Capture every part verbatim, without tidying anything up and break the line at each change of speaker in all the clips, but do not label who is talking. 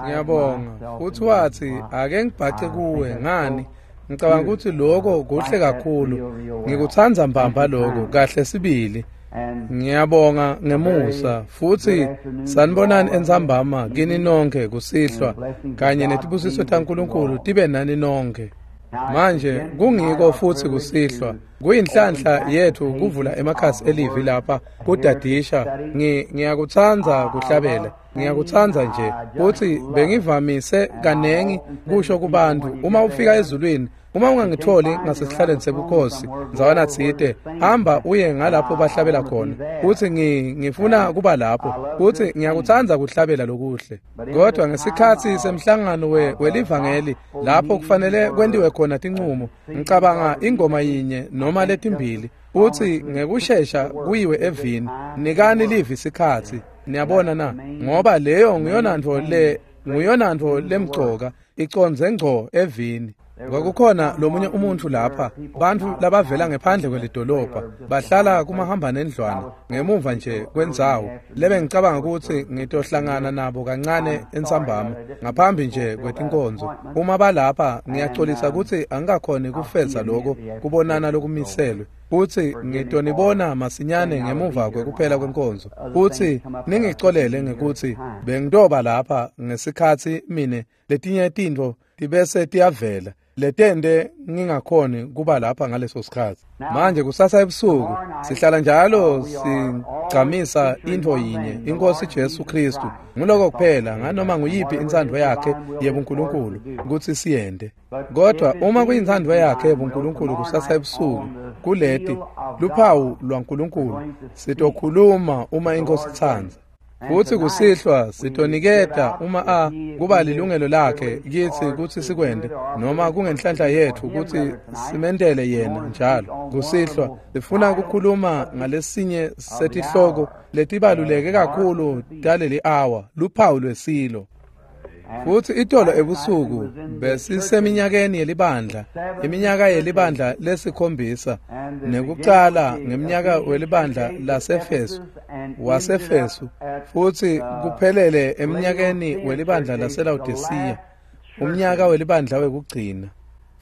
Ngiyabonga. Futhi wathi, ake ngibhace kuwe ngani? Ngicabanga ukuthi lokho kuhle kakhulu. Ngikuthanda mbamba lokho kahle sibili. Ngiyabonga ngemusa futhi sanibonani entsambama kini nonke kusihlwa kanye netibusiso taNkulunkulu tibe nani nonke. Manje kungiko futhi kusihlwa kuyinhlanhla yethu kuvula emakhasi elivi lapha kudadisha. Ngiyakuthanda kuhlabela, ngiyakuthanda nje futhi bengivamise kanengi kusho kubantu, uma ufika ezulwini, uma ungangitholi ngasesihlalweni sebukhosi ndzawana tsite, hamba uye ngalapho bahlabela khona. Futhi ngifuna kuba lapho futhi ngiyakuthanda kuhlabela lokuhle. Kodwa ngesikhathi semhlangano welivangeli lapho kufanele kwentiwe khona tincumo, ngicabanga ingoma yinye noma letimbili futhi ngekushesha kuyiwe evini. Nikani livi sikhathi, niyabona na, ngoba leyo nguyonantfo le nguyonantfo lemcoka, icondze ngco evini. Kwakukhona lomunye umuntu lapha, bantfu labavela ngephandle kwelidolobha, bahlala kumahamba nendlwana ngemuva nje kwendzawo lebe ngicabanga ukuthi ngitohlangana nabo kancane entsambama ngaphambi nje kwetinkonzo. Uma balapha ngiyaxolisa ukuthi angikakhoni kufeza lokho kubonana lokumiselwe, futhi ngitonibona masinyane ngemuva kwekuphela kwenkonzo. Futhi ningicolele ngekuthi bengitoba lapha ngesikhathi mine letinye tintfo tibese tiyavela letende ngingakhoni kuba lapha ngaleso sikhathi. Manje kusasa ebusuku sihlala njalo sigcamisa intfo yinye, iNkosi Jesu Kristu. Nguloko kuphela nganoma nguyiphi intsandvo yakhe yebuNkulunkulu kutsi siyente. Kodwa uma kuyintsandvo yakhe yebuNkulunkulu kusasa ebusuku kuleti luphawu lwaNkulunkulu sitokhuluma uma iNkosi itsandza. Futhi kusihlwa sitoniketa uma a kuba lilungelo lakhe kithi kutsi sikwente, noma kungenhlanhla yethu kutsi simentele yena njalo. Kusihlwa sifuna ukukhuluma ngalesinye setihloko letibaluleke kakhulu taleli hour, luphawu lwesilo. Futhi itolo ebusuku besiseminyakeni yelibandla, iminyaka yelibandla lesikhombisa, nekucala ngeminyaka welibandla laseFesu, waseFesu, futhi kuphelele eminyakeni welibandla laseLawodisiya, umnyaka welibandla wekugcina.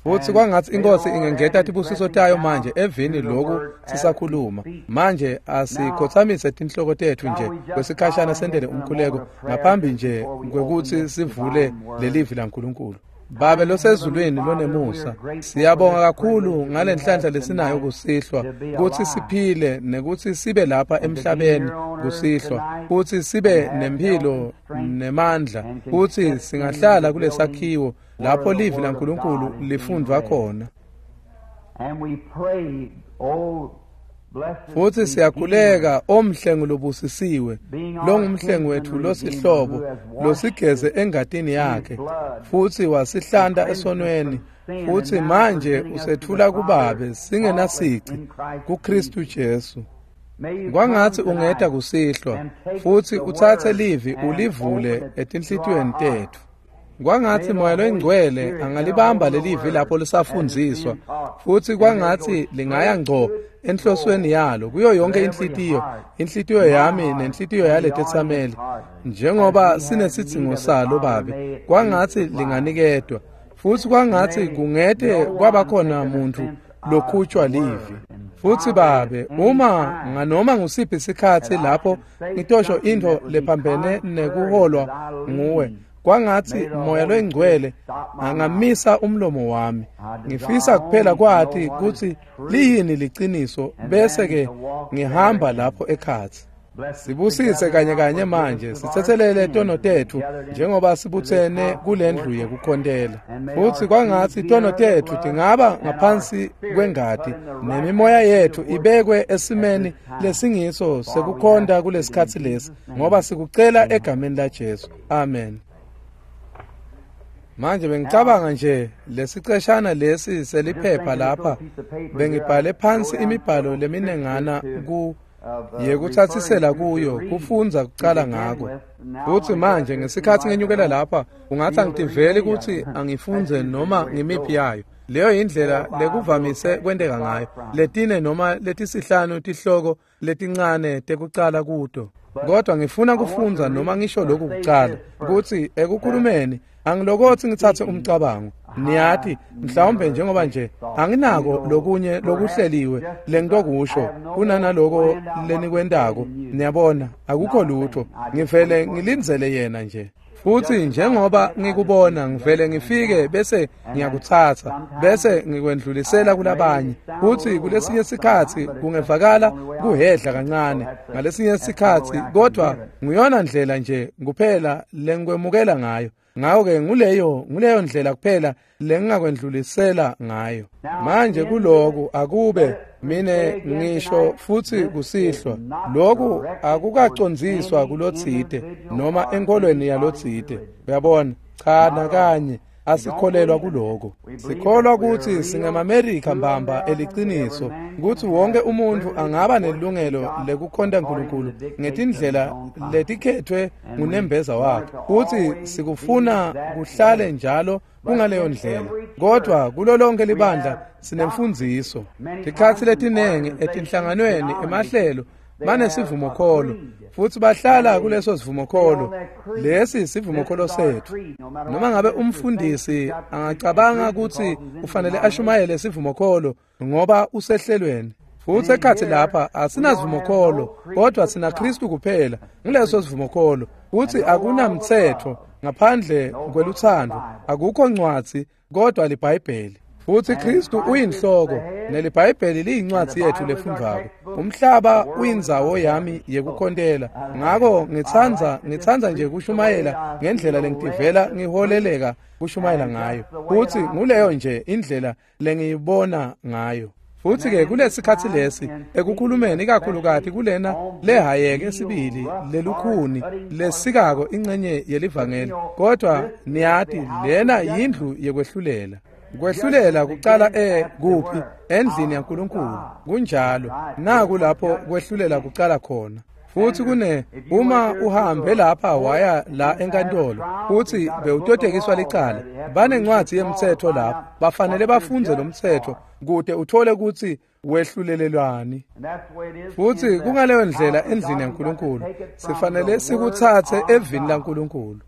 Futhi kwangathi iNkosi ingengeta tibusiso tayo manje evini loku sisakhuluma. Manje asikhothamise tinhloko tetfu nje kwesikhashana sentele umkhuleko ngaphambi nje kwekutsi sivule lelivi laNkulunkulu. Babe losezulwini lonemusa, siyabonga kakhulu ngalenhlanhla lesinayo kusihlwa kutsi siphile nekutsi sibe lapha emhlabeni kusihlwa, kutsi sibe nemphilo nemandla, kutsi singahlala kulesakhiwo lapho livi laNkulunkulu lifundvwa khona. Futhi siyakhuleka omhlengi lobusisiwe, longumhlengi wethu losihlobo, losigeze engatini yakhe, futhi wasihlanta esonweni, futhi manje usethula kuBabe singenasici kuKristu Jesu. Kwangathi ungeta kusihlwa futhi utsatse livi ulivule etinhlitiyweni tetfu. Kwangathi Moya loyiNgcwele angalibamba lelivi lapho lisafundziswa, futhi kwangathi lingaya ngco enhlosweni yalo kuyo yonke inhlitiyo, inhlitiyo yami nenhlitiyo yaletetsameli, njengoba sinesidzingo salo Babe. Kwangathi linganikedwa, futhi kwangathi kungete kwabakhona muntu lokhutshwa livi. Futhi Babe, uma nganoma ngusiphi isikhathi lapho ngitosho intfo lephambene nekuholwa nguwe, kwangathi Moya loyiNgcwele angamisa umlomo wami. Ngifisa kuphela kwati kutsi liyini liciniso, bese ke ngihamba lapho ekhatsi. Sibusise kanye kanye manje, sitsetselele tono tetfu njengoba sibutsene kulendlu yekukhontela. Futhi kwangathi tono tetfu tingaba ngaphansi kwengati, nemimoya yetfu ibekwe esimeni lesingiso sekukhonta kulesikhatsi lesi, ngoba sikucela egameni laJesu. Amen. Manje bengicabanga nje lesiceshana lesi seliphepha lapha, bengibhale phansi imibhalo leminengana ku yekuthathisela kuyo kufundza kucala ngako. Futhi manje ngesikhathi ngenyukela lapha, ungathi angitiveli ukuthi angifundze noma ngimiphi yayo. Leyo indlela lekuvamise kwenteka ngayo. Letine noma letisihlanu tihloko letincane tekucala kuto. Kodwa ngifuna kufundza noma ngisho lokhu kucala, kutsi ekukhulumeni angilokothi ngitsatse umcabango. Niyati mhlawumbe njengoba nje anginako lokunye lokuhleliwe lengitokusho kunanaloko lenikwentako. Niyabona, akukho lutho, ngivele ngilindzele yena nje. Futhi njengoba ngikubona ngivele ngifike bese ngiyakutsatsa bese ngikwendlulisela kulabanye. Futhi kulesinye sikhatsi kungevakala kuhedla kancane ngalesinye sikhatsi, kodwa nguyona ndlela nje kuphela lengikwemukela ngayo. Ngako-ke nguleyo nguleyo ndlela kuphela lengingakwendlulisela ngayo. Manje kuloku akube mine ngisho futhi kusihlwa, loku akukacondziswa kulotsite noma enkolweni yalotsite. Uyabona? Cha, nakanye asikholelwa kuloko. Sikholwa kutsi singemaMerika mbamba eliciniso, kutsi wonke umuntfu angaba nelungelo lekukhonta Nkulunkulu ngetindlela letikhethwe ngunembeza wakhe. Kutsi sikufuna kuhlale njalo kungaleyo ndlela. Kodwa kulo lonke libandla sinemfundziso. Tikhatsi letinengi etinhlanganweni emahlelo banesivumokholo, futhi bahlala kuleso sivumokholo. Lesi sivumokholo setfu. Noma ngabe umfundisi angacabanga kutsi ufanele ashumayele sivumokholo ngoba usehlelweni, futhi ekhatsi lapha asinasivumokholo, kodwa sina Kristu kuphela. Nguleso sivumokholo kutsi akunamtsetfo ngaphandle kwelutsandvo, akukho ncwadzi kodwa liBhayibheli. Futhi Kristu uyinhloko, neliBhayibheli liyincwadzi yetfu lefundvwako. Umhlaba uyindzawo yami yekukhontela. Ngako ngitsandza ngitsandza nje kushumayela ngendlela lengitivela ngiholeleka kushumayela ngayo. Futhi nguleyo nje indlela lengiyibona ngayo. Futhi-ke kulesikhatsi lesi ekukhulumeni ikakhulukati kulena lehayeke sibili lelukhuni lesikako ingcenye yelivangeli, kodwa niyati lena yindlu yekwehlulela. Kwehlulela kucala e kuphi? Endlini yaNkulunkulu. Kunjalo, naku lapho kwehlulela kucala khona. Futhi kune uma uhambe lapha waya la enkantolo futhi bewutotekiswa licala, banencwadzi yemtsetfo lapho, bafanele bafundze lo mtsetfo kute uthole kutsi wehlulelelwani. Futhi kungaleyo ndlela endlini yaNkulunkulu sifanele sikutsatse evini laNkulunkulu.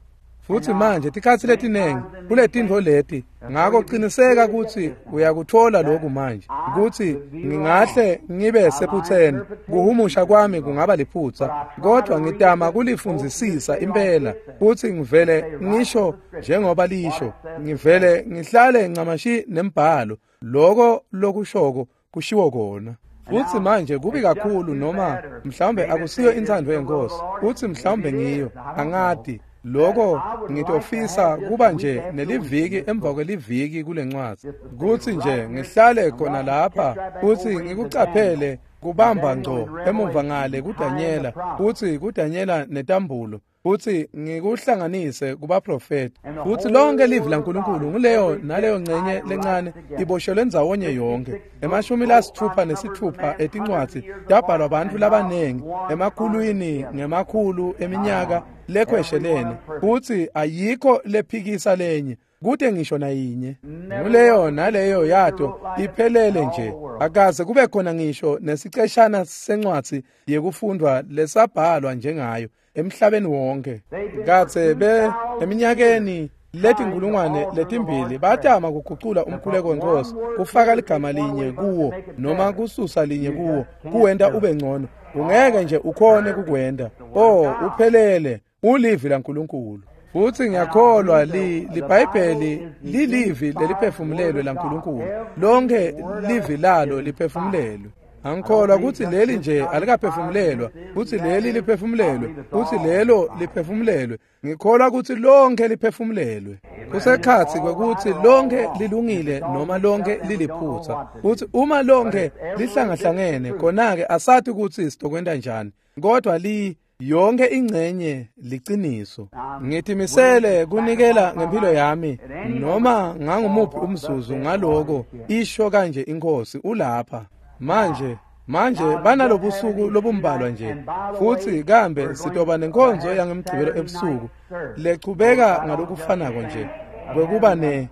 Futhi manje tikhatsi letinengi kuletintfo leti, ngako qiniseka kutsi uyakuthola lokhu manje, kutsi ngingahle ngibe sephutseni, kuhumusha kwami kungaba liphutsa, kodwa ngitama kulifundzisisa impela, futhi ngivele ngisho njengoba lisho, ngivele ngihlale ncamashi nembhalo, loko lokushoko kushiwo kona. Futhi manje kubi kakhulu, noma mhlawumbe akusiyo intsandvo yenkosi, futhi mhlawumbe ngiyo, angati. Loko ngitofisa kuba nje neliviki emva kweliviki kulencwadzi, kutsi nje ngihlale khona lapha futhi ngikucaphele kubamba ngco emuva ngale kuDanyela, futhi kuDanyela netambulo, futhi ngikuhlanganise kubaprofeti. Futhi lonke livi laNkulunkulu nguleyo naleyo ngcenye lencane iboshelwe ndzawonye yonke. Emashumi lasitfupha nesitfupha etincwadzi tabhalwa bantfu labanengi emakhulwini ngemakhulu eminyaka lekhweshelene, futhi ayikho lephikisa lenye, kute ngisho nayinye. Nguleyo naleyo yato iphelele nje, akaze kube khona ngisho nesiceshana sencwadzi yekufundwa lesabhalwa njengayo emhlabeni wonke. Katse be eminyakeni letinkulungwane letimbili batama kugucula umkhuleko wenkosi, kufaka ligama linye kuwo noma kususa linye kuwo, kuwenta ube ngcono. Ungeke nje ukhone kukwenta. Oh, uphelele, ulivi laNkulunkulu. Futhi ngiyakholwa li liBhayibheli lilivi leliphefumulelwe laNkulunkulu. Lonke livi lalo liphefumulelwe. Angikholwa kutsi leli nje alikaphefumulelwa, kutsi leli liphefumulelwe, kutsi lelo liphefumulelwe. Ngikholwa kutsi lonke liphefumulelwe. Kusekhatsi kwekutsi lonke lilungile noma lonke liliphutsa. Kutsi uma lonke lihlangahlangene, khona-ke asati kutsi sitokwenta njani, kodwa li yonke ingcenye liciniso. Ngitimisele kunikela ngempilo yami noma ngangumuphi umzuzu ngaloko, isho kanje inkosi ulapha. Manje manje banalobusuku lobumbalwa nje, futhi kambe sitoba nenkonzo yangemgcibelo ebusuku lechubeka ngalokufanako nje kwekuba ne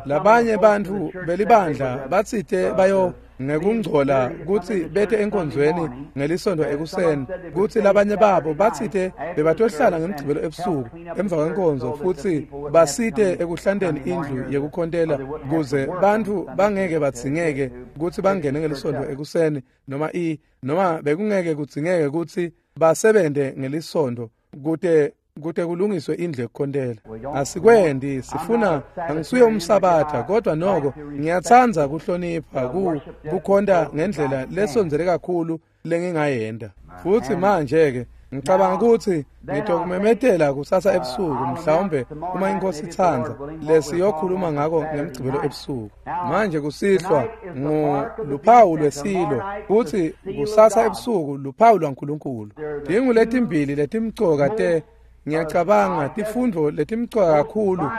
labanye bantfu belibandla batsite bayo ngekungcola kutsi bete enkonzweni ngelisondo ekuseni, kutsi labanye babo batsite bebatohlala ngemgcibelo ebusuku emva kwenkonzo futsi basite ekuhlanteni indlu yekukhontela kuze bantfu bangeke badzingeke kutsi bangene ngelisondo ekuseni noma i noma bekungeke kudzingeke kutsi basebente ngelisondo kute kute kulungiswe indlu yekukhontela. Asikwendi sifuna angisuye umsabatha, kodwa noko ngiyatsandza kuhlonipha ku kukhonta ngendlela lesondzele kakhulu lengingayenta. Futsi manje ke ngicabanga kutsi ngitokumemetela kusasa ebusuku, mhlawumbe uma inkosi itsandza, lesiyokhuluma ngako ngemgcibelo ebusuku. Manje kusihlwa nguluphawu lwesilo, kutsi kusasa ebusuku luphawu lwaNkulunkulu. Tingu letimbili letimcoka te ngiyacabanga tifundvo letimcoka kakhulu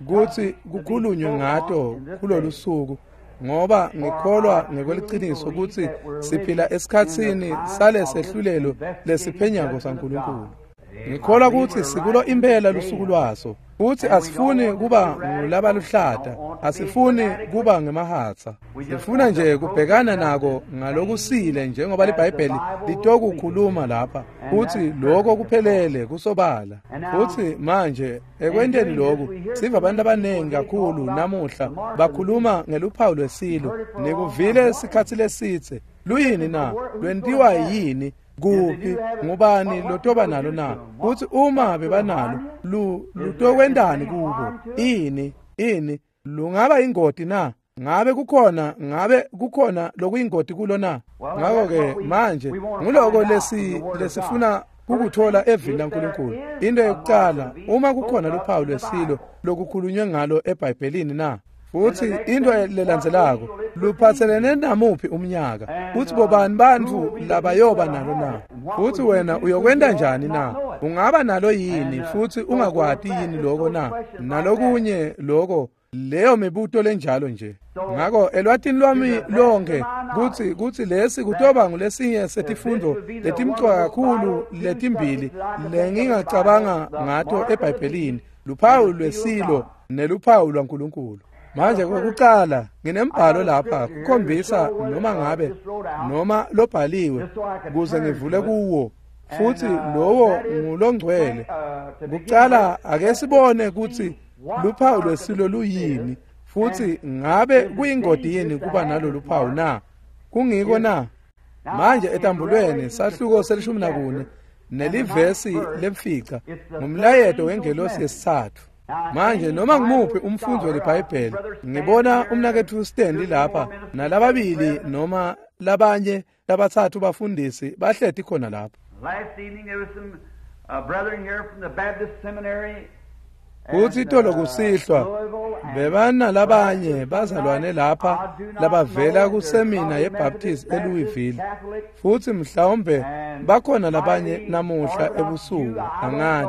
kutsi kukhulunywe ngato kulolu suku, ngoba ngikholwa ngekweliciniso kutsi siphila esikhatsini salesehlulelo lesiphenyako saNkulunkulu. Ngikholwa kutsi sikulo impela lusuku lwaso, kutsi asifuni kuba ngulabaluhlata, asifuni kuba ngemahatsa. Sifuna nje kubhekana nako ngalokusile njengoba liBhayibheli litokukhuluma lapha, kutsi lokho kuphelele kusobala. Futsi manje ekwenteni lokhu siva abantu abaningi kakhulu namuhla bakhuluma ngeluphawu lwesilo. Nikuvile sikhatsi lesitse. Luyini na? Lwentiwa yini? Kuphi? Ngubani lotoba nalo na? Kutsi uma bebanalo lu lutokwentani kubo? Ini ini lungaba ingoti na? Ngabe kukhona ngabe kukhona lokuyingoti kulo na? Ngakho ke manje nguloko lesi lesifuna ukuthola evini laNkulunkulu. Into yokuqala, uma kukhona luphawu lwesilo lokukhulunywe ngalo eBhayibhelini na? Futsi into lelandzelako, luphatselene namuphi umnyaka? Kutsi bobani bantfu labayoba nalo na? Futsi wena uyokwenta njani na? Ungaba nalo yini futsi ungakwati yini lokho na? Nalokunye lokho, leyo mibuto lenjalo nje. Ngako elwatini lwami lonke kutsi kutsi lesi kutoba ngulesinye setifundvo letimcoka kakhulu letimbili lengingacabanga ngato eBhayibhelini, luphawu lwesilo neluphawu lwaNkulunkulu. Manje kokuqala nginembhalo lapha kukhombisa noma ngabe noma lobhaliwe kuze ngivule kuwo, futsi lowo ngulongcwele. Kuqala ake sibone kutsi luphawu lwesilo luyini, futhi ngabe kuyingoti yini kuba nalolu phawu na? Kungiko na? Manje etambulweni sahluko selishumi nakune nelivesi lemfica ngumlayeto wengelosi yesithathu. Manje noma ngimuphi umfundi weliBhayibheli, ngibona umnaketfu Stanley lapha nalababili noma labanye labatsatfu bafundisi bahleti khona lapha.
Last evening there was some uh, brethren here from the Baptist Seminary.
Kutsi itolo kusihlwa bebana labanye bazalwane lapha labavela kusemina yeBaptist eLouisville, futsi mhlawumbe bakhona labanye namuhla ebusuku, angati.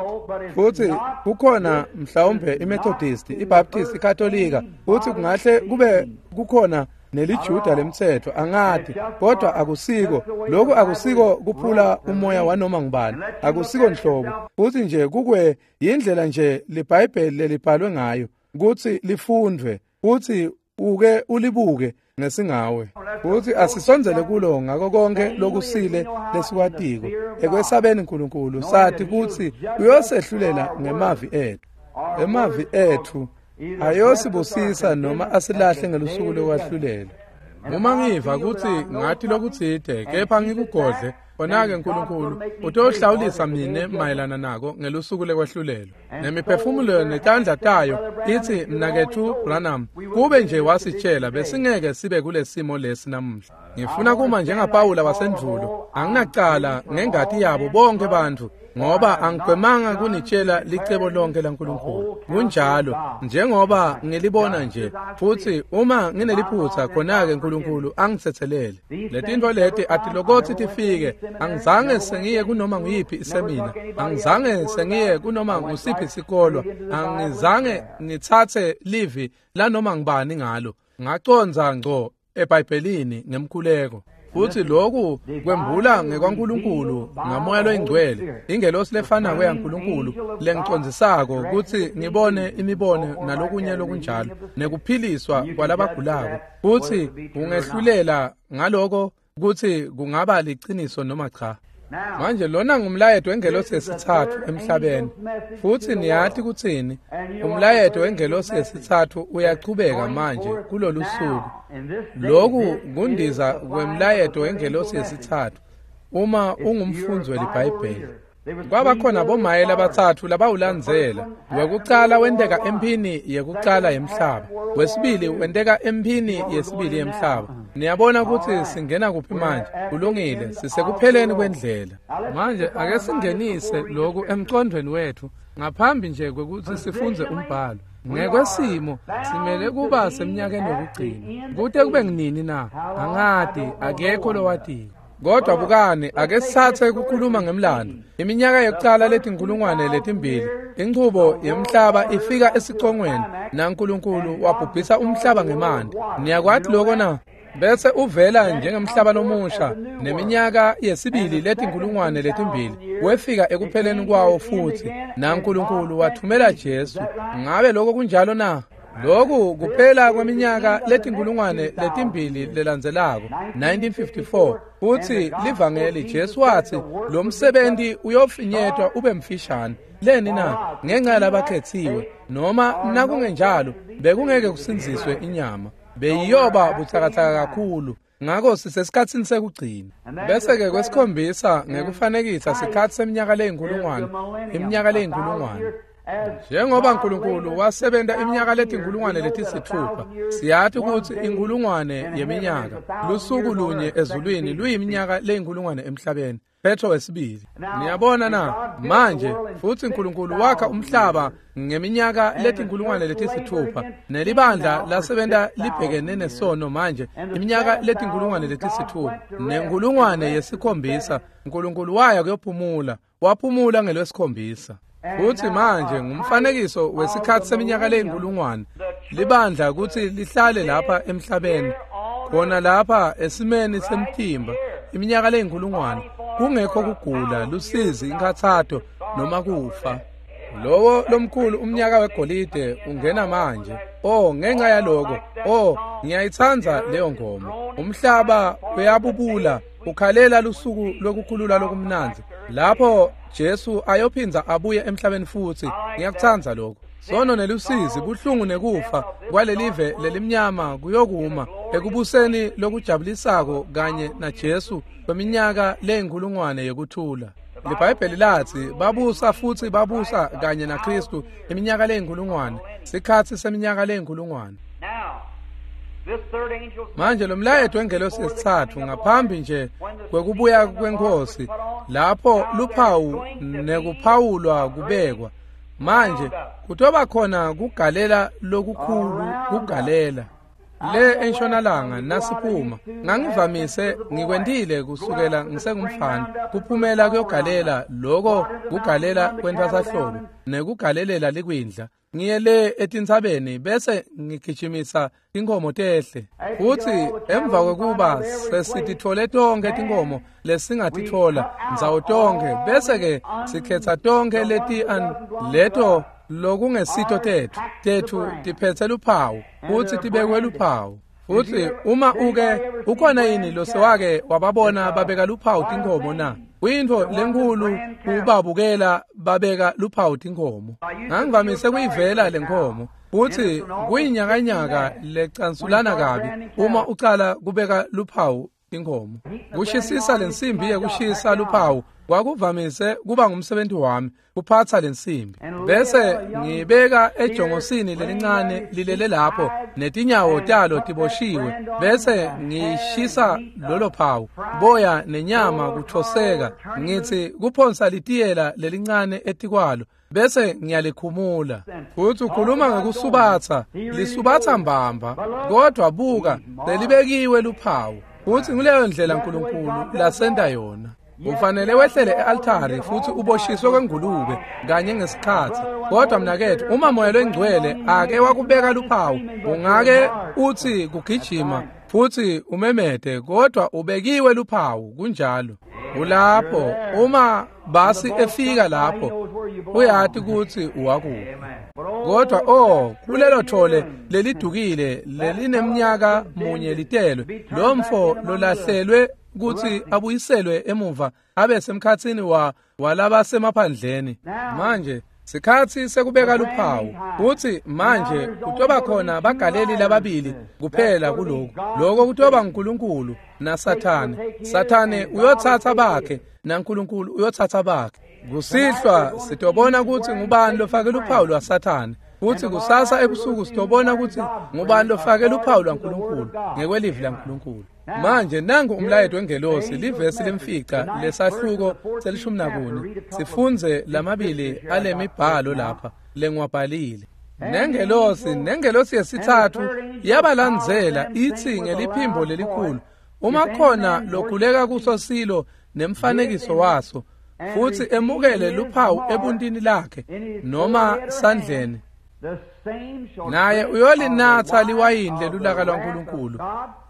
Futsi kukhona mhlawumbe iMethodist, iBaptist, iKatolika, futsi kungahle kube kukhona neliJuda lemtsetfo, angati. Kodwa akusiko lokhu, akusiko kuphula umoya wanoma ngubani, akusiko nhlobo. Futsi nje kukwe yindlela nje liBhayibheli lelibhalwe ngayo kutsi lifundvwe, kutsi uke ulibuke ngesingawe. Futsi asisondzele kulo ngako konke lokusile lesikwatiko ekwesabeni uNkulunkulu, sathi kutsi uyosehlulela ngemavi ethu. Emavi ethu ayosibusisa noma asilahle ngelusuku lokwahlulela. Uma ngiva kutsi ngathi lokutsite kepha ngikugodle, khona-ke uNkulunkulu utohlawulisa mine mayelana nako ngelusuku lekwahlulelwa. Nemiphefumulo netandla tayo itsi, mnaketfu Branham, kube nje wasitshela besingeke sibe kulesimo lesi namuhla. Ngifuna kuma njengaPawula wasendvulo, anginacala ngengati yabo bonke bantfu, ngoba angigwemanga kunitshela licebo lonke laNkulunkulu. Kunjalo njengoba ngilibona nje, futsi uma ngineliphutsa khona-ke uNkulunkulu angitsetselele. Letintfo leti atilokotsi tifike. Angizange sengiye kunoma nguyiphi isemina, angizange sengiye kunoma ngusiphi sikolwa, angizange ngitsatse livi lanoma ngubani ngalo. Ngacondza ngco eBhayibhelini ngemkhuleko. Futhi lokhu kwembula ngekwaNkulunkulu ngaMoya loyiNgcwele, ingelosi lefanako yaNkulunkulu lengicondzisako kutsi ngibone imibono nalokunye lokunjalo nekuphiliswa kwalabagulako, futsi ungehlulela ngaloko kutsi kungaba liciniso noma cha. Manje lona ngumlayeto wengelosi yesitsatfu emhlabeni, futsi niyati kutsini? Umlayeto wengelosi yesitsatfu uyachubeka manje kulolu suku. Lokhu kundiza kwemlayeto wengelosi yesitsatfu uma ungumfundzi weliBhayibheli. Kwaba khona bomaye labatsatfu labawulandzela. Wekucala wenteka emphini yekucala yemhlaba, wesibili wenteka emphini yesibili yemhlaba. Niyabona kutsi singena kuphi manje? Kulungile, sisekupheleni kwendlela. Manje ake singenise lokhu emcondvweni wethu ngaphambi nje kwekutsi sifundze umbhalo. Ngekwesimo simele kuba semnyakeni wokugcina. Kute kube nginini na? Angati, akekho lowatiko. Kodwa bukani, ake sithathe ukukhuluma ngemlando. Iminyaka yokucala letinkulungwane letimbili, inchubo yemhlaba ifika esicongweni, naNkulunkulu wabhubhisa umhlaba ngemanti. Niyakwati lokho na? Bese uvela njengemhlaba lomusha neminyaka yesibili letinkulungwane letimbili wefika ekupheleni kwawo futhi, naNkulunkulu wathumela Jesu. Ngabe lokho kunjalo na? Lokhu kuphela kweminyaka letinkulungwane letimbili lelandzelako, nineteen fifty-four, futhi livangeli Jesu wathi lo msebenzi uyofinyetwa ube mfishane. Leni na? Ngenxa yalabakhethiwe, noma nakungenjalo bekungeke kusindziswe inyama, beyiyoba butsakatsaka kakhulu. Ngakho sisesikhatsini sekugcina. Bese-ke kwesikhombisa ngekufanekisa sikhatsi seminyaka leyinkulungwane, iminyaka leyinkulungwane. Njengoba uNkulunkulu wasebenta iminyaka letinkulungwane letisithupha, siyati kutsi inkulungwane yeminyaka lusuku lunye ezulwini luyiminyaka leyinkulungwane emhlabeni. Petro wesibili. Niyabona na? Manje futhi uNkulunkulu wakha umhlaba ngeminyaka letinkulungwane letisithupha, nelibandla lasebenta libhekene nesono manje iminyaka letinkulungwane letisithupha, nenkulungwane yesikhombisa uNkulunkulu waya kuyophumula, waphumula ngelwesikhombisa. Futhi manje ngumfanekiso wesikhathi seminyaka leyinkulungwane, libandla kutsi lihlale lapha emhlabeni, khona lapha esimeni semtimba iminyaka leyinkulungwane, kungekho kugula, lusizi, inkhathato noma kufa. Lowo lomkhulu umnyaka wegolide ungena manje. Oh, ngenxa yaloko, oh, ngiyayitsandza leyo ngoma. Umhlaba uyabubula, ukhalela lusuku lokukhulula lokumnandzi lapho Jesu ayophinza abuye emhlabeni futhi. Ngiyakutsandza lokho. Sono nelusizi, buhlungu nekufa kwalelive lelimnyama kuyokuma ekubuseni lokujabulisako kanye naJesu kweminyaka leyinkulungwane yekuthula. LiBhayibheli lathi babusa futhi babusa kanye naKristu iminyaka leyinkulungwane, sikhatsi seminyaka leyinkulungwane. Manje lo mlayeto wengelosi yesitsatfu ngaphambi nje kwekubuya kweNkhosi, lapho luphawu nekuphawulwa kubekwa. Manje kutoba khona kugalela lokukhulu, kugalela le entshonalanga nasiphuma. Ngangivamise ngikwentile kusukela ngisengumfana, kuphumela kuyogalela loko kugalela kwentfwasahlobo nekugalelela likwindla. Ngiye le etintsabeni bese ngigijimisa tinkhomo tehle, futhi emva kwekuba sesitithole tonke tinkhomo lesingatithola ndzawo tonke, bese-ke sikhetsa tonke leti leto lokungesito tethu tethu tiphethe luphawu futhi tibekwe luphawu. Futhi uma uke ukhona yini losewake wababona babeka luphawu tinkhomo na? Kuyintfo lenkhulu kubabukela babeka luphawu tinkhomo. Ngangivamise kuyivela lenkhomo futhi kuyinyakanyaka lecansulana kabi uma ucala kubeka luphawu tinkhomo. Kushisisa lensimbi yekushisa luphawu kwakuvamise kuba ngumsebenzi wami, kuphatsa lensimbi bese ngibeka ejongosini lelincane lilele lapho netinyawo talo tiboshiwe, bese ngishisa lolo phawu, boya nenyama kuthoseka, ngithi kuphonsa litiyela lelincane etikwalo bese ngiyalikhumula. Futhi ukhuluma ngekusubatha, lisubatha mbamba, kodwa buka lelibekiwe luphawu. Futhi nguleyo ndlela uNkulunkulu lasenta yona. Ufanele wehlele e-altari futhi uboshiswe kwengulube kanye ngesikhathi. Kodwa mnakethu, uma Moya loyiNgcwele ake wakubeka luphawu, ungake uthi kugijima Futhi umemete kodwa ubekiwe luphawu kunjalo. Ulapho uma basi efika lapho uyati ukuthi uwakuphi. Kodwa oh kulelo thole lelidukile lelineminyaka munye litelwe lo mfo lolahlelwe ukuthi abuyiselwe emuva abe semkhatsini wa walabasemaphandleni. Manje sikhathi sekubeka luphawu uthi manje kutoba khona bagaleli lababili kuphela kuloko. Lokho kutoba uNkulunkulu naSathane. Sathane uyothatha bakhe naNkulunkulu uyothatha bakhe. Kusihlwa sitobona ukuthi ngubani lofake luphawu lwaSathane. Futhi kusasa ebusuku sitobona ukuthi ngubani lofake luphawu lwaNkulunkulu ngekwelivi laNkulunkulu. Manje nangu umlayeto wengelosi livesi lemfica lesahluko selishumi nakune. Sifunze lamabili alemibhalo lapha lengiwabhalile. Nengelosi nengelosi yesithathu yabalandzela ithi ngeliphimbo lelikhulu, uma khona lokhuleka kuso silo nemfanekiso waso futhi emukele luphawu ebuntini lakhe noma sandleni, naye uyolinatha liwayini lelulaka lwaNkulunkulu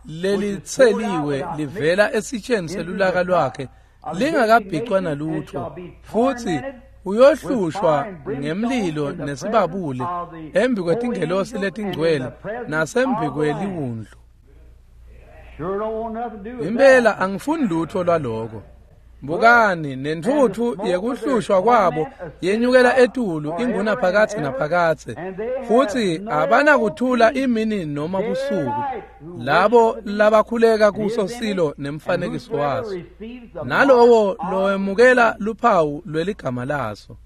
lelitseliwe livela esitsheni selulaka lwakhe lingakabhicwa nalutho, futhi uyohlushwa ngemlilo nesibabule embi kwetingelosi letingcwele nasembi kweliwundlu. Impela angifuni lutho lwaloko. Bukani nentuthu yekuhlushwa kwabo yenyukela etulu inguna phakathi naphakathe, futhi abanakuthula imini noma busuku labo labakhuleka kuso silo nemfanekiso waso nalowo lowemukela luphawu lweligama laso.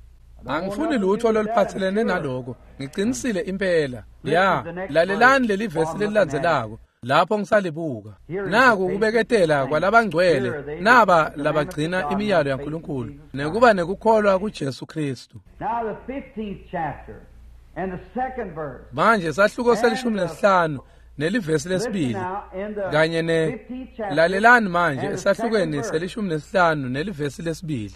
Angifuni lutho loluphathelene naloko, ngiqinisile impela. Ya, lalelani leli vesi lelilandzelako lapho ngisalibuka. Naku kubeketela kwalabangcwele naba labagcina imiyalo yaNkulunkulu nekuba nekukholwa kuJesu Kristu. Manje sahluko selishumi nesihlanu nelivesi lesibili kanye ne lalelani manje esahlukweni selishumi nesihlanu nelivesi lesibili.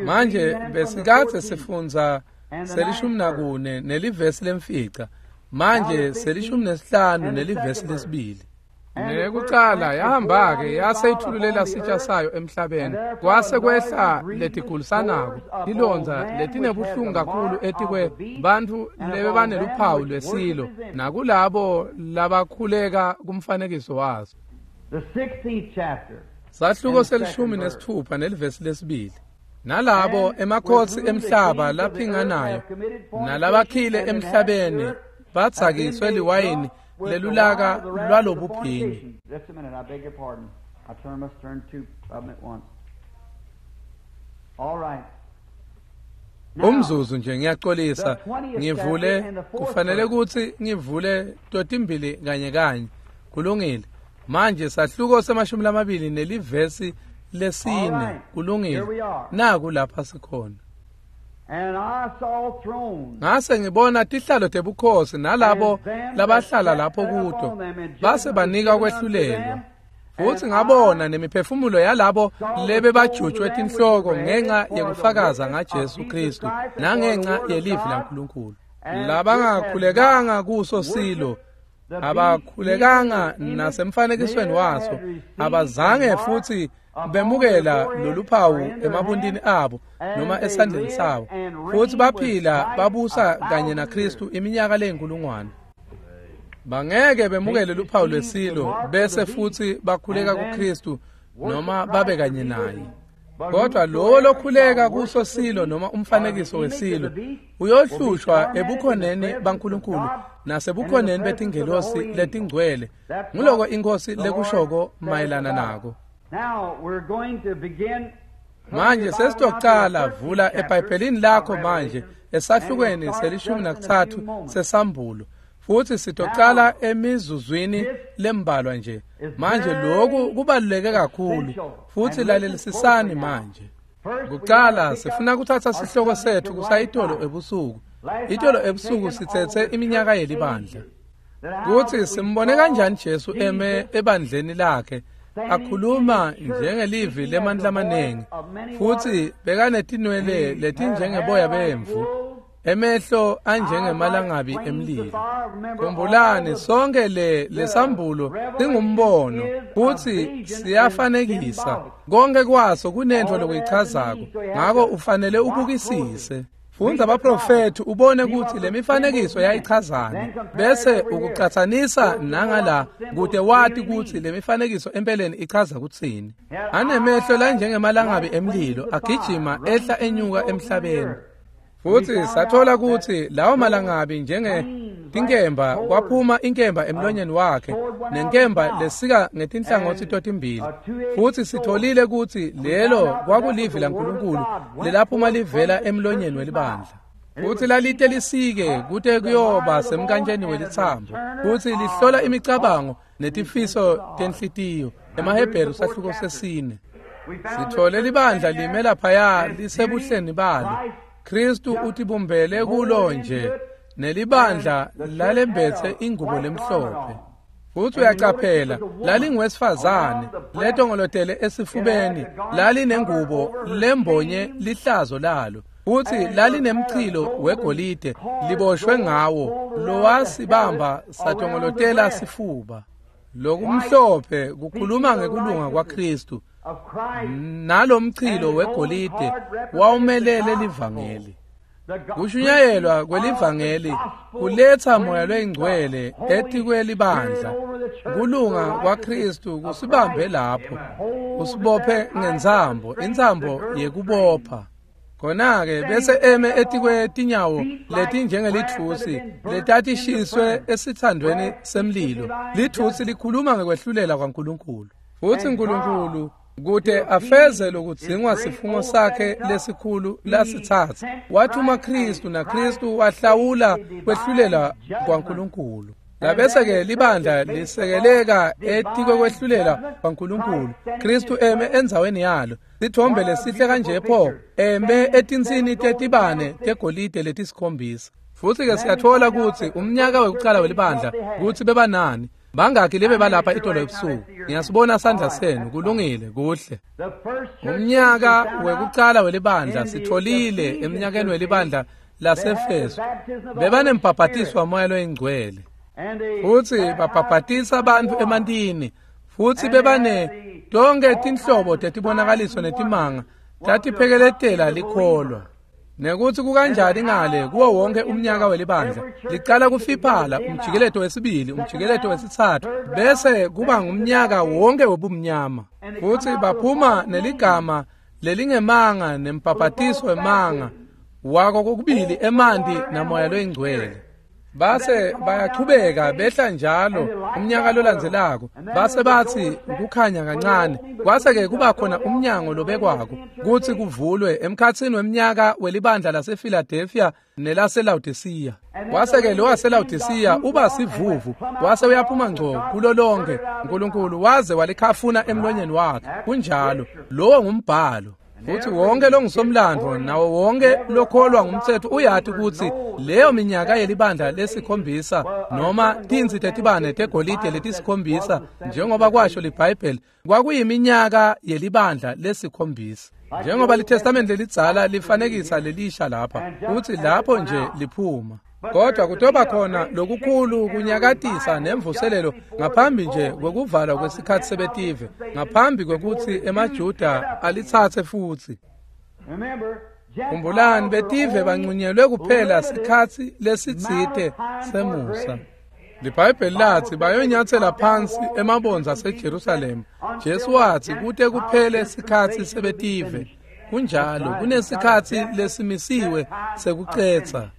Manje besikade sifundza selishumi nakune nelivesi lemfica. Manje selishumi nesihlanu nelivesi lesibili. Nekucala yahamba ke yase ithululela sitsha sayo emhlabeni, kwase kwehla letigulisanako tilondza letinebuhlungu kakhulu etikwe bantfu lebebaneluphawu lwesilo nakulabo labakhuleka kumfanekiso waso. Sahluko selishumi nesithupha nelivesi lesibili. Nalabo emakhosi emhlaba laphinganayo nalabakhile emhlabeni batsakiswe liwayini lelulaka lwalobuphingi.
Just a minute, I beg your pardon. I turn, must turn two of them at once. All right.
Umzuzu nje ngiyaxolisa ngivule kufanele ukuthi ngivule totimbili kanye kanye. Kulungile. Manje sahluko semashumi lamabili nelivesi lesine. Kulungile. Naku lapha sikhona.
And I saw thrones.
Ngase ngibona tihlalo tebukhosi nalabo labahlala lapho kuto base banika kwehlulelwa. Futhi ngabona nemiphefumulo yalabo lebebajutshwe tinhloko ngenxa yekufakaza ngaJesu Kristu nangenxa yelivi laNkulunkulu. Labangakhulekanga kuso silo abakhulekanga nasemfanekisweni waso, abazange futhi bemukela loluphawu emabuntini abo noma esandleni sabo, futhi baphila babusa kanye naKristu iminyaka leyinkulungwane. Bangeke bemukele luphawu lwesilo bese futhi bakhuleka kuKristu noma babe kanye naye. Kodwa lowo lokhuleka kuso silo noma umfanekiso wesilo uyohlushwa ebukhoneni baNkulunkulu nasebukhoneni betingelosi letingcwele. Nguloko inkosi lekushoko mayelana nako.
Now we're going to begin.
Manje sesitocala vula eBhayibhelini lakho manje esahlukweni selishumi nakutsatfu sesambulo, futhi sitocala emizuzwini lembalwa nje. Manje lokhu kubaluleke kakhulu futhi lalelisisani manje. Kucala sifuna kuthatha sihloko sethu kusayitolo ebusuku. Itolo ebusuku sithethe iminyaka yelibandla. Kuthi simbone kanjani Jesu eme ebandleni lakhe akhuluma njengelivi lemandla amanengi, futhi bekanetinwele letinjengeboya bemvu, Emehlo anjengemalangabi emlilo. Khumbulani sonke le lesambulo singumbono futhi siyafanekisa. Konke kwaso kunento lokuyichazako. Ngako ufanele ubukisise. Fundza abaprofethi ubone ukuthi lemifanekiso yayichazana bese ukucathanisa nangala kude wati ukuthi lemifanekiso empeleni ichaza kutsini. Anemehlo lanjengemalangabi emlilo agijima ehla enyuka emhlabeni. Futhi sathola ukuthi lawo malangabi njenge tinkemba kwaphuma inkemba emlonyeni wakhe nenkemba lesika ngetinhlangothi totimbili. Futhi sitholile ukuthi lelo kwakulivi laNkulunkulu lelaphuma livela emlonyeni welibandla. Futhi lalite lisike kute kuyoba semkantsheni welitsambo. Futhi lihlola imicabango netifiso tenhlitiyo. EmaHebheru sahluko sesine. Sithole libandla lime laphaya lisebuhleni balo. Kristu utibumbele kulo nje nelibandla lalembethe ingubo lemhlophe. Futhi uyacaphela lalingwesifazane letongolotele esifubeni lalinengubo lembonye lihlazo lalo. Futhi lalinemchilo wegolide liboshwe ngawo lowasibamba satongolotela sifuba. Lokumhlophe kukhuluma ngekulunga kwaKristu. Nalomchilo wegolide wawumelele livangeli. Kushunyayelwa kwelivangeli kuletha moya loyingcwele etikwelibandla. Kulunga kwaKristu kusibambe lapho, usibophe ngentsambo, intsambo yekubopha. Khona-ke bese eme etikwetinyawo letinjengelitfusi letatishiswe esithandweni semlilo. Litfusi likhuluma ngekwehlulela kwaNkulunkulu. Futhi uNkulunkulu kute afeze lokudzingwa sifungo sakhe lesikhulu lasithatha wathuma Kristu naKristu wahlawula kwehlulela kwaNkulunkulu. Labese-ke libandla lisekeleka etikwekwehlulela kwaNkulunkulu. Kristu eme endzaweni yalo. Sithombe lesihle kanje pho eme etinsini tetibane tegolide letisikhombisa. Futhi-ke siyathola ukuthi umnyaka wekucala welibandla kutsi bebanani. Bangaki lebe balapha itolo ebusuku. Ngiyasibona sandla senu. Kulungile, kuhle. Umnyaka wekucala welibandla sitholile emnyakeni welibandla laseEfeso bebanembhabhatiso wamoya loyingcwele. Futhi babhabhatisa abantu emantini. Futhi bebane tonke tinhlobo tetibonakaliso netimanga tatiphekeletela likholwa. Nekuthi kukanjani ngale kuwo wonke umnyaka welibandla licala kufiphala umjikeleto wesibili, umjikeleto wesithathu, bese kuba ngumnyaka wonke wobumnyama. Futhi baphuma neligama lelingemanga nembhabhatiso wemanga wako kokubili emanti namoya loyingcwele. Base bayachubeka behla njalo umnyaka lolandzelako. Base bathi ukukhanya kancane. Kwase-ke kuba khona umnyango lobekwako kuthi kuvulwe emkhatsini weminyaka welibandla lasePhiladelphia nelaseLaodicea. Kwase-ke lo waseLaodicea uba sivuvu wase uyaphuma ngco kulo lonke. uNkulunkulu waze walikhafuna emlonyeni wakhe. Kunjalo, lowo ngumbhalo. Futhi wonke longusomlando nawo wonke lokholwa ngumthetho uyati ukuthi leyo minyaka yelibandla lesikhombisa noma tinsi tetibane tegolide letisikhombisa njengoba kwasho liBhayibheli kwakuyiminyaka yelibandla lesikhombisa. Njengoba liTestamente lelidzala lifanekisa lelisha lapha, futhi lapho nje liphuma. Kodwa kutoba khona lokukhulu kunyakatisa nemvuselelo ngaphambi nje kwekuvalwa kwesikhathi sebetive, ngaphambi kwekuthi emaJuda alitsatse futhi. Khumbulani betive bancunyelwe kuphela sikhatsi lesitsite semusa. LiBhayibheli lathi bayonyathela phansi emabondza aseJerusalema. Jesu wathi kute kuphele sikhatsi sebetive. Kunjalo, kunesikhatsi lesimisiwe sekucetsa.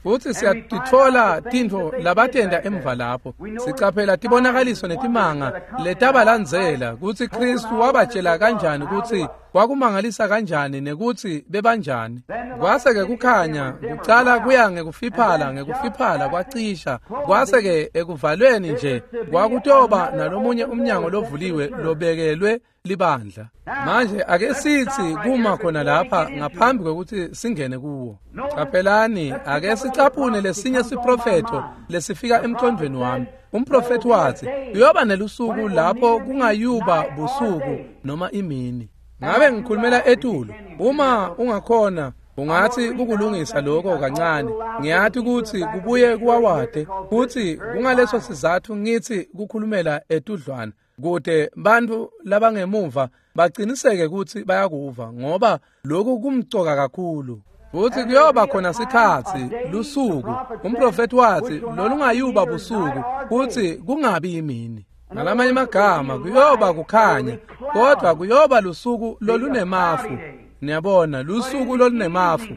Futhi siyatitfola tintfo labatenda emva lapho. Sicaphela tibonakaliso netimanga letabalandzela kutsi Kristu wabatshela kanjani kutsi kwakumangalisa kanjani nekutsi bebanjani. Kwase-ke kukhanya kucala kuya ngekufiphala ngekufiphala kwacisha. Kwase-ke ekuvalweni nje kwakutoba nalomunye umnyango lovuliwe lobekelwe libandla. Manje ake sithi kuma khona lapha ngaphambi kwekuthi singene kuwo. Caphelani, ake sicaphune lesinye siprofetho lesifika emqondweni wami. Umprofethi wathi kuyoba nelusuku lapho kungayuba busuku noma imini. Ngabe ngikhulumela etulu? Uma ungakhona Ungathi kukulungisa lokho kancane. Ngiyathi ukuthi kubuye kuwawade futhi kungaleso sizathu ngithi kukhulumela etudlwana kude bantu labangemuva baqiniseke ukuthi bayakuva ngoba lokhu kumcoka kakhulu. Futhi kuyoba khona sikhathi lusuku umprofeti wathi lolungayuba busuku futhi kungabi yimini. Ngalamanye amagama kuyoba kukhanya kodwa kuyoba lusuku lolunemafu. Niyabona lusuku lolunemafu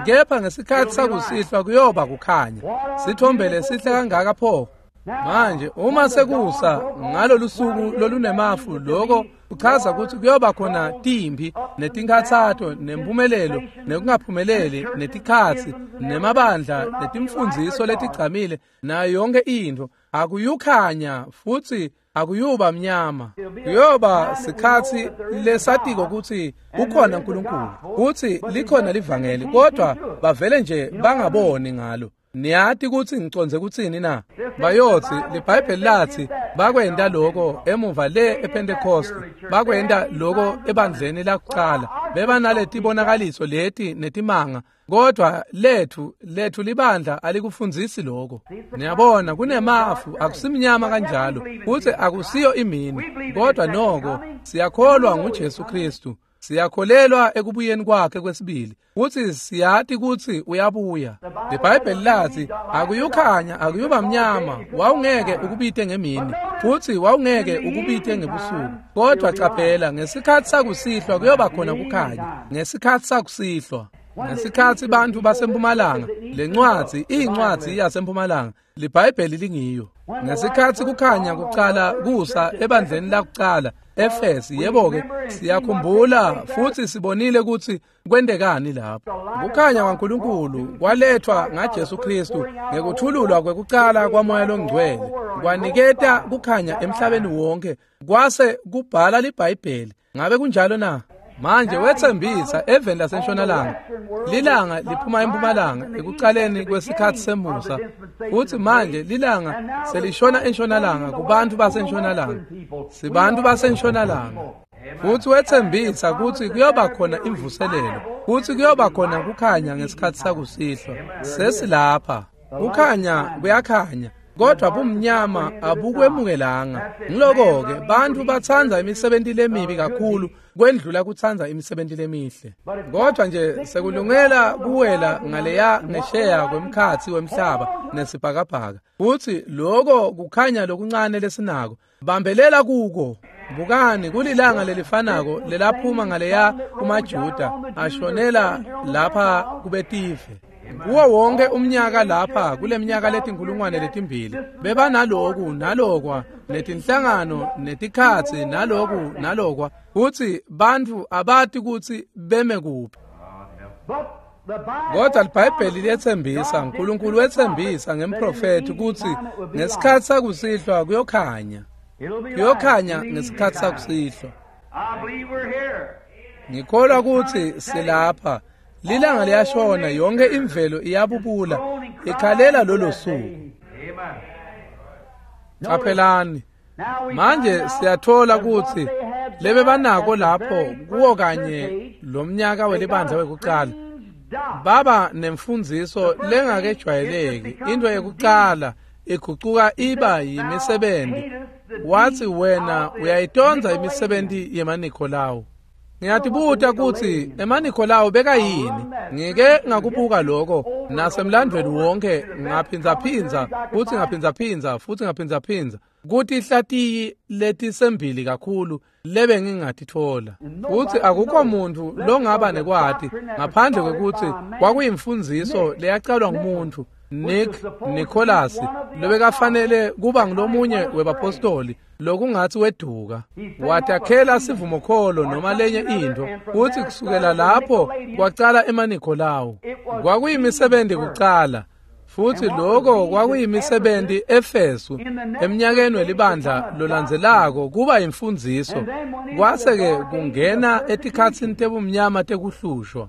kepha ngesikhathi sakusihlwa kuyoba kukhanya. Sithombele sihle kangaka pho. Manje uma sekusa ngalolu suku lolunemafu lokho kuchaza ukuthi kuyoba khona timpi netinkhathato nempumelelo nekungaphumeleli netikhatsi nemabandla netimfundziso letigcamile nayo yonke into. Akuyukhanya futhi akuyuba mnyama. Kuyoba sikhatsi lesatiko ukuthi ukhona uNkulunkulu kuthi likhona livangeli kodwa bavele nje bangaboni ngalo. Niyati ukuthi ngicondze kutsini na? Bayothi liBhayibheli lathi bakwenda lokho emuva le ePentecost, bakwenda lokho ebandleni lakuqala, bebanaleti leti netimanga, kodwa lethu lethu libandla alikufundzisi lokho. Niyabona kunemafu akusimnyama kanjalo futhi akusiyo imini, kodwa noko siyakholwa nguJesu Kristu. Siyakholelwa ekubuyeni kwakhe kwesibili futhi siyati ukuthi uyabuya. IBhayibheli lathi akuyukhanya akuyuba mnyama, wawungeke ukubite ngemini futhi wawungeke ukubite ngebusuku, kodwa qaphela ngesikhathi sakusihlwa kuyoba khona kukhanya. Ngesikhathi sakusihlwa, ngesikhathi bantu basempumalanga, lencwadi iyincwadi yasempumalanga, liBhayibheli lingiyo. Ngesikhathi kukhanya kuqala kusa ebandleni lakuqala Efesi, yebo ke siyakhumbula futhi sibonile ukuthi kwendekani lapho. Kukhanya kwaNkulunkulu kwalethwa ngaJesu Kristu ngekuthululwa kwekuqala kwaMoya loNgcwele, kwaniketa kukhanya emhlabeni wonke, kwase kubhala liBhayibheli. Ngabe kunjalo na? Manje wethembisa eveni lasentshonalanga lilanga liphuma empumalanga ekuqaleni kwesikhathi semusa, futhi manje lilanga selishona entshonalanga kubantu basentshonalanga. Sibantu basentshonalanga. Futhi wethembisa ukuthi kuyoba khona imvuselelo, futhi kuyoba khona kukhanya ngesikhathi sakusihlwa. Sesilapha. Kukhanya kuyakhanya kodwa bumnyama abukwemukelanga. Ngiloko-ke bantu batsandza imisebenzi lemibi kakhulu kwendlula kutsandza imisebenzi lemihle. Kodwa nje sekulungela kuwela ngaleya ngesheya kwemkhathi wemhlaba nesibhakabhaka. Futhi lokho kukhanya lokuncane lesinako bambelela kuko. Bukani kulilanga lelifanako lelaphuma ngaleya kumaJuda ashonela lapha kubetive. Kuwo wonke umnyaka lapha kuleminyaka letinkulungwane letimbili bebanaloku nalokwa netinhlangano netikhatsi naloku nalokwa, futhi bantu abati ukuthi beme kuphi. Kodwa liBhayibheli liyethembisa, uNkulunkulu wethembisa ngemprofeti ukuthi ngesikhathi sakusihlwa kuyokhanya. Kuyokhanya ngesikhathi sakusihlwa. Ngikholwa ukuthi silapha. Lilanga liyashona, yonke imvelo iyabubula ikhalela lolo suku. Qaphelani manje siyathola ukuthi lebe banako lapho kuwo kanye lomnyaka welibandla wekuqala baba nemfundziso lengakejwayeleki. Into yekuqala igucuka iba yimisebenzi. Wathi wena uyayitonza imisebenzi yemaNikolawu. Ngiyatibuta ukuthi emaNikolawu bekayini. Ngike ngakubuka lokho nasemlandweni wonke, ngaphindzaphindza futhi ngaphindzaphindza futhi ngaphindzaphindza kuthi ihlatiyi letisembili kakhulu lebe ngingatithola. Futhi akukho muntu longaba nekwati ngaphandle kwekuthi kwakuyimfundziso leyacalwa ngumuntu Nick Nicholas lobekafanele kuba ngilomunye webapostoli lokungathi weduka watakhela sivumokholo noma lenye into. Futhi kusukela lapho kwacala emaNikolawu. Kwakuyimisebenzi kucala, futhi lokho kwakuyimisebenzi Efesu eminyakeni welibandla lolandzelako kuba imfundziso, kwase-ke kungena etikhatsini tebumnyama tekuhlushwa.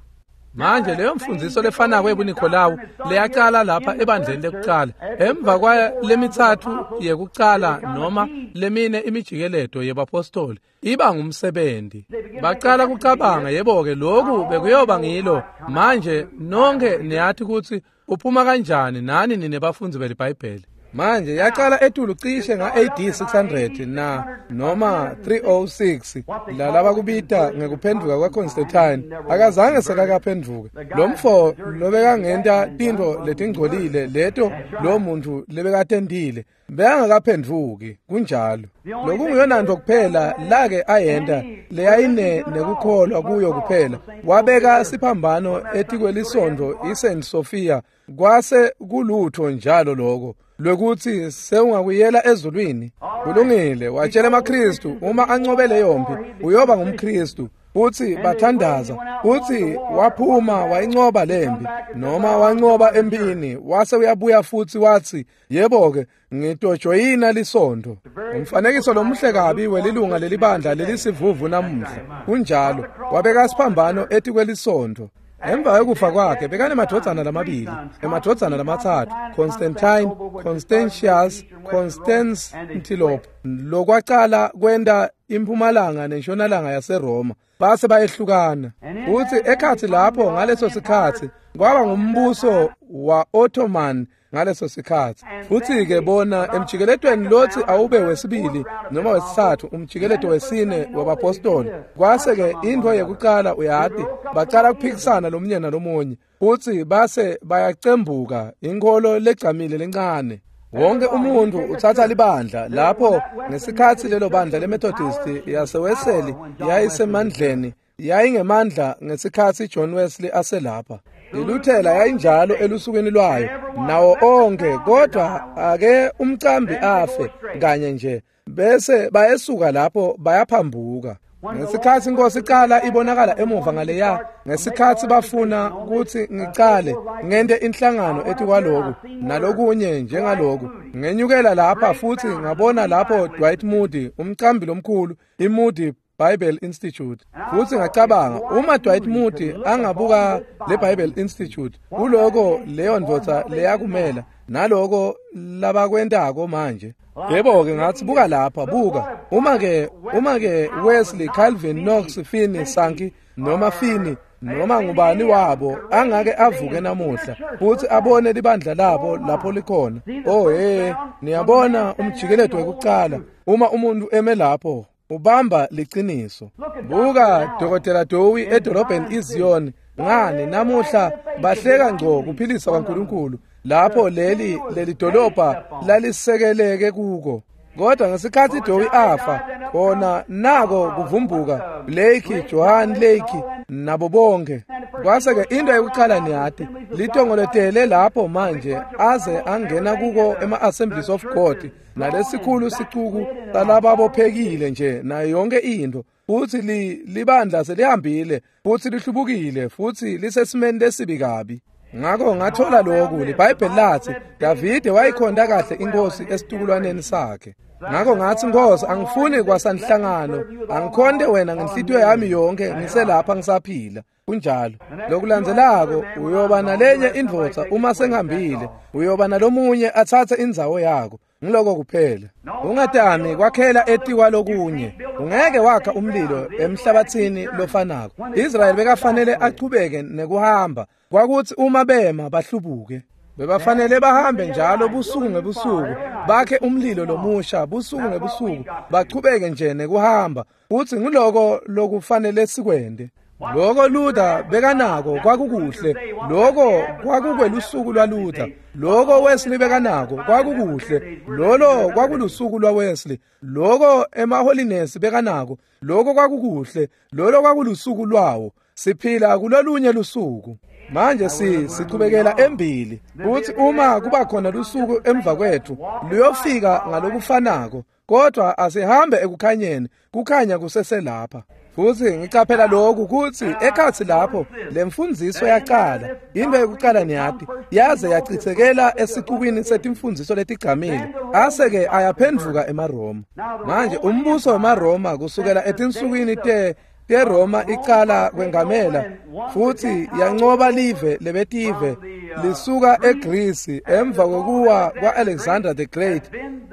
Manje leyo mfundziso lefanako yebuNikolawu leyacala lapha ebandleni lekucala emva kwalemithathu yekucala noma lemine imijikeleto yebapostoli iba ngumsebenzi. Bacala kucabanga, yebo-ke lokhu bekuyoba ngilo. Manje nonke niyathi kutsi uphuma kanjani nani nine bafundzi beliBhayibheli. Manje yaqala etulu cishe nga-A D six hundred na noma three oh six lalaba kubita ngekuphenduka kwaConstantine. Akazange sekakaphenduke lo mfo lobekangenta tintfo letingcolile leto lo muntu lebekatentile bekangakaphenduki. Kunjalo, lokunguyona nto kuphela lake ayenta leyayine nekukholwa kuyo kuphela, wabeka siphambano etikwelisonto iSaint Sophia. Kwase kulutho njalo lokho lwekuthi sewungakuyela ezulwini. Kulungile, watshela emaKristu uma ancobe leyo mpi uyoba ngumKristu. Futhi bathandaza, futhi waphuma wayincoba lempi noma wancoba empini, wase uyabuya futhi wathi, yebo-ke ngitojoyina lisonto. Umfanekiso lomuhle kabi welilunga lelibandla lelisivuvu namuhla. Kunjalo, wabeka siphambano etikwelisonto. Emva kwekufa kwakhe bekanemadvodzana lamabili, emadvodzana lamatsatfu, Constantine, Constantius, Constantinople, lokwacala kwenta impumalanga nentshonalanga yaseRoma. Base bayehlukana. Futhi ekhatsi lapho ngaleso sikhatsi kwaba ngumbuso wa-Ottoman ngaleso sikhatsi. Futhi-ke bona emjikeletweni lotsi awube wesibili noma wesitsatfu, umjikeleto wesine wabapostoli. Kwase-ke intfo yekucala uyati, bacala kuphikisana lomunye nalomunye, futsi base bayacembuka inkholo legcamile lencane. Wonke umuntu utsatsa libandla lapho ngesikhatsi lelo bandla leMethodist yaseWeseli yayisemandleni, yayingemandla ngesikhatsi John Wesley aselapha. ILuthela yayinjalo elusukwini lwayo nawo onke, kodwa ake umcambi afe kanye nje bese bayesuka lapho bayaphambuka. Ngesikhatsi inkosi iqala ibonakala emuva ngaleya, ngesikhatsi bafuna kutsi ngicale ngente inhlangano etikwaloku nalokunye njengaloku, ngenyukela lapha futhi ngabona lapho Dwight Moody, umcambi lomkhulu, iMoody Bible Institute. Futhi ngacabanga, uma Dwight Moody angabuka le Bible Institute, kuloko leyo ndvodza leyakumela naloko labakwentako manje. Yebo-ke ngathi, buka lapha, buka. Uma-ke uma-ke Wesley, Calvin, Knox, Finney, Sankey noma Finney noma ngubani wabo angake avuke namuhla futhi abone libandla labo lapho likhona. Oh hey, niyabona umjikeleto wekucala uma umuntu eme lapho ubamba liciniso. Buka Dokotela Dowie edolobheni iZion, ngani namuhla bahleka ngco kuphilisa kwaNkulunkulu lapho leli leli dolobha lalisekeleke kuko. Kodwa ngesikhatsi Dowie afa, khona nako kuvumbuka Blake, Johan Lake nabo bonke. Kwase-ke into yokucala niyati litongoletele lapho manje aze angena kuko ema-Assemblies of God nalesikhulu sicuku salababophekile nje nayo yonke into. Futhi libandla selihambile futhi lihlubukile futhi lisesimeni lesibi kabi. Ngakho ngathola lokhu, liBhayibheli lathi Davide wayikhonda kahle inkosi esitukulwaneni sakhe. Ngakho ngathi, Nkosi, angifuni kwasanhlangano, angikhonde wena ngenhlitiyo yami yonke ngiselapha ngisaphila. Kunjalo. Lokulandzelako uyoba nalenye indvodza uma sengihambile, uyoba nalomunye atsatse indzawo yakho. Ngiloko kuphela. Ungatami kwakhela etikwa lokunye. Ungeke wakha umlilo emhlabathini lofanako. Israyeli bekafanele achubeke nekuhamba. Kwakuthi uma bema bahlubuke. Bebafanele bahambe njalo busuku ngebusuku, bakhe umlilo lomusha busuku ngebusuku, bachubeke nje nekuhamba. Futhi ngiloko lokufanele sikwende. Loko Luther bekanako kwakukuhle, loko kwakukwelusuku lwaLuther, loko Wesley bekanako kwakukuhle, lolo kwakulusuku lwaWesley, loko emaholiness bekanako, loko kwakukuhle, lolo kwakulusuku lwawo. Siphila kulolunye lusuku. Manje si sichubekela embili futhi uma kuba khona lusuku emva kwethu luyofika ngalokufanako, kodwa asihambe ekukhanyeni, kukhanya kuseselapha. Futhi ngicaphela lokhu kuthi ekhatsi lapho lemfundziso yaqala, into yokuqala niyati yaze yachithekela esicukwini setimfundziso letigcamile, ase-ke ayaphendvuka emaRoma. Manje umbuso wemaRoma kusukela etinsukwini te teRoma icala kwengamela futhi yanqoba live lebetive lisuka eGreece emva kokuwa kwa-Alexander the Great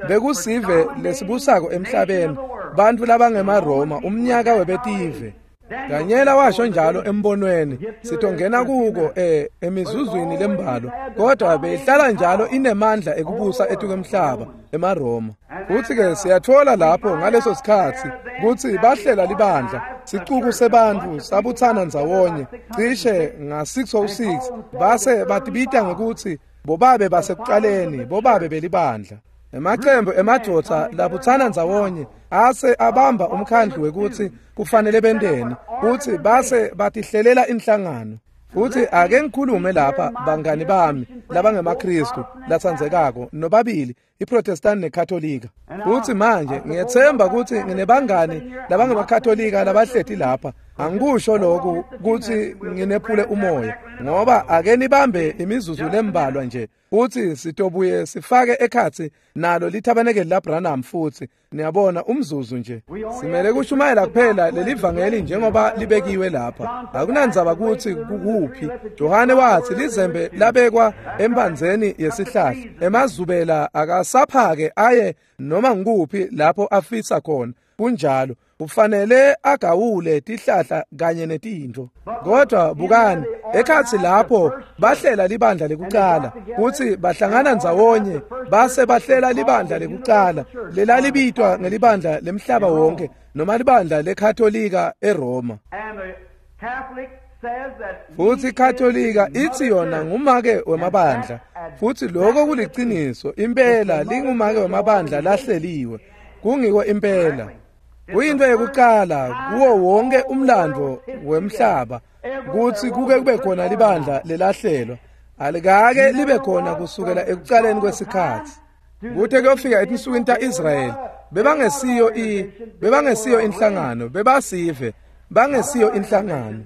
bekusive lesibusako emhlabeni bantfu labangemaRoma umnyaka webetive. Danyela washo njalo embonweni sitongena kuko eh emizuzwini lembalwa kodwa beyihlala njalo inemandla ekubusa etukemhlaba emaRoma. Futhi ke siyathola lapho ngaleso sikhathi kutsi bahlela libandla sicuku sebantfu sabuthana ndzawonye cishe nga six oh six base batibita ngekutsi bobabe basekuqaleni bobabe belibandla. Emacembu emadvodza labuthana ndzawonye ase abamba umkhandlu wekutsi kufanele benteni kutsi base batihlelela inhlangano. Futhi ake ngikhulume lapha bangani bami labangemaKristu latsandzekako nobabili iProtestant neKatolika. Futhi manje ngiyethemba kutsi nginebangani labangemakatolika labahleti lapha. Angikusho lokhu kutsi nginephule umoya ngoba ake nibambe imizuzu lembalwa nje futhi sitobuye sifake ekhatsi nalo lithabanekeli laBranham futhi niyabona umzuzu nje. Simele kushumayela kuphela lelivangeli njengoba libekiwe lapha. Akunandzaba kutsi kukuphi. Johane watsi lizembe labekwa embandzeni yesihlahla emazubela akasaphake aye noma ngikuphi lapho afisa khona. Kunjalo kufanele agawule tihlahla kanye netintfo. Kodwa bukani ekhatsi lapho bahlela libandla lekucala kutsi bahlangana ndzawonye base bahlela libandla lekucala lelalibitwa ngelibandla lemhlaba wonke noma libandla leKatolika eRoma. Futhi iKatolika ithi yona ngumake wemabandla futhi lokho kuliciniso impela lingumake wemabandla lahleliwe kungiko impela. Kuyinto yokuqala kuwo wonke umlando wemhlaba kutsi kuke kube khona libandla lelahlelwa alikake libe khona kusukela ekucaleni kwesikhatsi. Kute kuyofika etinsukwini ta-Israyeli bebangesiyo i bebangesiyo inhlangano bebasive bangesiyo inhlangano.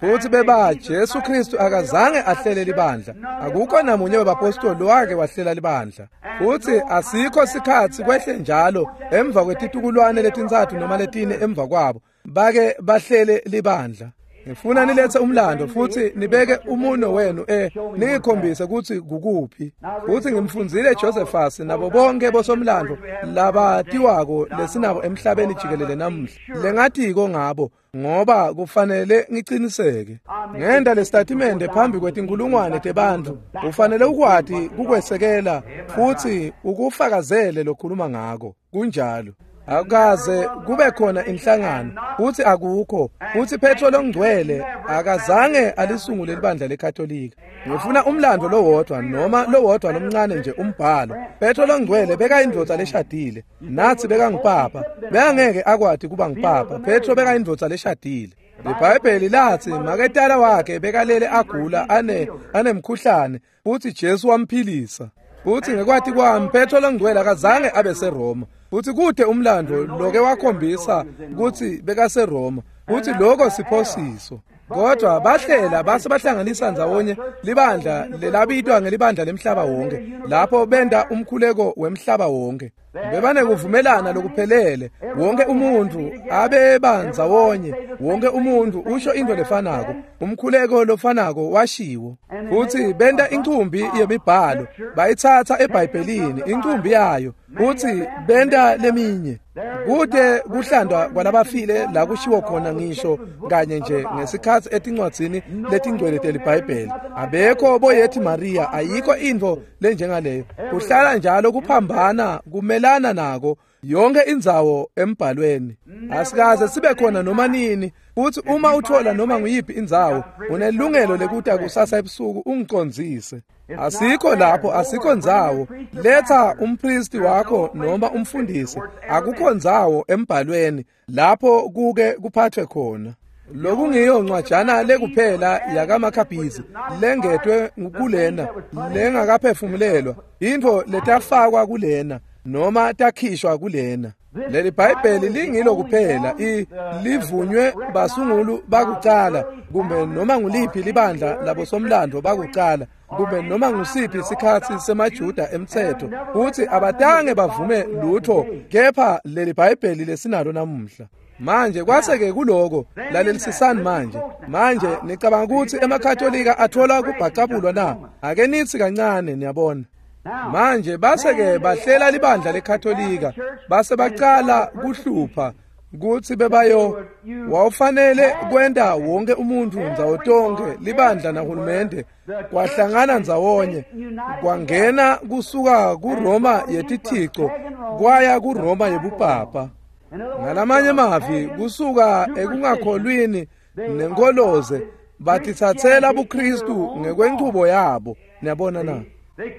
Futhi beba Jesu Kristu akazange ahlele libandla. Akukho namunye webapostoli wake wahlela libandla. Futhi asikho sikhatsi kwehle njalo emva kwetitukulwane letintsatfu noma letine emva kwabo bake bahlele libandla. Ngifuna nilethe umlando futhi nibeke umuno wenu eh ningikhombise kutsi kukuphi. Futhi ngimfundzile Josephus nabo bonke bosomlando labatiwako lesinabo emhlabeni jikelele namuhla. Lengatiko ngabo ngoba kufanele ngiciniseke. Ngenda lesitatimende phambi kwetinkulungwane tebantfu ufanele ukwati kukwesekela futhi ukufakazele lokhuluma ngako. Kunjalo. Akukaze kube khona inhlangano futhi akukho futhi Petro longcwele akazange alisungule libandla leKatolika. Ngifuna umlando lowodwa noma lowodwa lomncane nje umbhalo. Petro longcwele bekayindvodza leshadile nathi bekangupapa bekangeke akwati kuba ngupapa. Petro bekayindvodza leshadile. IBhayibheli lathi maketala wakhe bekalele agula ane anemkhuhlane futhi Jesu wamphilisa. Futhi ngekwati kwami Petro longcwele akazange abe seRoma. Futhi kude umlando loke wakhombisa kutsi bekaseRoma futhi lokho siphosiso. Kodwa bahlela base bahlanganisa ndzawonye libandla lelabitwa ngelibandla lemhlaba wonke lapho benda umkhuleko wemhlaba wonke. Bebanekuvumelana lokuphelele wonke umuntu abeba ndzawonye wonke umuntu usho into lefanako umkhuleko lofanako washiwo. Futhi benda incumbi yemibhalo bayithatha eBhayibhelini incumbi yayo futhi benda leminye. Kude kuhlandwa kwalabafile la kushiwo khona ngisho kanye nje ngesikhatsi etincwadzini letingcwele teliBhayibheli. Abekho boyethi Maria ayikho intfo lenjengaleyo. Kuhlala njalo kuphambana kumelana nako yonke indzawo embhalweni. Asikaze sibe khona noma nini futhi uma uthola noma nguyiphi indzawo unelungelo lekuta kusasa ebusuku ungicondzise. Asikho lapho asikho ndzawo. Letha umpristi wakho noma umfundisi. Akukho ndzawo embhalweni lapho kuke kuphathwe khona. Lokungiyo ncwajana lekuphela yakaMakhabhizi lengetwe kulena lengakaphefumulelwa intfo letafakwa kulena noma takhishwa kulena. Leli Bhayibheli lingilo kuphela i livunywe basungulu bakucala kumbe noma nguliphi libandla labosomlando bakucala kumbe noma ngusiphi isikhatsi semaJuda emthetho futhi abatange bavume lutho kepha leli Bhayibheli lesinalo namuhla. Manje kwase-ke kuloko, lalelisisani manje. Manje nicabanga kutsi emaKatolika athola kubhacabulwa na? Ake nitsi kancane, niyabona. Manje base-ke bahlela libandla leKatolika, base bacala kuhlupha kutsi bebayo wawufanele kwenta wonke umuntfu ndzawo tonkhe libandla nahulumende kwahlangana ndzawonye, kwangena kusuka kuRoma yetithico kwaya kuRoma yebupapa. Ngalamanye mavi, kusuka ekungakholwini nenkoloze batitsatsela buKristu ngekwenchubo yabo. Niyabona na?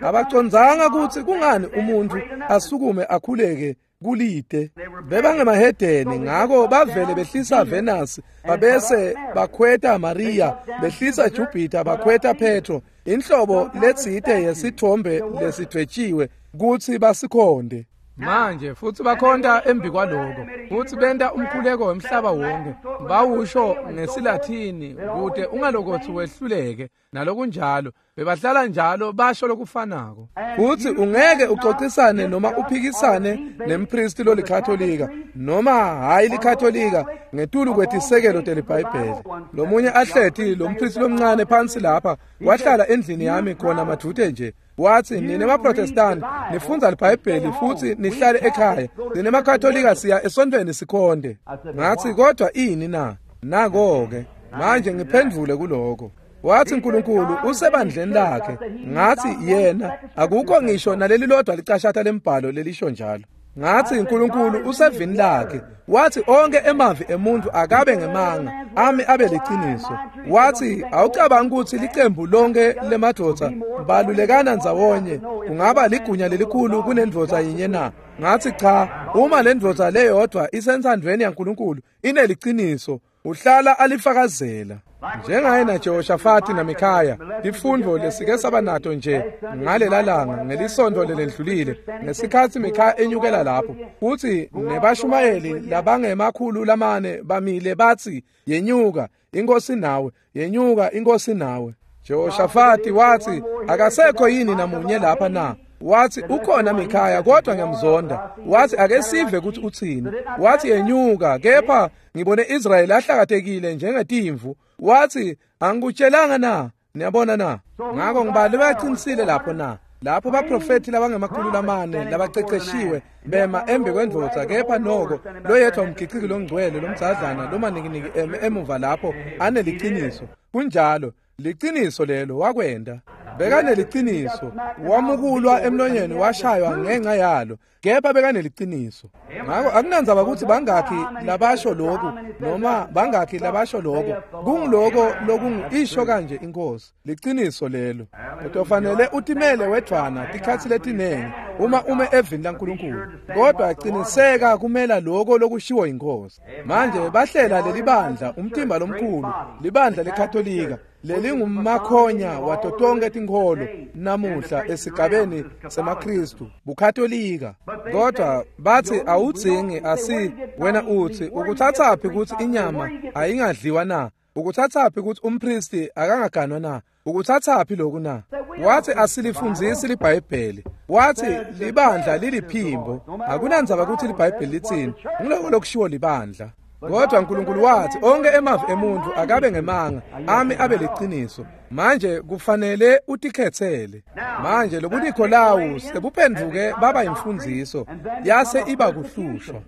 Abacondzanga kutsi kungani umuntfu asukume akhuleke kulide. Bebangemahedeni, ngako bavele behlisa Venus, babese bakhweta Maria, behlisa Jupiter, bakhweta Petro, inhlobo letsite yesithombe lesidvwetshiwe kutsi basikhonde. Manje futsi bakhonta embi kwaloko, futsi benta umkhuleko wemhlaba wonke, bawusho ngesiLathini kute ungalokotsi wehluleke nalokunjalo. Bebahlala njalo basho lokufanako. Futsi ungeke ucocisane noma uphikisane nempristi lolikatolika noma hayi likatolika ngetulu kwetisekelo teliBhayibheli. Lomunye ahleti lompristi lomncane phansi lapha wahlala endlini yami khona madvute nje. Wathi, nine maProtestant nifundza liBhayibheli futhi nihlale ekhaya, nine maKatolika siya esontweni sikhonde. Ngathi, kodwa ini na? Nako-ke manje ngiphendvule kuloko. Wathi, uNkulunkulu usebandleni lakhe. Ngathi, yena akukho ngisho naleli lodwa licashata lembhalo lelisho njalo. Ngathi, uNkulunkulu usevini lakhe. Wathi, onke emavi emuntu akabe ngemanga, ami abe liciniso. Wathi, awucabangi ukuthi licembu lonke lemadvodza balulekana ndzawonye kungaba ligunya lelikhulu kunendvodza yinye na? Ngathi, cha, uma lendvodza leyodwa isentsandvweni yaNkulunkulu ineliciniso, uhlala alifakazela. Njengaye naJehoshafati naMikhaya, tifundvo lesike saba nato nje ngalela langa ngelisonto lelendlulile, ngesikhatsi Mikhaya enyukela lapho, futsi nebashumayeli labangemakhulu lamane bamile batsi, yenyuka inkosi nawe, yenyuka inkosi nawe. Jehoshafati wathi, akasekho yini namunye lapha na? Wathi, ukhona Mikhaya, kodwa ngiyamzonda. Wathi, ake sive ukuthi uthini. Wathi, yenyuka, kepha ngibone Israyeli ahlakatekile njengetimvu. Wathi, angikutshelanga na? Niyabona na? Ngako ngibali bayaqinisile lapho na? Lapho baprofethi labangemakhulu lamane labaceceshiwe bema embi kwendvodza, kepha noko loyedwa umgiciki longcwele lomdzadlana lomanikiniki eme emuva lapho aneliciniso. Kunjalo, liciniso lelo wakwenda. Bekaneliciniso, wamukulwa emlonyeni washaywa ngenxa yalo, kepha bekaneliciniso. Ngako akunandzaba ukuthi bangakhi labasho lokhu noma bangakhi labasho lokho, kungiloko lokungisho kanje inkosi, liciniso lelo. Utofanele utimele wedvwana tikhatsi letinengi uma ume evini laNkulunkulu, kodwa qiniseka kumela lokho lokushiwo inkosi. Manje bahlela leli bandla, umtimba lomkhulu, libandla leKatolika lelingumakhonya wato tonke tinkholo namuhla esigabeni semaKristu, buKatolika. Kodwa bathi, awudzingi asi wena uthi ukuthathaphi ukuthi inyama ayingadliwa na? Ukuthathaphi ukuthi umpristi akangaganwa na? Ukuthathaphi lokhu na? Wathi, asilifundzisi liBhayibheli. Wathi, libandla liliphimbo. Akunandzaba ukuthi liBhayibheli litsini, ngiloko lokushiwo libandla. Kodwa uNkulunkulu wathi, onke emavi emuntu akabe ngemanga, ami abe liciniso. Manje kufanele utikhetsele. Manje lobuNikolawu sebuphenduke baba imfundziso, yase iba kuhlushwa.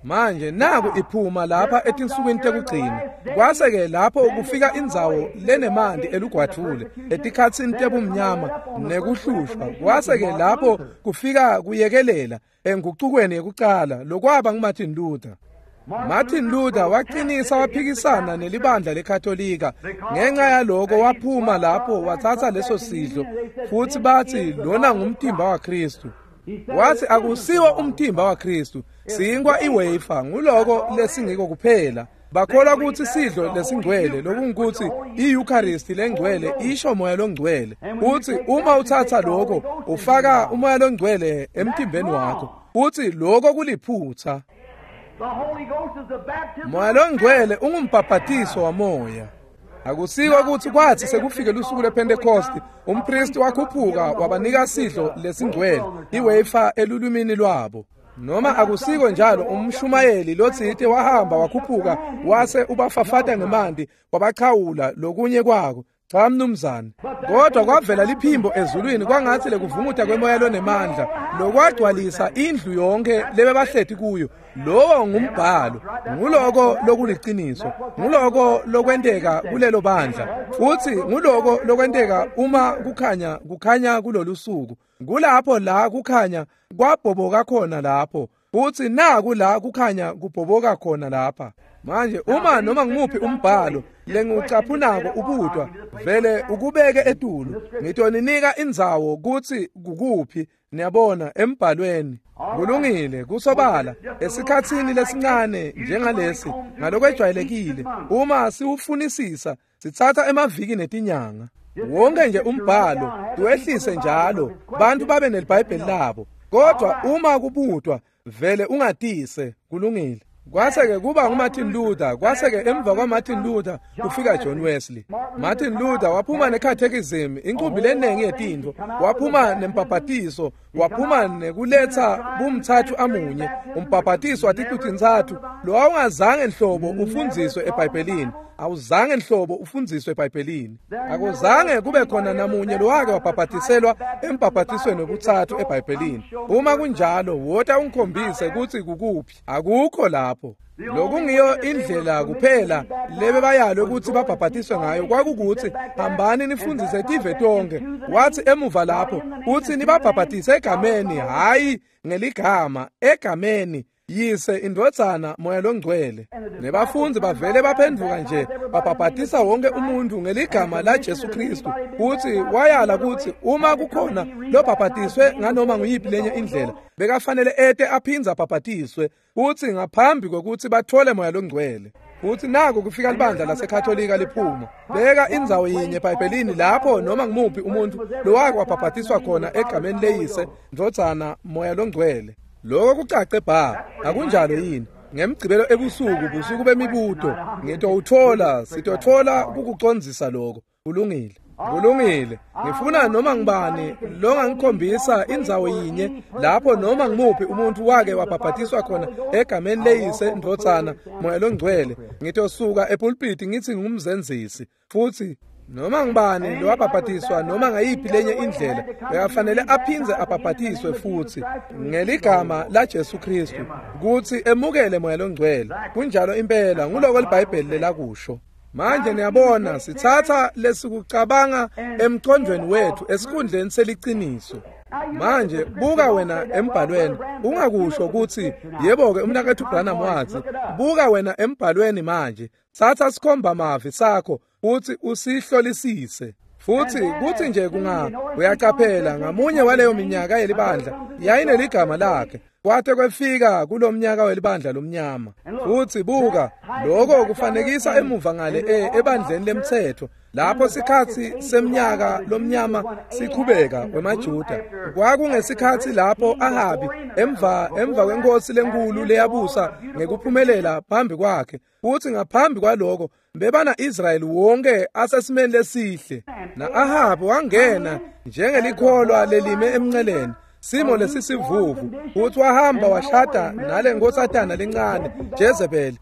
Manje naku iphuma lapha etinsukwini tekugcina. Kwase-ke lapho kufika indzawo lenemanti elugwadvule etikhatsini tebumnyama nekuhlushwa. Kwase-ke lapho kufika kuyekelela engucukweni yekucala lokwaba nguMartin Luther. Martin Luther waqinisa waphikisana nelibandla leKatolika. Ngenxa yaloko waphuma lapho wathatha leso sidlo, futhi bathi lona ngumtimba waKristu. Wathi, akusiwo umtimba waKristu, sinkwa iwafer, nguloko lesingiko kuphela. Bakholwa ukuthi sidlo lesingcwele, lokungukuthi i-Eucharist lengcwele isho moya longcwele. Uthi uma uthatha lokho ufaka umoya longcwele emtimbeni wakho, uthi lokho kuliphutha. Moya longcwele ungumbhabhatiso wamoya. Akusiko ukuthi kwathi sekufike lusuku lwePentecost umpristi wakhuphuka wabanika sidlo lesingcwele iwafer elulwimini lwabo. Noma akusiko njalo umshumayeli lotsite wahamba wakhuphuka wase ubafafata ngemanti wabachawula lokunye kwako. Cha mnumzane. Kodwa kwavela liphimbo ezulwini kwangathi lekuvumuta kwemoya lonemandla lokwagcwalisa indlu yonke lebebahleti kuyo. Lowo ngumbhalo, nguloko lokuliciniso, nguloko lokwenteka kulelo bandla, futhi nguloko lokwenteka uma kukhanya kukhanya kulolu suku. Kulapho la kukhanya kwabhoboka khona lapho, futhi naku la kukhanya kubhoboka khona lapha. Manje uma noma ngumuphi umbhalo lengiwucaphunako ubutwa vele ukubeke etulu, ngitoninika indzawo kutsi kukuphi, niyabona, embhalweni. Kulungile, kusobala esikhatsini lesincane njengalesi ngalokwejwayelekile uma siwufunisisa sitsatsa emaviki netinyanga. Wonke nje umbhalo tuwehlise njalo bantu babe neliBhayibheli labo, kodwa uma kubutwa vele ungatise. Kulungile. Kwase-ke kuba nguMartin Luther, kwase-ke emva kwaMartin Luther kufika John Wesley. Martin Luther waphuma necatechism, inkumbi lenengi yetintfo, waphuma nembhabhatiso, waphuma nekuletsa bumthathu amunye, umbhabhatiso waticu-tintsatfu lo awungazange nhlobo ufundziswe eBhayibhelini. Awuzange nhlobo ufundziswe eBhayibhelini. Akuzange kube khona namunye lowake wabhabhatiselwa embhabhatisweni wekutsatfu eBhayibhelini. Uma kunjalo, wota ungikhombise kutsi kukuphi. Akukho lapho. Lokungiyo indlela kuphela lebebayalwe ukuthi babhabhatiswe ngayo kwakukuthi hambani nifundzise tive tonke. Wathi emuva lapho uthi nibabhabhatise egameni, hhayi ngeligama, egameni Yise, indvodzana, Moya loNgcwele. Nebafundzi bavele baphendvuka nje babhabhatisa wonke umuntu ngeligama la Jesu Kristu. Kuthi wayala kuthi uma kukhona lobhabhatiswe nganoma nguyiphi lenye indlela bekafanele ete aphindze abhabhatiswe, kuthi ngaphambi kokuthi bathole Moya loNgcwele. Futhi naku kufika libandla laseKatolika liphuma. Beka indzawo yinye eBhayibhelini lapho noma ngumuphi umuntu lowake wabhabhatiswa khona egameni leyise, ndvodzana, Moya loNgcwele. Lokho kucace bha, akunjalo yini? Ngemgcibelo ebusuku, busuku bemibuto, ngitowuthola, sitothola kukucondzisa lokho. Kulungile. Kulungile. Ngifuna noma ngibani longangikhombisa indzawo yinye lapho noma ngimuphi umuntu wake wabhabhatiswa khona egameni leyise, ndvodzana, Moya loNgcwele. Ngitosuka epulpiti ngithi ngumzenzisi. Futhi noma ngibani lowabhabhatiswa noma ngayiphi lenye indlela bekafanele aphindze abhabhatiswe futhi ngeligama la Jesu Kristu kuthi emukele Moya loNgcwele. Kunjalo impela, nguloko liBhayibheli lelakusho. Manje niyabona sitsatsa lesikucabanga emqondweni wethu esikhundleni seliciniso. Manje buka wena embhalweni, ungakusho ukuthi yebo-ke umnakethu Branham wathi. Buka wena embhalweni manje, tsatsa sikhomba mavi sakho uthi usihlolisise. Futhi kuthi nje kunga uyacaphela ngamunye waleyo minyaka yelibandla yayineligama lakhe kwate kwefika kulomnyaka welibandla lomnyama. Futhi buka lokho kufanekisa emuva ngale ebandleni lemthetho lapho sikhathi semnyaka lomnyama siqhubeka wemaJuda. Kwakungesikhathi lapho Ahabi emva emva kwenkosi lenkulu leyabusa ngekuphumelela phambi kwakhe, futhi ngaphambi kwaloko bebana Israyeli wonke asesimeni lesihle. Na Ahabi wangena njengelikholwa lelime emnceleni, simo lesisivuvu, futhi wahamba washada nale nkosatana lencane Jezebel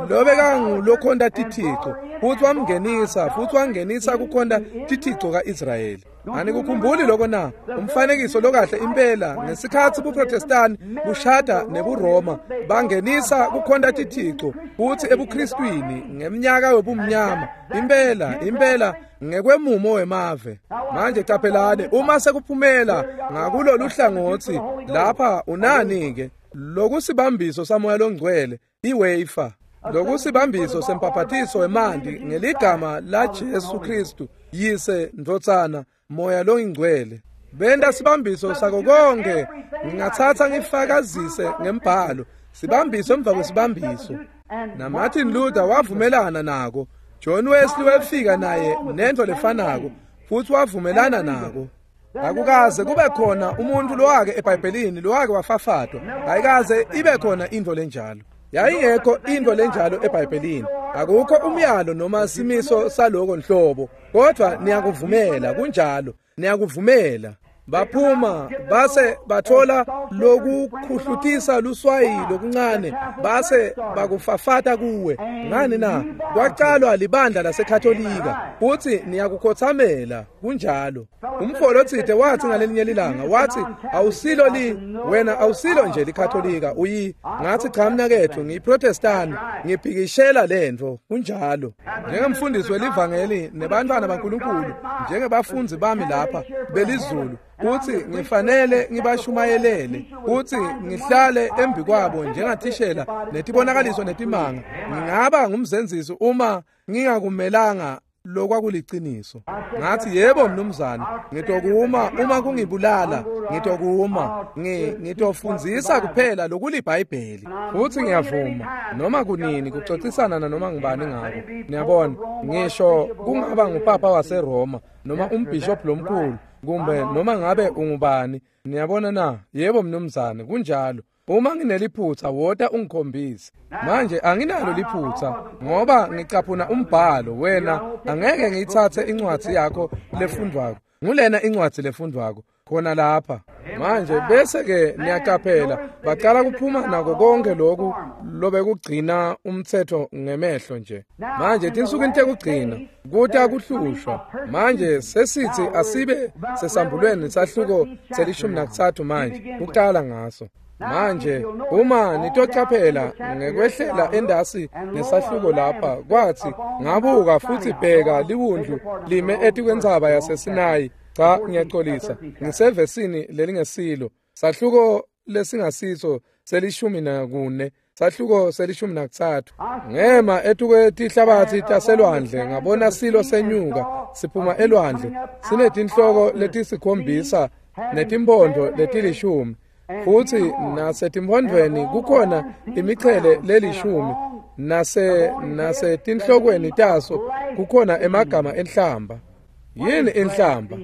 lobekangulokhonta tithixo, futhi wamngenisa futhi wangenisa kukhonta tithixo kaIsrayeli. Anikukhumbuli lokho na? Umfanekiso lokahle impela ngesikhathi buProtestani bushada nebuRoma bangenisa kukhonta tithixo futhi ebuKristwini ngeminyaka yobumnyama impela impela ngekwemumo wemave. Manje qaphelani uma sekuphumela ngakulolu hlangothi lapha unani ke lokusibambiso saMoya loNgcwele iwafer, lokusibambiso sempapatiso wemanti ngeligama la Jesu Kristu Yise, Ndvodzana, Moya loNgcwele. Benda sibambiso sako konke, ngingathatha ngifakazise ngembhalo, sibambiso emva kwesibambiso. Na Martin Luther wavumelana nako, John Wesley wefika naye nento lefanako futhi wavumelana nako. Akukaze kube khona umuntu lowake eBhayibhelini lowake wafafatwa, ayikaze ibe khona into lenjalo. Yayingekho into lenjalo eBhayibhelini. Akukho umyalo noma simiso saloko nhlobo, kodwa niyakuvumela. Kunjalo, niyakuvumela. Baphuma base bathola lokukhuhlutisa luswayi lokuncane base bakufafata kuwe. Ngani na? Kwaqalwa libandla laseKatolika futhi niyakukhothamela. Kunjalo. Umfolo othide wathi ngalelinye ilanga, wathi awusilo li wena awusilo nje liKatolika uyi. Ngathi cha mnakethu, ngiyiProtestant, ngiphikishela lento. Kunjalo. Njengemfundisi welivangeli nebantwana baNkulunkulu, njengebafundi bami lapha belizulu, uthi ngifanele ngibashumayelele, uthi ngihlale embi kwabo njengathishela netibonakaliso netimanga. Ngingaba ngumzenzisi uma ngingakumelanga lokwakuliciniso. Ngathi yebo mnumzane, ngitokuma uma kungibulala, ngitokuma, ngitofundzisa kuphela lokuliBhayibheli. Futhi ngiyavuma noma kunini kuxoxisana nanoma ngibani ngako. Niyabona, ngisho kungaba ngupapa waseRoma noma umbishop lomkhulu kumbe noma ngabe ungubani. Niyabona na? Yebo mnumzane, kunjalo. Uma ngineliphutha wota ungikhombise. Manje anginalo liphutha ngoba ngicaphuna umbhalo. Wena angeke ngiyithathe incwadi yakho lefundwako. Ngulena incwadi lefundwako khona lapha. Manje bese ke niyaqaphela baqala kuphuma nako konke lokhu lobekugcina umthetho ngemehlo nje. Manje tinsukwini tekugcina kuta kuhlushwa. Manje sesithi asibe sesambulweni sahluko selishumi nakuthathu manje kuqala ngaso. Manje uma nitoqaphela ngekwehlela endasi nesahluko lapha, kwathi ngabuka futhi bheka liwundlu lime etikwentsaba yaseSinayi. Cha, ngiyaxolisa, ngisevesini lelingesilo. Sahluko lesingasiso selishumi nakune, sahluko selishumi nakuthathu. Ngema etukwetihlabathi taselwandle ngabona silo senyuka siphuma elwandle, sinetinhloko letisikhombisa netimpondo letilishumi, futhi nasetimphondvweni kukhona imichele lelishumi, nase nasetinhlokweni taso kukhona emagama enhlamba. Yini inhlamba?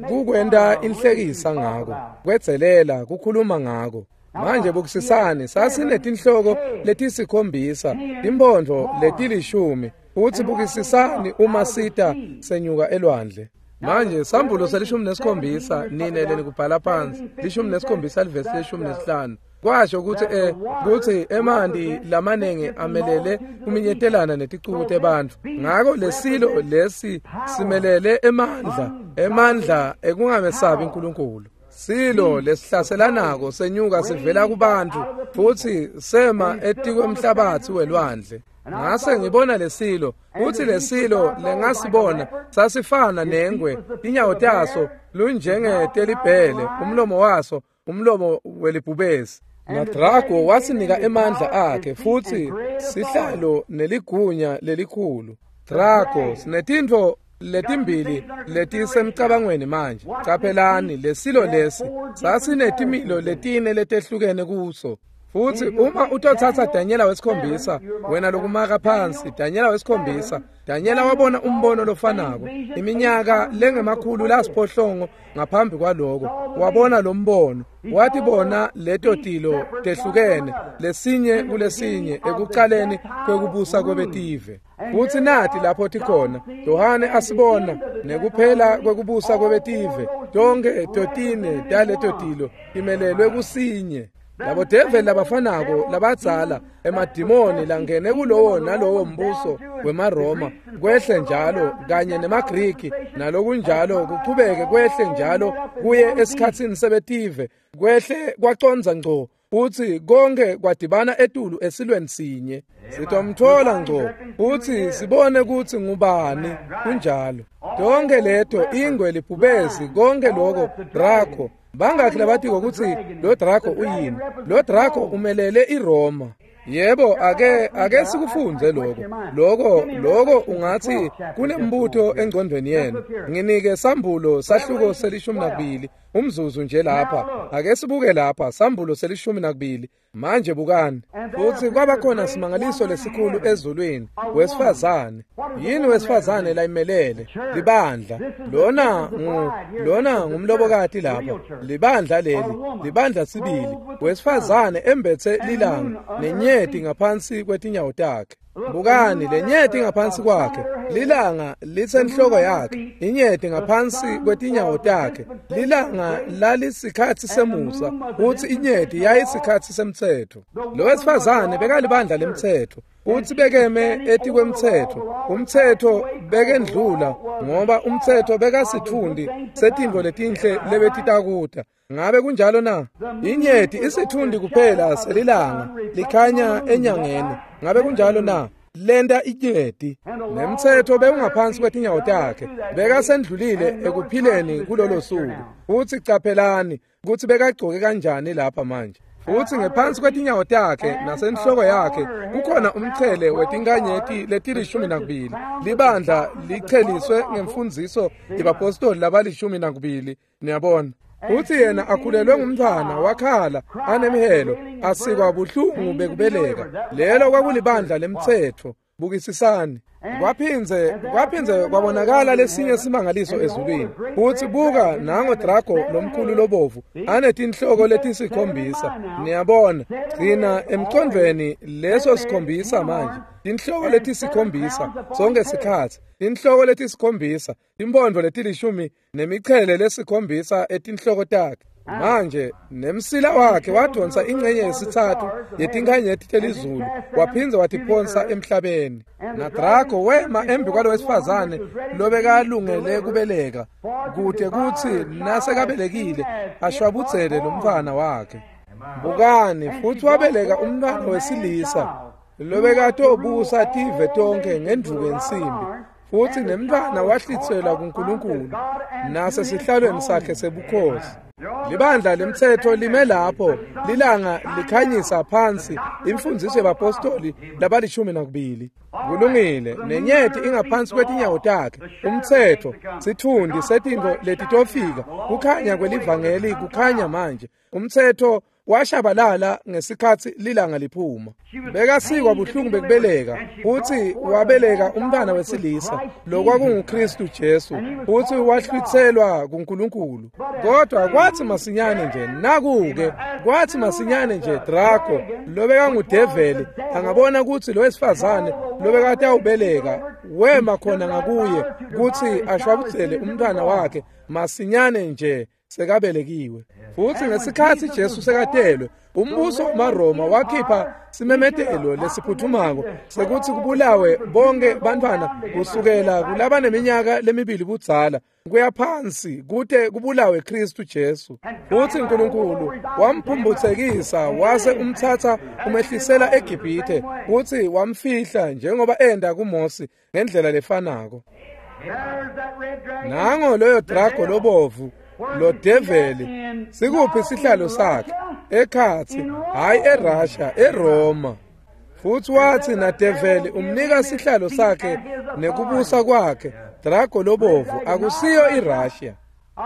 Kukwenta inhlekisa ngako, kwedzelela, kukhuluma ngako. Manje bukisisani, sasinetinhloko letisikhombisa, timphondvo letilishumi, futhi bukisisani uma sita senyuka elwandle. Manje sambulo selishumi nesikhombisa, nine lenikubhala phansi, lishumi nesikhombisa livesi leshumi nesihlanu. Kwasho ukuthi eh kuthi emanti lamanengi amelele kuminyetelana neticuku tebantfu. Ngako lesilo lesi simelele emandla, emandla ekungamesabi uNkulunkulu. Silo lesihlaselanako senyuka sivela kubantu futhi sema etikwemhlabathi welwandle. Ngase ngibona lesilo, futhi lesilo lengasibona sasifana nengwe, inyawo taso lunjengetelibhele, umlomo waso umlomo welibhubesi. NaDrago wasinika emandla akhe futhi sihlalo neligunya lelikhulu. Drago sinetintfo letimbili letisemcabangweni manje. Caphelani lesilo lesi sasinetimilo letine letehlukene kuso. Futhi uma utothatha Daniela wesikhombisa, wena lokumaka phansi, Daniela wesikhombisa, Daniela wabona umbono lofanako iminyaka lengemakhulu lasiphohlongo ngaphambi kwaloko. Wabona lo mbono, wathi bona leto tilo tehlukene lesinye kulesinye ekuqaleni kwekubusa kwebetive. Futhi nathi lapho tikhona, Yohane asibona nekuphela kwekubusa kwebetive, tonke totine taleto tilo imelelwe kusinye. Labo develi labafanako labadzala emadimoni langene kulowo nalowo mbuso wemaRoma kwehle njalo kanye nemaGriki nalokunjalo kuchubeke kwehle njalo kuye esikhatsini sebetive kwehle kwacondza ngco futhi konke kwadibana etulu esilweni sinye. Sitomthola ngco futhi sibone ukuthi ngubani. Kunjalo. Tonke leto ingwe, libhubesi, konke lokho Draco. Bangakhi labatiko ukuthi lo Draco uyini? Lo Draco umelele iRoma. Yebo, ake ake sikufunze lokho. Lokho lokho ungathi kunembuto engcondweni yenu. Nginike sambulo sahluko selishumi nakubili umzuzu nje lapha. Ake sibuke lapha sambulo selishumi nakubili. Manje bukani. Futhi kwaba khona simangaliso lesikhulu ezulwini, wesifazane. Yini wesifazane layimelele? Libandla. Lona ngu lona ngumlobokati lapha. Libandla leli, libandla sibili. Wesifazane embethe lilanga nenyeti ngaphansi kwetinyawo takhe. Bukani lenyeti ngaphansi kwakhe, lilanga litsenhloko yakhe, inyeti ngaphansi kwetinyawo takhe. Lilanga lalisikhatsi semusa, kutsi inyeti yayisikhatsi semtsetfo. Lo wesifazane bekalibandla lemtsetfo, kutsi bekeme etikwemtsetfo. Umtsetfo bekendlula ngoba umtsetfo bekasitfundi setintfo letinhle lebetitakuta. Ngabe kunjalo na? Inyeti isitfundi kuphela selilanga likhanya enyangeni. Ngabe kunjalo na? Lenta inyeti. Nemtsetfo bewungaphansi kwetinyawo takhe, bekasendlulile ekuphileni kulolo suku. Futsi caphelani kutsi bekagcoke kanjani lapha manje. Futsi ngephansi kwetinyawo takhe nasenhloko yakhe kukhona umchele wetinkanyeti letilishumi nakubili. Libandla licheliswe ngemfundziso yebapostoli labalishumi nakubili. Niyabona? Futsi yena akhulelwe ngumntfwana wakhala anemhelo asikwa buhlungu bekubeleka. Lelo kwakulibandla lemtsetfo. Bukisisani. Kwaphindze kwaphindze kwabonakala lesinye simangaliso ezulwini. Futsi buka nango Drago lomkhulu lobovu anetinhloko letisikhombisa. Niyabona, gcina emcondvweni leso sikhombisa manje. Tinhloko letisikhombisa sonke sikhatsi. Tinhloko letisikhombisa, timphondvo letilishumi nemichele lesikhombisa etinhloko takhe. Manje nemsila wakhe wadonsa ingcenye yesitsatfu yetinkhanyeti telizulu, waphindze watiphonsa emhlabeni. NaDrago wema embi kwalo wesifazane lobekalungele kubeleka, kute kutsi nasekabelekile ashwabudzele lomntfwana wakhe. Bukani, futsi wabeleka umntfwana wesilisa lobekatobusa tive tonkhe ngendvuku yensimbi. Futsi nemntfwana wahlitselwa kuNkulunkulu nasesihlalweni sakhe sebukhosi. Libandla lemtsetfo lime lapho, lilanga likhanyisa phansi imfundziso yebapostoli labalishumi nakubili. Kulungile, nenyeti ingaphansi kwetinyawo takhe. Umtsetfo sitfundi setintfo letitofika, kukhanya kwelivangeli kukhanya manje. Umtsetfo washabalala ngesikhatsi lilanga liphuma. Bekasikwa buhlungu bekubeleka, futsi wabeleka umntwana wesilisa lokwakunguKristu Jesu, futsi wahlwitselwa kuNkulunkulu. Kodwa kwathi masinyane nje nakuke kwathi masinyane nje Drago lobekangudeveli angabona kutsi lo wesifazane lobekatawubeleka wema khona ngakuye kutsi ashwabudzele umntwana wakhe masinyane nje sekabelekiwe. Futsi ngesikhatsi Jesu sekatelwe, umbuso wamaRoma wakhipha simemetelo lesiphuthumako sekutsi kubulawe bonke bantfwana kusukela kulabaneminyaka lemibili budzala kuya phansi, kute kubulawe Kristu Jesu. Futsi uNkulunkulu wamphumphutsekisa wase umtsatsa umehlisela eGibhithe, kutsi wamfihla njengoba enda kuMosi ngendlela lefanako. Nango loyo Drago lobovu, lo develi, sikuphi sihlalo sakhe? Ekhatsi, hayi eRussia, eRoma. Futsi watsi nadeveli umnika sihlalo sakhe nekubusa kwakhe. Drago lobovu akusiyo iRussia.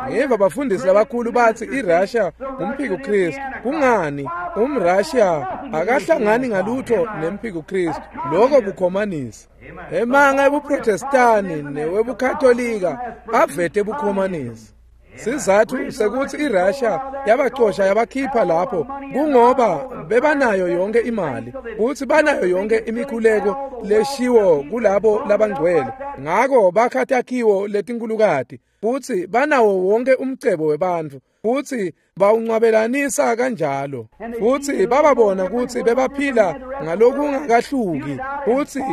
Ngiva bafundisi labakhulu batsi iRussia umphiko Kristu. Kungani umRussia akahlangani ngalutho nemphiko Kristu? Lokho bukhomanisi. Emanga ebuProtestani newebukatolika avete bukhomanisi. Sizathu sekuthi iRussia yabacosha yabakhipha lapho kungoba bebanayo yonke imali, kuthi banayo yonke imikhuleko leshiwo kulabo labangcwele. Ngako bakha takhiwo letinkulukati, futhi banawo wonke umcebo webantfu, futhi bawuncwabelanisa kanjalo. Futhi bababona kutsi bebaphila ngalokungakahluki, futhi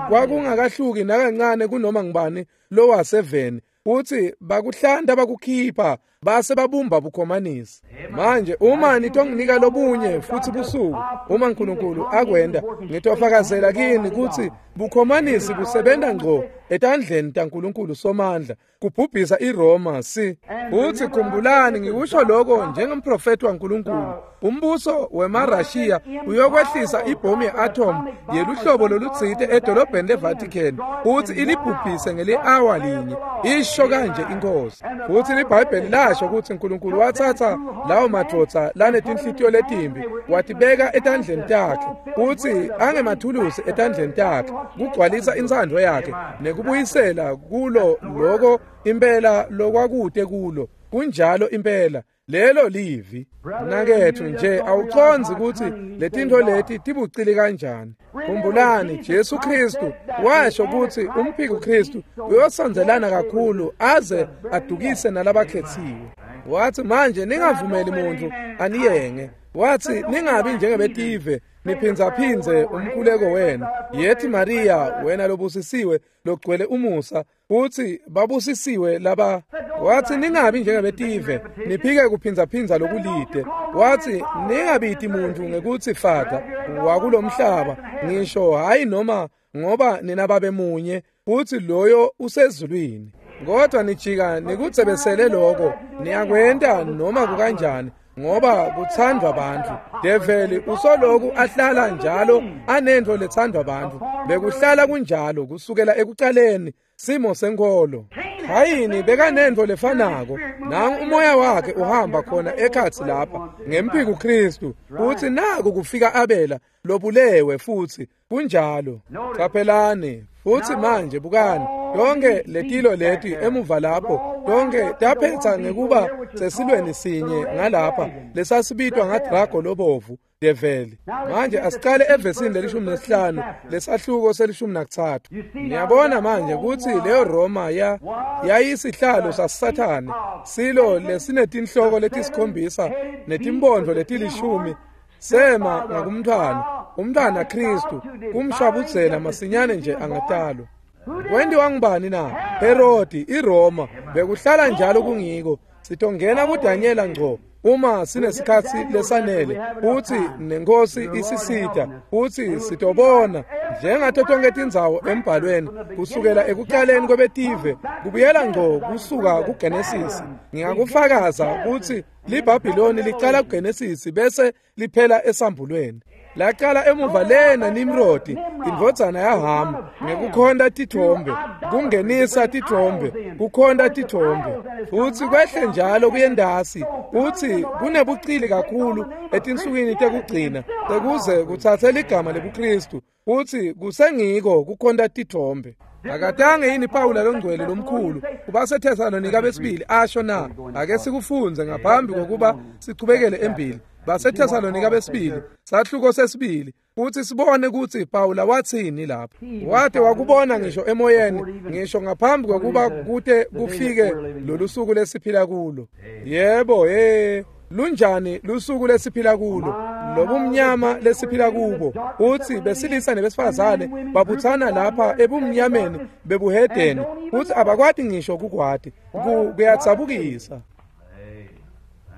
kwakungakahluki nakancane kunoma ngubani lowaseveni. Futhi bakuhlanda bakukhipha base babumba bukhomanisi. Manje uma nitonginika lobunye futhi busuku, uma uNkulunkulu akwenda, ngitofakazela kini kutsi bukhomanisi busebenta ngco etandleni taNkulunkulu Somandla kubhubhisa iRoma si. Futhi khumbulani, ngikusho lokho njengomprofeti waNkulunkulu. Umbuso wemaRussia uyokwehlisa ibhomu ye-atom yeluhlobo lolutsite edolobheni leVatican futhi ilibhubhise ngeli-awa linye, isho kanje inkosi. Futhi liBhayibheli lasho kutsi uNkulunkulu watsatsa lawo madvodza lanetinhlitiyo letimbi watibeka etandleni takhe, kutsi angemathulusi etandleni takhe kugcwalisa intsandvo yakhe nekubuyisela kulo loko impela lokwakute kulo. Kunjalo impela. Lelo livi. Mnaketfu nje awucondzi kutsi letintfo leti tibucili kanjani. Khumbulani Jesu Kristu washo kutsi umphiko Kristu uyosondzelana kakhulu aze adukise nalabakhetsiwe. Wathi manje ningavumeli muntu aniyenge. Wathi ningabi njengebetive niphindzaphindze umkhuleko wenu. Yethi Maria wena lobusisiwe logcwele umusa, uthi babusisiwe laba. Wathi ningabi njengebetive niphike kuphindzaphindza lokulide. Wathi ningabiti muntu ngekuthi fata wakulomhlaba ngisho hayi noma ngoba nina babe munye uthi loyo usezulwini. Kodwa nijika nikutsebesele lokho niyakwenta noma kukanjani ngoba kuthandwa abantu. Develi usoloku ahlala njalo anento lethandwa abantu. Bekuhlala kunjalo kusukela ekuqaleni simo senkolo. Khayini bekanento lefanako. Nangu umoya wakhe uhamba khona ekhatsi lapha ngempiko Kristu uthi naku kufika Abela lobulewe futhi kunjalo. Qaphelani futhi manje bukani yonke letilo leti emuva lapho yonke taphetha ngekuba sesilweni sinye ngalapha lesasibitwa ngadrago lobovu develi. Manje asiqale evesini lelishumi nesihlanu lesahluko selishumi nakuthathu. Niyabona manje kutsi leyo Roma ya yayisihlalo saSathane, silo lesinetinhloko letisikhombisa netimpondvo letilishumi sema ngakumntwana umntwana Kristu kumshabudzela masinyane nje angatalwa. Kwentiwa ngubani na? Herodi iRoma. Bekuhlala njalo kungiko. Sitongena kuDanyela ngco uma sinesikhatsi lesanele uthi nenkosi isisita uthi sitobona njengato tonke tindzawo embhalweni kusukela ekuqaleni kwebetive kubuyela ngco kusuka kuGenesis. Ngingakufakaza ukuthi liBhabhiloni liqala kuGenesis bese liphela esambulweni. Laqala emuva lena Nimrodi indvodzana yaHamu ngekukhonta tithombe, kungenisa tithombe, kukhonta tithombe. Futhi kwehle njalo kuyendasi uthi kunebucili kakhulu etinsukwini tekugcina tekuze kutsatse ligama lebuKristu uthi kusengiko kukhonta tithombe. Akatange yini Pawula longcwele lomkhulu kubaseThesalonika besibili asho na? Ake sikufunze ngaphambi kokuba sichubekele embili. BaseThesalonika besibili sahluko sesibili uthi sibone ukuthi Pawula wathini lapha. Wade wakubona ngisho emoyeni ngisho ngaphambi kokuba kute kufike lolu suku lesiphila kulo. Yebo hey lunjani lusuku lesiphila kulo lobumnyama lesiphila kubo. Uthi besilisa nebesifazane babuthana lapha ebumnyameni bebuhedeni uthi abakwati ngisho kukwati. Kuyatsabukisa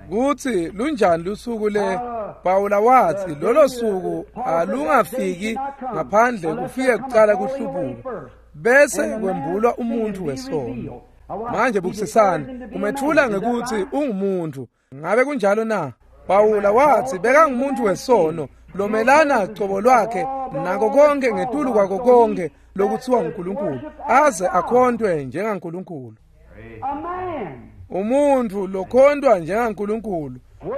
kuthi lunjani lusuku le. Pawula wathi lolo suku alungafiki ngaphandle kufike kuqala kuhlubuka bese kwembulwa umuntu wesono. Manje bukisisani umethula ngekuthi ungumuntu. Ngabe kunjalo na? Pawula wathi bekangumuntu wesono lomelana cobo lwakhe nako konke ngetulu kwako konke lokuthiwa nguNkulunkulu aze akhontwe njengaNkulunkulu. Umuntu lokhontwa njengaNkulunkulu,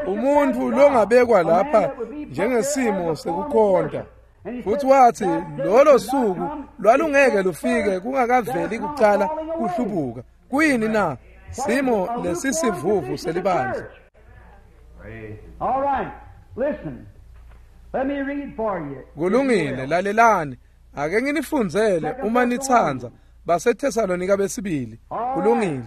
umuntu longabekwa lapha njengesimo sekukhonta. Futhi wathi lolo suku lwalungeke lufike kungakaveli kuqala kuhlubuka. Kuyini na? Simo lesisivuvu selibandla.
All right, listen. Let me read for you.
Kulungile, lalelani. Ake nginifundzele uma nitsandza baseThesalonika besibili. Kulungile.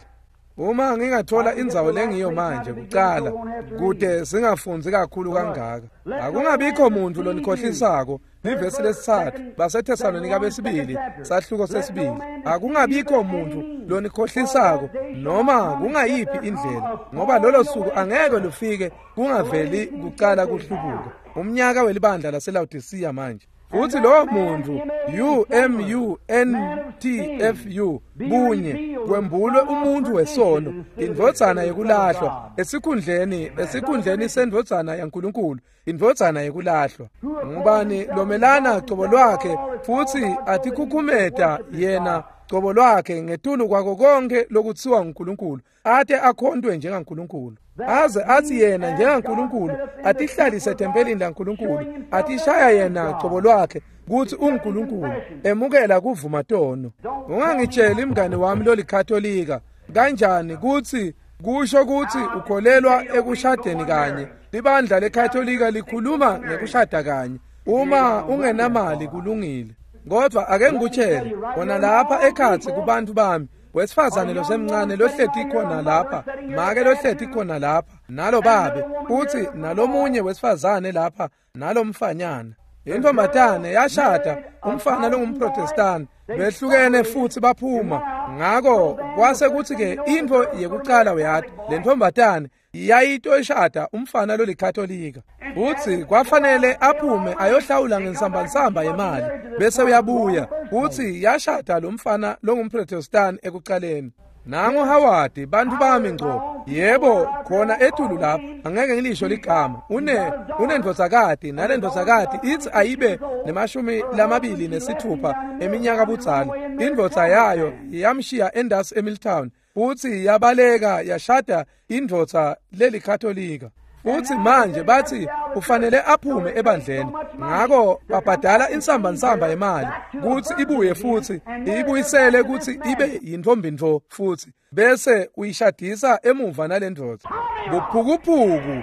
Uma ngingathola indzawo lengiyo manje kuqala kude singafundzi kakhulu kangaka. Akungabikho muntu lonikhohlisako. Ivesi lesithathu baseThesalonika besibili sahluko sesibili. Akungabikho muntu lonikhohlisako noma kungayiphi indlela ngoba lolo suku angeke lufike kungaveli kuqala kuhlubuka. Umnyaka welibandla laseLaodicea manje. Futhi lo muntu U M U N T F U bunye kwembulwe umuntu wesono indvodzana yekulahlwa esikhundleni esikhundleni sendvodzana yaNkulunkulu indvodzana yekulahlwa. Ngubani lomelana cobo lwakhe futhi atikhukhumeta yena cobo lwakhe ngetulu kwako konke lokuthiwa nguNkulunkulu ate akhontwe njengaNkulunkulu aze athi yena njengaNkulunkulu atihlalise ethempelini laNkulunkulu atishaya yena cobo lwakhe kuthi uNkulunkulu emukela kuvuma tono. Ungangitsheli mngani wami lolikatolika kanjani kuthi Kusho kutsi ukholelwa ekushadeni kanye. Libandla leKatolika likhuluma ngekushada kanye. Uma ungenamali kulungile. Kodwa ake ngikutshele, khona lapha ekhatsi kubantu bami, wesifazane losemncane lohleti khona lapha, make lohleti khona lapha, nalo babe, futhi nalomunye wesifazane lapha, nalomfanyana. Intombatane yashada umfana longumprotestani, behlukene futhi baphuma. Ngako kwase kuthi ke into yekucala uyati, le ntombatane yayitoshada umfana lolikatolika. Uthi kwafanele aphume ayohlawula ngensambansamba yemali bese uyabuya. Uthi yashada lo mfana longumprotestani ekucaleni. Nangu Howard, bantu bami ngco. Yebo, khona etulu lapha, angeke ngilisho ligama. Une unendvodzakati nalendvodzakati ithi ayibe nemashumi lamabili nesithupha eminyaka budzala. Indvodza yayo yamshiya endasi eMilltown. Futhi yabaleka yashada indvodza lelikatolika. Futhi manje bathi ufanele aphume ebandleni. Ngako babhadala insambansamba yemali kuthi ibuye futhi ibuyisele kuthi ibe yintombi futhi bese uyishadisa emuva nalendvodza. Buphukuphuku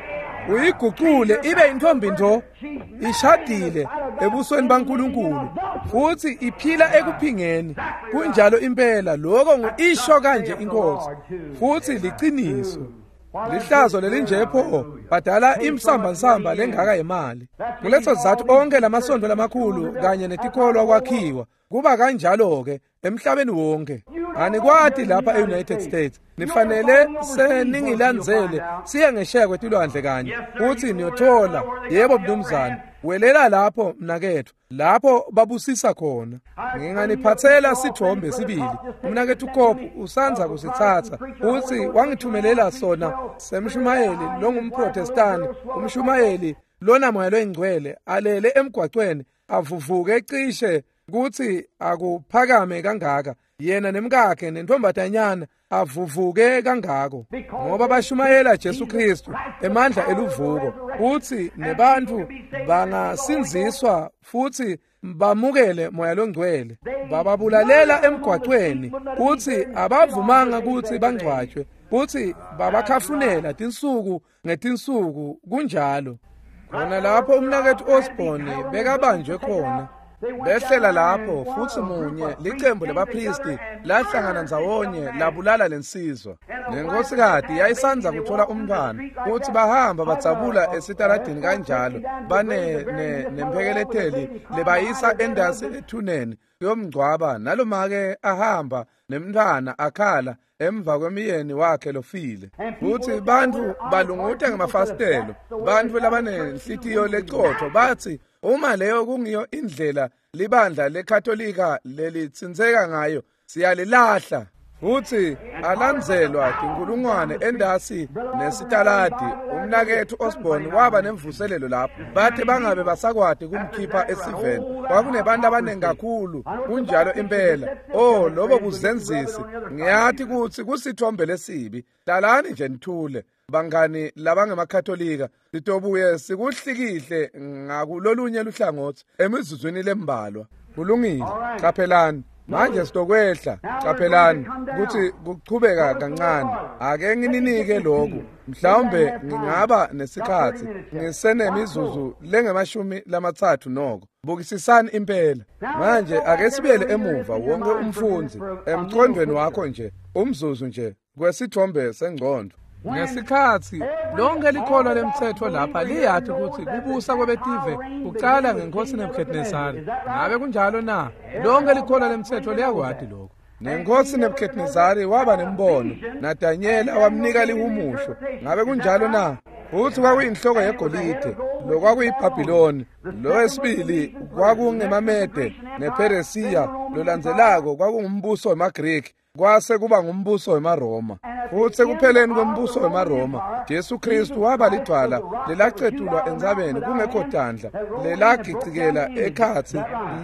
uyigucule ibe intombi nto ishadile ebusweni baNkulunkulu futhi iphila ekuphingeni. Kunjalo impela, lokho ngisho kanje inkosi, futhi liqiniso. Lihlazo lelinje pho badala imsambansamba lengaka yemali. Kuleso sizathu onke lamasonto lamakhulu kanye netikholwa kwakhiwa kuba kanjalo ke emhlabeni wonke. Anikwati lapha e-United States, nifanele seningilandzele siye ngesheya kwetilwandle kanye futhi niyothola. Yebo mnumzane, welela lapho mnakethu, lapho babusisa khona. Nginganiphathela sithombe sibili. Umnakethu Kopu usanza kusithatha, uthi wangithumelela sona semshumayeli longumprotestani, umshumayeli lona moya loyingcwele alele emgwaqweni avuvuke cishe kuthi akuphakame kangaka, yena nemkakhe nentombatanyana avuvuke kangako, ngoba bashumayela Jesu Kristu emandla eluvuko. Uthi nebantu bangasinziswa futhi bamukele moya longcwele. Bababulalela emgwaqweni, uthi abavumanga ukuthi bangcwatshwe, uthi babakhafunela tinsuku ngetinsuku. Kunjalo. Khona lapho umnakethu Osborne bekabanjwe khona, behlela lapho futhi munye licembu labapristi lahlangana ndzawonye labulala lensizwa. Nenkosikati yayisanza kuthola umntwana, futhi bahamba badzabula esitaladini kanjalo bane nemphekeletheli lebayisa endasi ethuneni kuyomngcwaba. Nalomake ahamba nemntwana akhala emva kwemiyeni wakhe lofile. Futhi bantu balunguta ngemafasitelo, bantu labanenhlitiyo lecotho bathi uma leyo kungiyo indlela libandla leKatolika lelitsintseka ngayo, siyalilahla. Futhi alandzelwa tinkulungwane endasi nesitaladi. Umnakethu Osborne waba nemvuselelo lapho, bathi bangabe basakwati kumkhipha esiveni. Kwakunebantu abaningi kakhulu. Kunjalo impela. Oh, lobo buzenzisi. Ngiyathi kuthi kusithombe lesibi. Hlalani nje nithule bangani labangemakatolika, sitobuye sikuhlikihle ngakulolunye luhlangothi emizuzwini lembalwa. Kulungile, qaphelani. Manje sitokwehla, qaphelani ukuthi kuchubeka kancane. Ake ngininike lokhu, mhlawumbe ngingaba nesikhathi ngisenemizuzu lengemashumi lamathathu noko. Bukisisani impela. Manje ake sibuyele emuva wonke umfundzi emqondweni wakho nje, umzuzu nje kwesithombe sengqondo. Ngesikhathi lonke likholwa lemthetho lapha liyathi ukuthi kubusa kwebetive kucala ngenkosi Nebuchadnezzar. Ngabe kunjalo na? Lonke likholwa lemthetho liyakwati lokho. Nenkosi Nebuchadnezzar waba nembono, naDanyela wamnika lihumusho. Ngabe kunjalo na? Futhi kwakuyinhloko yegolide, lo kwakuyiBhabhiloni, lo wesibili kwakungemamede nePheresiya, lolandzelako kwakungumbuso wemaGriki, kwase kuba ngumbuso wemaRoma. Futhi ekupheleni kwembuso wemaRoma, Jesu Kristu waba lidwala lelacetulwa entsabeni kungekho tandla, lelagicikela ekhatsi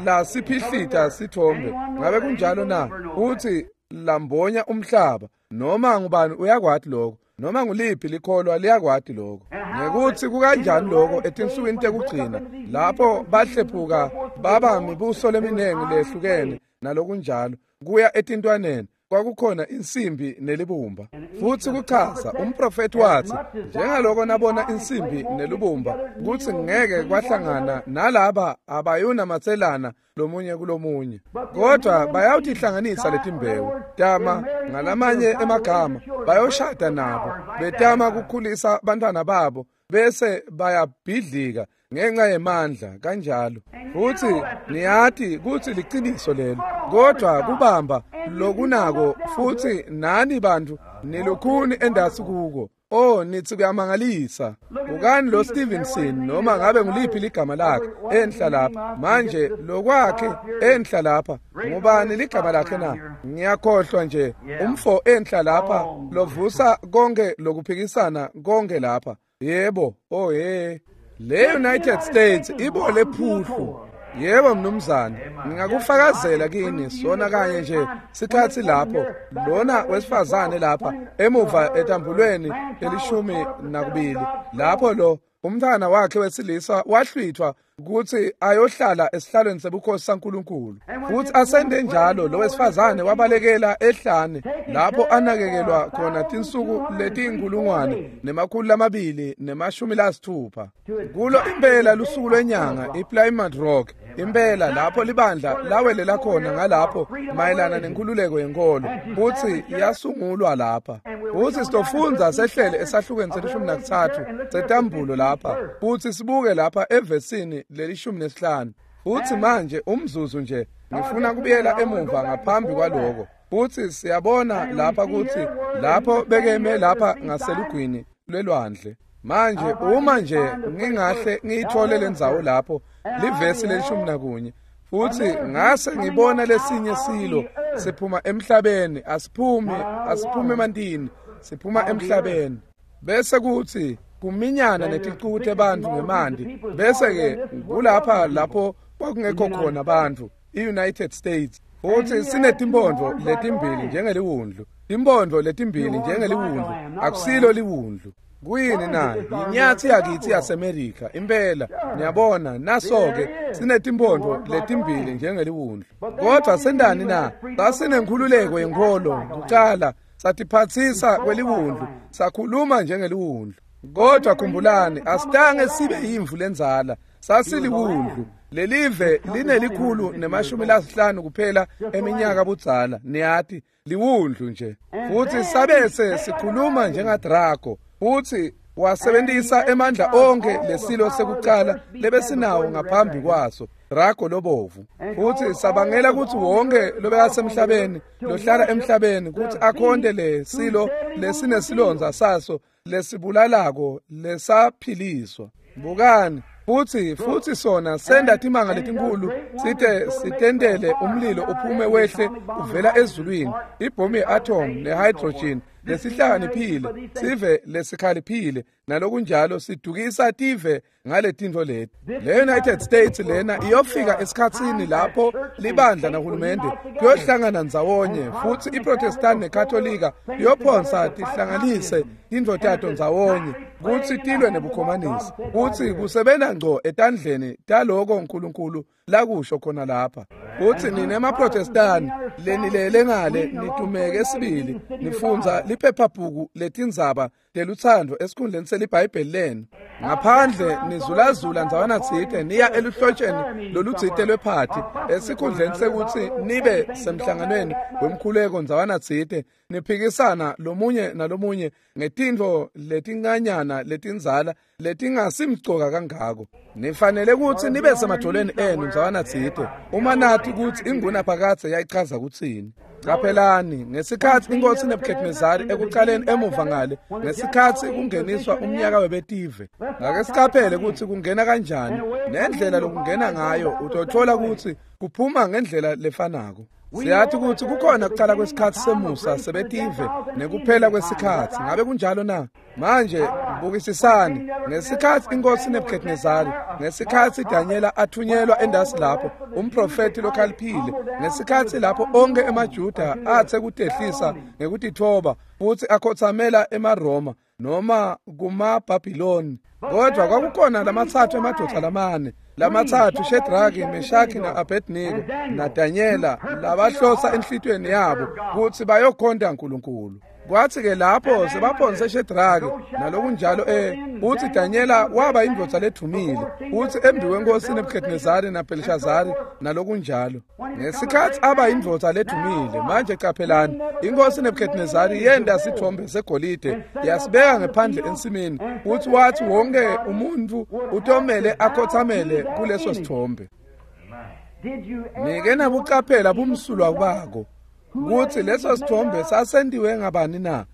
lasiphihlita sithombe. Ngabe kunjalo na? Uthi lambonya umhlaba. Noma ngubani uyakwati lokho, noma nguliphi likholwa liyakwati lokho. Ngekuthi kukanjani lokho etinsukwini tekugcina lapho bahlephuka baba mibuso leminingi lehlukene nalokunjalo kuya etintwaneni. kwakukhona insimbi nelibumba. Futsi kuchaza umprofeti wathi njengaloko nabona insimbi nelibumba kutsi ngeke kwahlangana nalaba abayunamatselana lomunye kulomunye, kodwa bayawutihlanganisa letimbewu tama ngalamanye emagama bayoshada nabo betama kukhulisa bantwana babo bese bayabhidlika ngenxa yemandla kanjalo. Futhi niyati kutsi liciniso lelo, kodwa kubamba lokunako futhi nani bantu nilukhuni endasi kuko. Oh, nithi kuyamangalisa. Bukani lo Stevenson noma ngabe nguliphi ligama lakhe enhla lapha manje lokwakhe enhla lapha ngubani ligama lakhe na? Ngiyakhohlwa nje umfo enhla lapha lovusa konke lokuphikisana konke lapha. Yebo, oh hey. Le United States ibole phuhlu. Yebo mnumzane, ngingakufakazela kini sona kanye nje sikhathi lapho lona wesifazane lapha emuva etambulweni elishumi nakubili lapho lo umntwana wakhe wesilisa wahlwithwa ukuthi ayohlala esihlalweni sebukhosi saNkulunkulu. Futhi asende njalo lo wesifazane wabalekela ehlane lapho anakekelwa khona tinsuku letinkulungwane nemakhulu lamabili nemashumi lasithupha. Kulo impela lusuku lwenyanga iPlymouth Rock, impela lapho libandla lawelela khona ngalapho mayelana nenkululeko yenkolo, futhi yasungulwa lapha. Futhi sitofundza sehlele esahlukweni selishumi nakutsatfu setambulo lapha, futhi sibuke lapha evesini lelishumi nesihlanu. Futhi manje umzuzu nje ngifuna kubuyela emuva ngaphambi kwaloko. Futhi siyabona lapha ukuthi lapho bekeme lapha ngaselugwini lwelwandle. Manje uma nje ngingahle ngiyithole lendzawo lapho livesi lelishumi nakunye, futhi ngase ngibona lesinye silo siphuma emhlabeni, asiphumi asiphumi emantini, siphuma emhlabeni. Bese kuthi kuminyana neticuku tebantfu ngemanti, bese ke kulapha lapho kwakungekho khona abantu, i-United States. Futhi sinetimpondo letimbili njengeliwundlu, timpondo letimbili njengeliwundlu, akusilo liwundlu. Kuyini na? Yinyathi yakithi yaseMerika impela. Niyabona naso-ke sinetimpondo letimbili njengeliwundlu. Kodwa sendani na? Sasinenkhululeko yenkholo kucala, satiphatsisa kweliwundlu, sakhuluma njengeliwundlu. Kodwa khumbulani, asitange sibe yimvu lenzala, sasiliwundlu. Lelive linelikhulu nemashumi lasihlanu kuphela eminyaka budzala, niyati, liwundlu nje. Futhi sabese sikhuluma njengaDrago, futhi wasebenzisa emandla onke lesilo sekucala lebesinawo ngaphambi kwaso, Drago lobovu. Futhi sabangela ukuthi wonke lobekasemhlabeni lohlala emhlabeni ukuthi akhonte lesilo lesinesilonza saso lesibulalako lesaphiliswa. Bukani, futhi futhi sona senda timanga letinkulu site sitendele umlilo uphume wehle uvela ezulwini, ibhomu ye-atom ne-hydrogen lesihlakaniphile sive lesikhaliphile nalokunjalo, sidukisa tive ngaletintfo leti. Le United States lena iyofika esikhatsini lapho libandla nahulumende kuyohlangana ndzawonye, futhi iProtestant neKatolika iyophonsa tihlanganise tintfo tato ndzawonye kutsi tilwe nebukhomanisi, kutsi kusebenta ngco etandleni taloko uNkulunkulu lakusho khona lapha. Kutsi nine emaProtestani lenilele ngale nitumeke sibili, nifundza liphephabhuku letindzaba telutsandvo esikhundleni seliBhayibheli lenu. Ngaphandle nizulazula ndzawana tsite niya eluhlotsheni lolutsite lwephathi esikhundleni sekutsi nibe semhlanganweni wemkhuleko ndzawana tsite, niphikisana lomunye nalomunye ngetintfo letincanyana letindzala letingasimcoka kangako. Nifanele kutsi nibe semadvolweni enu ndzawana tsite uma nati kutsi ingunaphakadze yayichaza kutsini. Qaphelani, ngesikhatsi inkosi Nebuchadnezzar ekucaleni emuva ngale, ngesikhatsi kungeniswa umnyaka webetive, ngake siqaphele kutsi kungena kanjani nendlela lokungena ngayo, utothola kutsi kuphuma ngendlela lefanako. Siyathi kutsi kukhona kucala kwesikhatsi semusa sebetive nekuphela kwesikhatsi. Ngabe kunjalo na? Manje Bukisisani ngesikhatsi inkosi Nebuchadnezzar, ngesikhatsi Daniela athunyelwa endasi lapho, umprofeti lokhaliphile, ngesikhatsi lapho onke emaJuda athe kutehlisa ngekutithoba futhi akhothamela emaRoma noma kumaBhabhiloni. Kodwa kwakukhona lamatsatfu emadvodza lamane, lamatsatfu Shedraki, Meshaki na-Abednego naDanyela, labahlosa enhlitiyweni yabo kutsi bayokhonta uNkulunkulu. Kwathi-ke lapho sebaphonse Shedraki nalokunjalo eh uthi Danyela waba indvodza ledumile, uthi embi kwenkosi Nebuchadnezzar naBelshazari nalokunjalo. Ngesikhatsi aba indvodza ledumile, manje qaphelani, inkosi Nebuchadnezzar yenda sithombe segolide yasibeka ngephandle ensimini, uthi wathi wonke umuntu utomele akhothamele kuleso sithombe. Nike nabuqaphela bumsulwa bako kutsi leso sithombe sasentiwe ngabani na?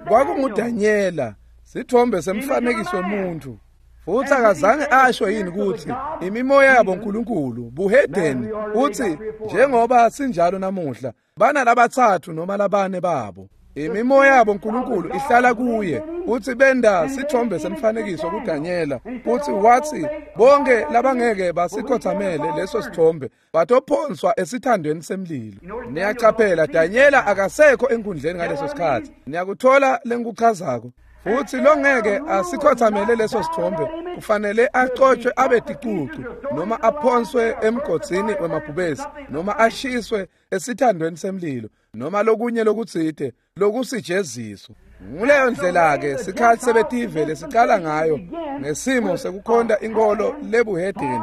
KwakunguDanyela, sithombe semfanekiso womuntu. Futhi akazange asho yini kutsi imimoya yabo nkulunkulu buhedeni, uthi njengoba sinjalo namuhla bana labatsatfu noma labane babo. Imimoya yabo nkulunkulu ihlala kuye. Uthi benda sithombe semfanekiso kuDanyela, uthi wathi bonke labangeke basikhothamele leso sithombe batophonswa esithandweni semlilo. Niyacaphela, Danyela akasekho enkundleni ngaleso sikhatsi. Niyakuthola lengikuchazako? Futhi longeke asikhothamele leso sithombe kufanele axotshwe abe ticucu noma aphonswe emgodzini wemabhubesi noma ashiswe esithandweni semlilo noma lokunye lokutsite lokusijeziso. Nguleyo ndlela-ke sikhatsi sebetive lesicala ngayo ngesimo sekukhonta inkolo lebuhedeni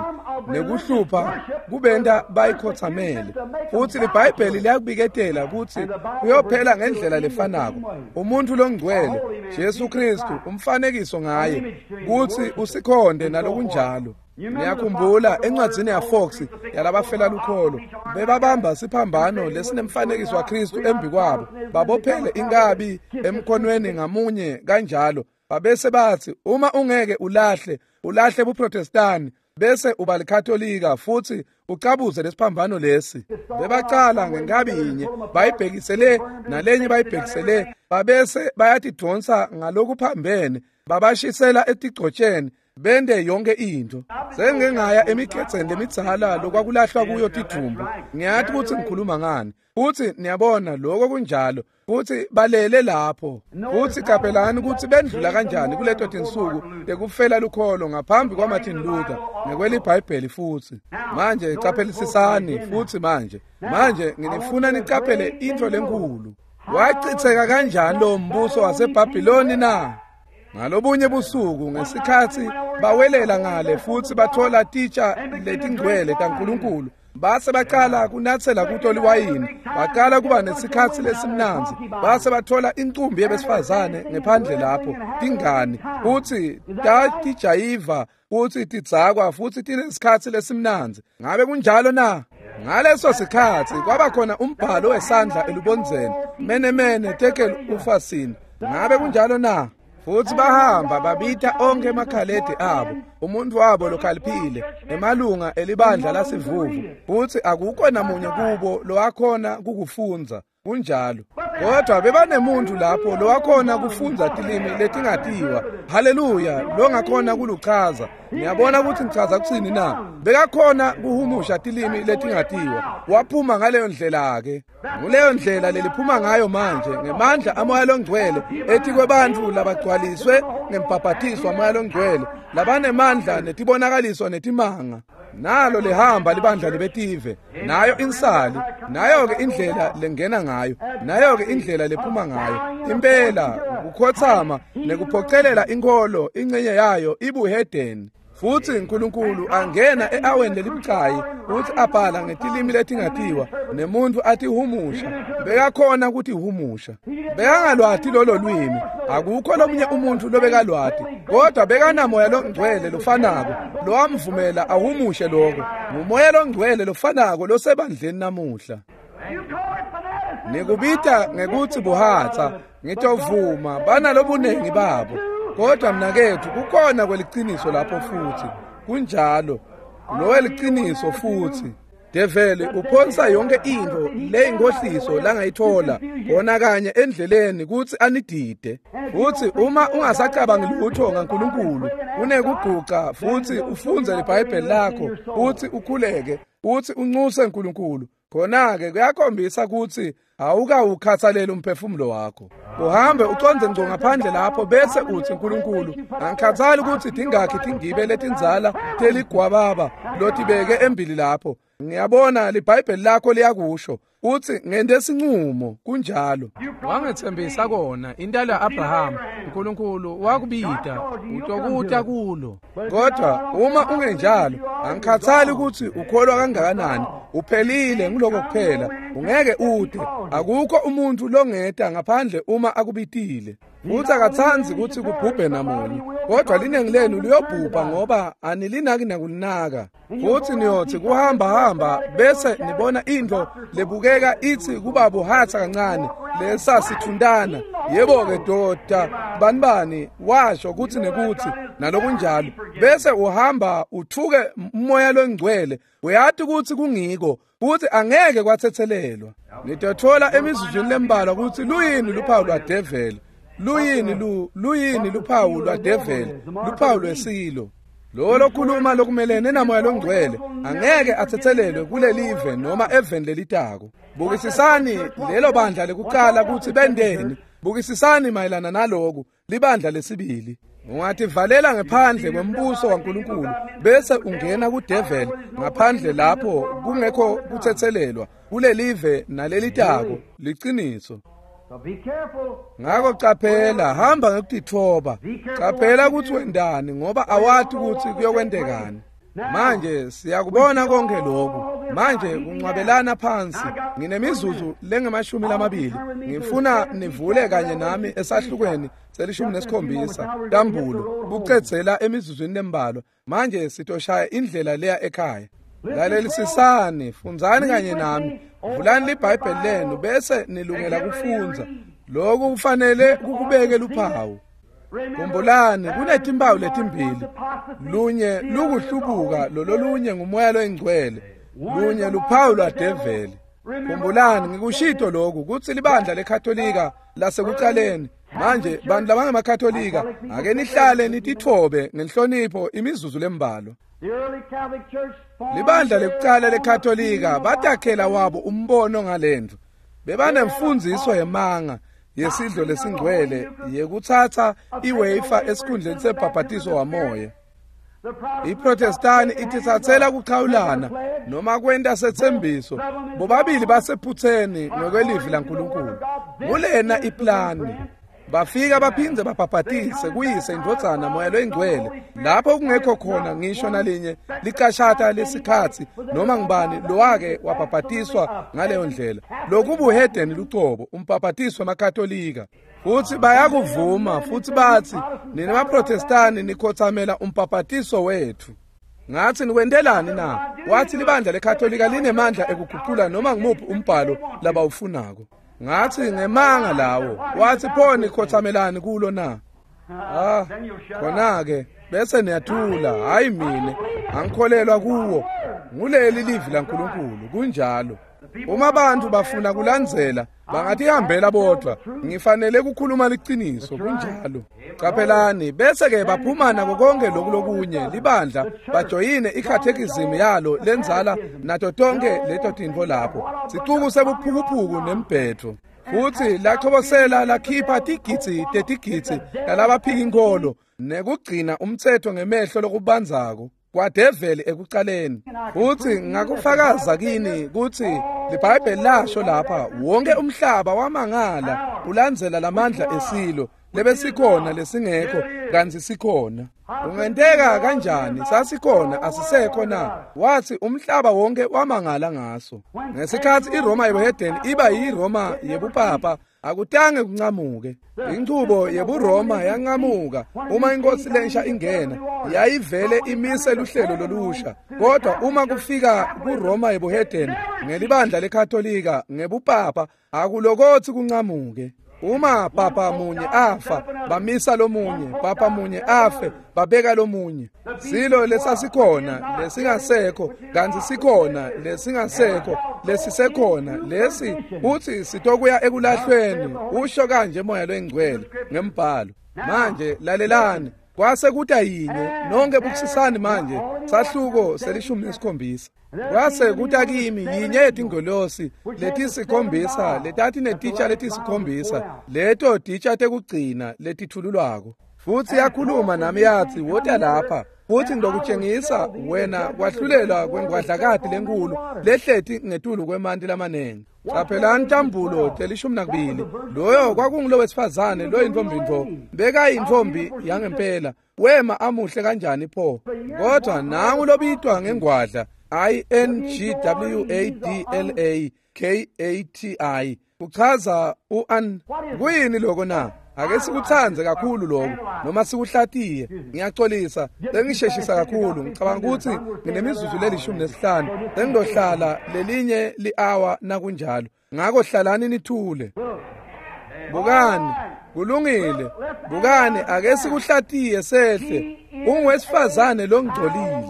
nekuhlupha kubenta bayikhothamele. Futhi liBhayibheli liyakubiketela kutsi kuyophela ngendlela lefanako. Umuntfu longcwele Jesu Kristu, umfanekiso ngaye kutsi usikhonde nalokunjalo. Niyakhumbula encwadzini yaFox yalabafela lukholo, bebabamba siphambano lesinemfanekiso waKristu embi kwabo, babophele inkabi emkhonweni ngamunye kanjalo. Babese bathi uma ungeke ulahle, ulahle buProtestani bese uba liKatolika futhi ucabuze lesiphambano lesi. Bebacala ngenkabi yinye bayibhekisele nalenye bayibhekisele, babese bayatidonsa ngalokuphambene, babashisela etigcotsheni, bende yonke into. Sengingaya emigedzeni lemidzala lokwakulahlwa kuyo tidumbu. Ngiyathi kutsi ngikhuluma ngani. Futhi niyabona lokho kunjalo. Futhi balele lapho. Futhi qaphelani kutsi bendlula kanjani kuleto tinsuku tekufela lukholo ngaphambi kwaMartin Luther ngekweliBhayibheli futhi. Manje qaphelisisani futhi manje. Manje nginifuna niqaphele into lenkulu. Wachitheka kanjani lo mbuso waseBhabhiloni na? Ngalobunye busuku ngesikhatsi bawelela ngale futhi bathola titsha letingcwele taNkulunkulu, base baqala kunatsela kuto liwayini, baqala kuba nesikhatsi lesimnandzi, base bathola incumbi yebesifazane ngephandle lapho tingani, futhi tatijayiva futhi tidzakwa futhi tinesikhatsi lesimnandzi. Ngabe kunjalo na? Ngaleso sikhatsi kwaba khona umbhalo wesandla elubondzeni, mene mene tekel ufasini. Ngabe kunjalo na? Futhi bahamba babita onke emakhaledi abo, umuntu wabo lokhaliphile, emalunga elibandla lasivuvu, futhi akukho namunye kubo lowakhona kukufundza. Kunjalo. Kodwa bebanemuntu lapho lowakhona kufundza tilimi letingatiwa. Haleluya, longakhona kuluchaza. Niyabona ukuthi ngichaza kutsini na? Bekakhona kuhumusha tilimi letingatiwa. Waphuma ngaleyo ndlela ke. Nguleyo ndlela leliphuma ngayo manje ngemandla amoya longcwele ethi kwebantfu labagcwaliswe ngembhabhatiso wamoya longcwele, labanemandla netibonakaliso netimanga. Nalo lihamba libandla lebetive, nayo insali, nayo ke indlela lengena ngayo, nayo ke indlela lephuma ngayo. Impela kukhothama nekuphocelela inkolo ingcenye yayo ibuhedeni. Futhi uNkulunkulu angena eaweni lelibucayi uthi abhala ngetilimi letingatiwa nemuntu atihumusha. Bekakhona ukuthi humusha. Bekangalwati lolo lwimi, akukho lomunye umuntu lobekalwati, kodwa bekanamoya longcwele lofanako lowamvumela ahumushe lokho. Ngumoya longcwele lofanako losebandleni namuhla. Nikubita ngekuthi buhatsa, ngitovuma banalobunengi babo. Kodwa mnakethu kukhona kweliciniso lapho futhi. Kunjalo. Lo weliciniso futhi. Develi uphonsa yonke intfo leyinkohliso langayithola kona kanye endleleni kutsi anidide. Futsi uma ungasacabangi lutho ngaNkulunkulu, unekuguca futsi ufundze liBhayibheli lakho, futsi ukhuleke, futsi uncuse uNkulunkulu, khona-ke kuyakhombisa kutsi awukawukhathaleli umphefumulo wakho. Uhambe ucondze ngco ngaphandle lapho bese utsi, Nkulunkulu, angikhathali kutsi tingakhi tingibe letindzala teligwababa lotibeke embili lapho. Ngiyabona liBhayibheli lakho liyakusho, utsi ngente sincumo. Kunjalo. Wangetsembisa kona intalo ya-Abraham, uNkulunkulu wakubita utokuta kulo. Kodwa uma ungenjalo, angikhathali kutsi ukholwa kangakanani, uphelile nguloko kuphela, ungeke ude. Akukho umuntu longeta ngaphandle uma akubitile. Futsi akatsandzi kutsi kubhubhe namunye, kodwa linengi lenu liyobhubha ngoba anilinaki nakulinaka. Futsi niyotsi kuhamba hamba bese nibona intfo lebukeka itsi kuba buhatsa kancane lesasithuntana. Yebo-ke doda bani bani washo kutsi nekutsi nalokunjalo, bese uhamba uthuke umoya longcwele. Uyati kutsi kungiko, kutsi angeke kwatsetselelwa. Nitothola emizuzwini lembalwa kutsi luyini luphawu lwadeveli, luyini lu luyini luphawu lwadeveli, luphawu lwesilo. Lo lokhuluma lokumelene namoya longcwele angeke atsetselelwe kulelive noma eveni lelitako. Bukisisani lelo bandla lekucala kutsi bendeni. Bukisisani mayelana naloku libandla lesibili. Ungativalela ngephandle kwembuso waNkulunkulu bese ungena kudeveli ngaphandle lapho kungekho kutsetselelwa kulelive nalelitako. Liciniso. Ngako caphela, hamba ngekutitfoba. Caphela kutsi wendani ngoba awati kutsi kuyokwentekani. Manje siyakubona konke lokhu. Manje kuncwabelana phansi. Nginemizuzu lengemashumi lamabili. Ngifuna nivule kanye nami esahlukweni selishumi nesikhombisa Tambulo, kucedzela emizuzwini lembalwa. Manje sitoshaya indlela leya ekhaya. Lalelisisani, fundzani kanye nami. Vulani liBhayibheli lenu bese nilungela kufundza. Lokhu kufanele kukubeke luphawu. Khumbulani, kunetimpawu letimbili. Lunye lukuhlubuka, lololunye ngumoya loyingcwele. Lunye luphawu lwadeveli. Khumbulani, ngikushito lokhu kutsi libandla leKatolika lasekucaleni. Manje bantu labangemakatolika, ake nihlale nititfobe ngenhlonipho imizuzu lembalwa. Libandla lekucala leKatolika batakhela wabo umbono ngalendlu. Bebanemfundziso yemanga yesidlo lesingcwele yekutsatsa iwafer esikhundleni sebhabhatiso wamoya. IProtestani ititsatsela kuchawulana noma kwenta setsembiso. Bobabili basephutseni ngokwelivi laNkulunkulu. Kulena iplani bafika baphindze babhabhatise kuyise indvodzana moya loyingcwele, lapho kungekho khona ngisho nalinye licashata lesikhatsi noma ngubani lowake wabhabhatiswa ngaleyo ndlela. Lokubuhedeni lucobo, umbhabhatiso wemaKatolika. Futsi bayakuvuma futsi batsi, nina maProtestani nikhothamela umbhabhatiso wethu. Ngathi nikwentelani na? Wathi libandla leKatolika linemandla ekuguqula noma ngumuphi umbhalo labawufunako. Ngathi ngemanga lawo. Wathi pho nikhothamelani kulo na? Ah, khona-ke bese niyathula. Hayi mine, angikholelwa kuwo. Nguleli livi laNkulunkulu, kunjalo. Uma abantu bafuna kulandzela, bangatihambela bodvwa. Ngifanele kukhuluma liciniso, kunjalo. Caphelani, bese-ke baphuma nako konke loku lokunye libandla, bajoyine ikhathekizimi yalo lendzala nato tonke leto tintfo lapho. Sicuku sebuphukuphuku nembhedvo. Futsi lachobosela lakhipha tigidzi tetigidzi lalabaphika inkholo nekugcina umtsetfo ngemehlo lokubandzako kwadeveli ekucaleni. Futsi ngakufakaza kini kutsi liBhayibheli lasho lapha, wonke umhlaba wamangala ulandzela lamandla esilo lebesikhona lesingekho kantsi sikhona. Kungenteka kanjani sasikhona asisekho na? Wathi umhlaba wonke wamangala ngaso. Ngesikhatsi iRoma yebuhedeni iba yiRoma yebupapa, akutange kuncamuke. Inchubo yebuRoma yancamuka uma inkosi lensha ingena, yayivele imise luhlelo lolusha. Kodwa uma kufika kuRoma yebuhedeni ngelibandla leKatolika ngebupapa, akulokothi kuncamuke. Uma papa munye afa, bamisa lomunye, papa munye afe, babeka lomunye. Silo lesasikhona, lesingasekho, kantsi sikhona, lesingasekho, lesisekhona, lesi uthi sitokuya ekulahlweni, usho kanje Moya loyiNgcwele ngembhalo. Manje lalelani, kwase kuta yinye, nonke bukisisani manje, sahluko selishumi nesikhombisa. Kwase kuta kimi yinye yetingolosi letisikhombisa letati netitsha letisikhombisa, leto titsha tekugcina letithululwako. Futhi yakhuluma nami yathi, wota lapha, futhi ngitokutshengisa wena kwahlulelwa kwengwadlakati lenkulu lehleti ngetulu kwemanti lamanengi. Qaphelani tambulo telishumi nakubili. Loyo kwakungulo wesifazane loyintombi bekayintombi yangempela, wema amuhle kanjani pho. Kodwa nangu lobitwa ngengwadla I N G W A D L A K A T I kuchaza u-an. Kuyini lokho na? Ake sikuthandze kakhulu lokho noma sikuhlatiye. Ngiyaxolisa, sengisheshisa kakhulu. Ngicabanga ukuthi nginemizuzu lelishumi nesihlanu, sengizohlala lelinye li-hour nakunjalo. Ngakho hlalani nithule. Bukani, kulungile. Bukani, ake sikuhlatiye sehle. Ungowesifazane longcolile.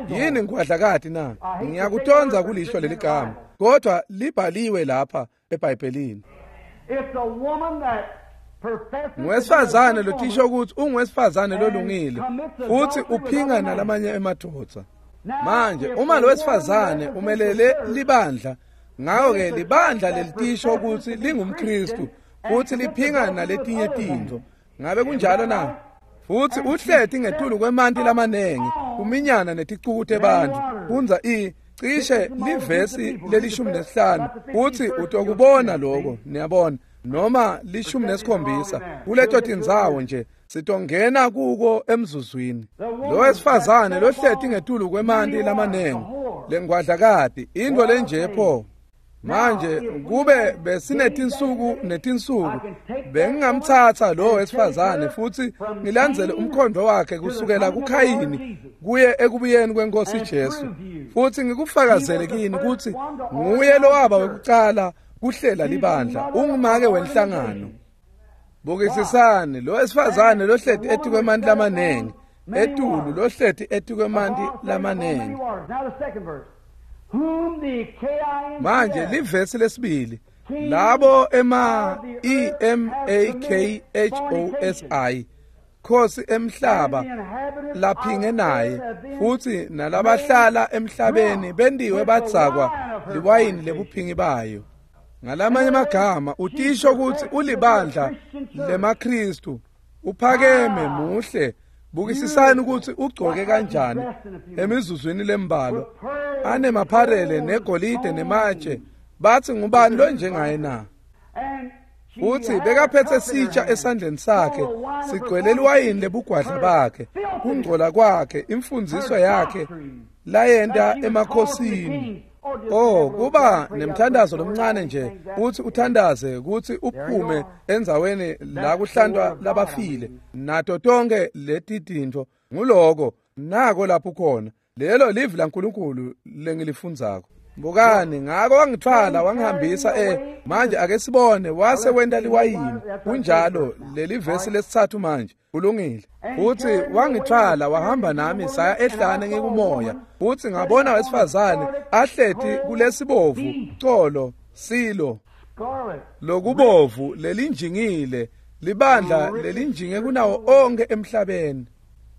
Yini ngwadlakati na? Ngiyakutonza kulisho leli gama, kodwa libhaliwe lapha eBhayibhelini.
It's a woman that
Ngowesifazane lotisho ukuthi ungowesifazane lolungile futhi uphinga nalamanye emadvodza. Manje uma lo wesifazane umelele libandla, ngakho-ke libandla lelitisho ukuthi lingumKristu futhi liphinga naletinye tintfo. Ngabe kunjalo na? Futhi uhleti ngetulu kwemanti lamanengi, kuminyana neticuku tebantfu. Fundza i cishe livesi lelishumi nesihlanu uthi utokubona lokho, niyabona, noma lishumi nesikhombisa kuleto tindzawo nje sitongena kuko emzuzwini. Lo wesifazane lohleti ngetulu kwemanti lamanengi, lengwadlakati, into lenje pho. Manje kube besinetinsuku netinsuku, bengingamthatha lo wesifazane futhi ngilandzele umkhondo wakhe kusukela kuKhayini kuye ekubuyeni kwenkosi Jesu, futhi ngikufakazele kini ukuthi nguye lowaba wekucala kuhlela libandla, ungumake wenhlangano. Bukisisani lo wesifazane lohleti etikwemanti lamanengi, etulu lohleti etikwemanti lamanengi. Manje livesi lesibili, labo ema E M A K H O S I khosi emhlaba laphinge naye futhi nalabahlala emhlabeni bendiwe badzakwa liwayini lebuphingi bayo. Ngalamanye amagama utisho ukuthi ulibandla lemaKristu, uphakeme muhle. Bukisisani ukuthi ugcoke kanjani emizuzwini lembalwa, anemapharele negolide nematshe. Bathi ngubani lo njengaye na? Uthi bekaphethe sitsha esandleni sakhe sigcwele liwayini lebugwadla bakhe, kungcola kwakhe, imfundiso yakhe layenta emakhosini. Oh, kuba nemthandazo lomncane nje uthi uthandaze ukuthi uphume endzaweni la kuhlantwa labafile nato tonke leti tintfo. Nguloko nako lapho khona lelo livi laNkulunkulu lengilifundzako. Bukani, ngako wangithwala wangihambisa eh manje ake sibone wase wenta liwayini. Kunjalo, leli vesi lesithathu manje kulungile. Futhi wangithwala wahamba nami saya ehlane ngikumoya, futhi ngabona wesifazane ahleti kulesibovu colo silo lokubovu lelinjingile, libandla lelinjinge kunawo onke emhlabeni.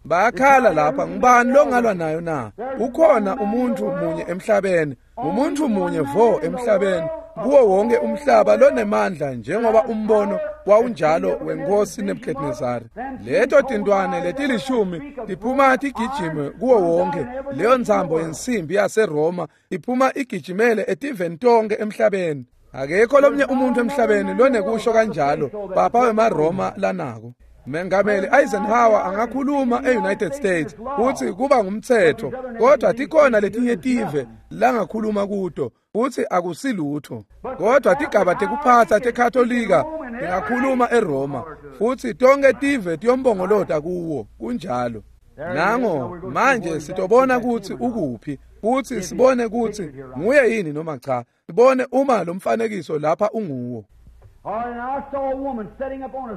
Bayakhala lapha, ngubani longalwa nayo na? Ukhona umuntu munye emhlabeni, umuntu munye vo emhlabeni, kuwo wonke umhlaba lonemandla njengoba umbono wawunjalo wenkosi Nebuchadnezzar. Leto tintwane letilishumi tiphuma tigijime kuwo wonke leyo ntsambo yensimbi yaseRoma, iphuma igijimele etiveni tonke emhlabeni. Akekho lomnye umuntu emhlabeni lonekusho kanjalo papa wemaRoma lanako. Mengameli Eisenhower angakhuluma e-United States uthi kuba ngumthetho, kodwa tikhona letinye tive langakhuluma kuto uthi akusilutho. Kodwa tigaba tekuphatsa teKatolika tingakhuluma eRoma futhi tonke tive tiyombongolota kuwo. Kunjalo. Nango manje sitobona ukuthi ukuphi, futhi sibone ukuthi nguye yini noma cha, sibone uma lo mfanekiso lapha unguwo.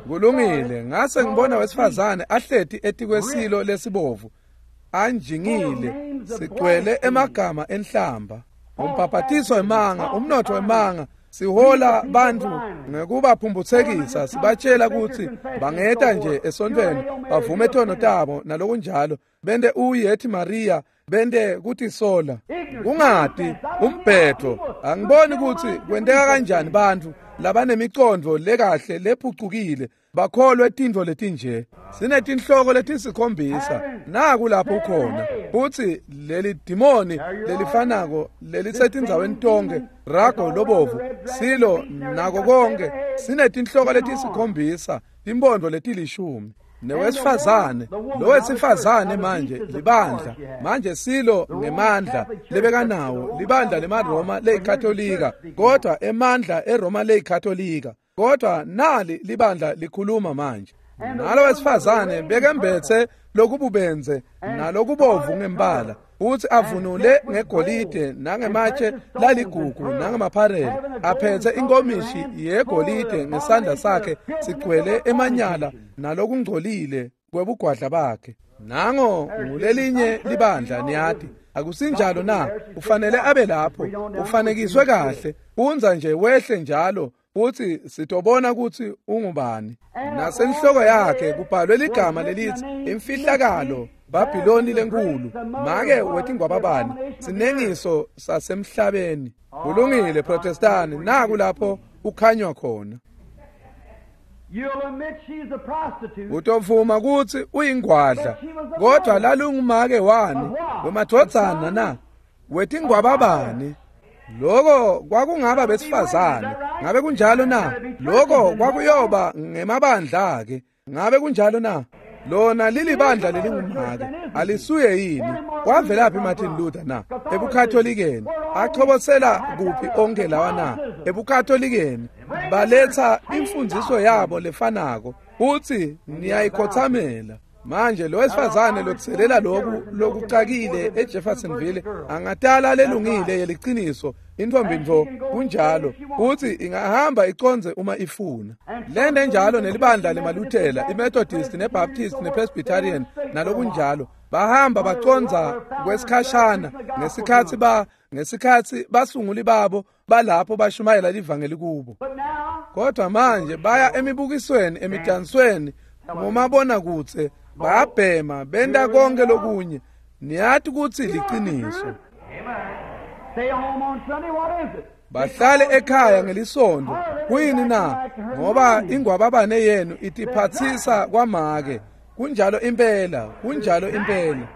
Kulungile, ngase ngibona wesifazane ahleti etikwesilo lesibovu anjingile sigcwele emagama enhlamba, umbhabhatiso wemanga, umnotho wemanga. Sihola bantfu ngekubaphumphutsekisa, sibatshela kutsi bangeta nje esontfweni bavume tono tabo nalokunjalo, bente uyethi Maria, bente kutisola, kungati umbhedo. Angiboni kutsi kwenteka kanjani bantfu labanemicondvo lekahle lephucukile bakholwe tintfo letinje. Sinetinhloko letisikhombisa, naku lapho ukhona. Futsi leli dimoni lelifanako lelisetindzaweni tonkhe, rago lobovu, silo nako konke, sinetinhloko letisikhombisa, timpondo letilishumi. Newesifazane, lo wesifazane manje libandla, manje silo ngemandla lebekanawo libandla lemaRoma leyikatolika, kodwa emandla eRoma leyikatolika, kodwa nali libandla likhuluma manje. Nalo wesifazane bekembethe lokububenze nalokubovu ngembala, futhi avunule ngegolide nangematshe laligugu nangamapharele, aphethe inkomishi yegolide ngesandla sakhe sigcwele emanyala nalokungcolile kwebugwadla bakhe. Nango ngulelinye libandla, niyati akusinjalo na? Ufanele abe lapho, ufanekiswe kahle, unza nje wehle njalo, futhi sitobona kutsi ungubani. Nasenhloko yakhe kubhalwe ligama lelithi imfihlakalo, Babiloni lenkulu, make wetingwababane, sinengiso sasemhlabeni. Kulungile Protestani, naku lapho ukhanywa khona. Utovuma kutsi uyingwadla, kodwa lalungumake wani wemadvodzana na wetingwababane? Loko kwakungaba besifazane, ngabe kunjalo na? Loko kwakuyoba ngemabandla ke, ngabe kunjalo na? Lona lilibandla lelingumake, alisuye yini? Kwavelaphi Martin Luther na? Ebukatholikeni. Achobosela kuphi onke lawa na? Ebukatholikeni. Baletha imfundiso yabo lefanako, uthi niyayikhothamela. Manje lo wesifazane lotselela loku lokucakile eJeffersonville angatala lelungile yeliciniso intfombi ntfo, kunjalo, uthi ingahamba iconze uma ifuna. Lende njalo nelibandla lemaLuthela, iMethodist neBaptist nePresbyterian nalokunjalo, bahamba baconza kwesikhashana ngesikhatsi ba ngesikhatsi basunguli babo balapho bashumayela livangeli kubo. Kodwa manje baya emibukisweni, emidansweni, ngomabonakudze, bayabhema, benta konke lokunye. Niyati kutsi liciniso. Bahlale ekhaya ngelisonto. Kuyini na? Ngoba ingwababane yenu itiphatsisa kwamake. Kunjalo impela, kunjalo impela.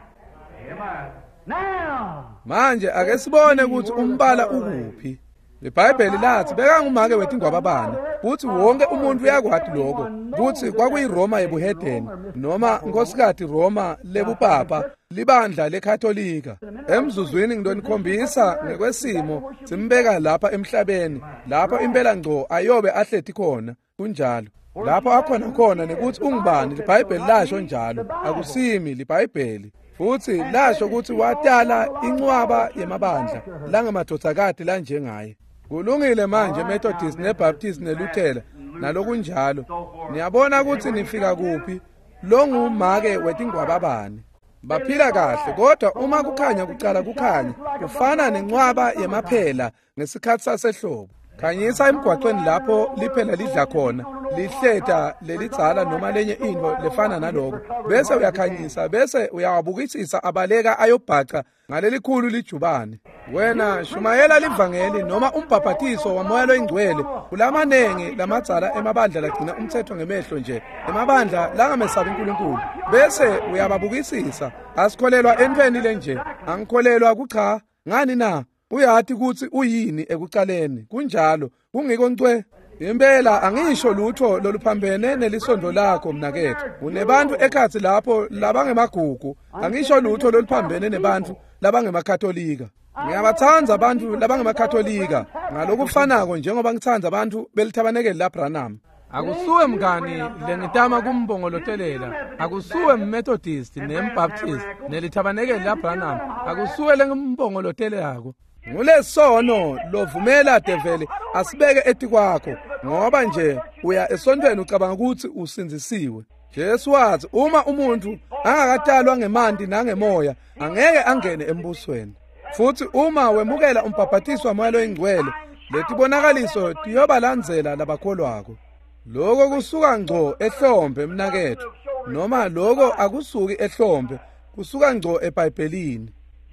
Manje ake sibone kutsi umbala ukuphi. IBhayibheli lathi bekangumake wetingwababane, futhi wonke umuntu uyakwati lokho kutsi kwakuyiRoma yebuhedeni noma nkosikati Roma lebupapa, libandla leKatolika. Emzuzwini ngidonikhombisa ngekwesimo simbeka lapha emhlabeni, lapho impela ngco ayobe ahleti khona. Kunjalo lapho akhona khona nekuthi ungubani. IBhayibheli lasho njalo, akusimi liBhayibheli. Futhi lasho ukuthi watala incwaba yemabandla langemadvodzakati lanjengaye. Kulungile manje Methodist neBaptist neLuthela nalokunjalo. Niyabona ukuthi nifika kuphi? Longumake wetingwababane. Baphila kahle, kodwa uma kukhanya kucala kukhanya kufana nencwaba yemaphela ngesikhatsi sasehlobo. Khanyisa emgwaqweni lapho liphela lidla khona, lihleta lelidzala noma lenye intfo lefana naloko, bese uyakhanyisa, bese uyawabukisisa abaleka ayobhaca ngalelikhulu lijubane. Wena shumayela livangeli noma umbhabhatiso wamoya loyingcwele kulamanengi lamadzala emabandla lagcina umthetho ngemehlo nje, emabandla langamesabi uNkulunkulu, bese uyababukisisa. Asikholelwa entweni lenje, angikholelwa kucha. Ngani na? Uyati kutsi uyini ekucaleni. Kunjalo, kungiko ncwe. Impela angisho lutho loluphambene nelisondlo lakho mnaketfu. Unebantu ekhatsi lapho labangemagugu. Angisho lutho loluphambene nebantfu labangemakatolika. Ngiyabatsandza abantu labangemakatolika ngalokufanako njengoba ngitsandza abantu belithabanekeli laBranham. Akusuwe mngani lengitama kumbongolotelela, akusuwe mMethodist nemBaptist nelithabanekeli laBranham, akusuwe lengimbongolotelelako. Ngulesono lovumela develi asibeke etikwakho ngoba nje uya esontweni ucabanga ukuthi usindzisiwe. Jesu wathi uma umuntu angakatalwa ngemanti nangemoya angeke angene embusweni. Futhi uma wemukela umbhaphathiso waMoya loyiNgcwele, letibonakaliso tiyobalandzela labakholwako. Lokho kusuka ngco ehlombe mnaketfu, noma lokho akusuki ehlombe, kusuka ngco eBhayibhelini.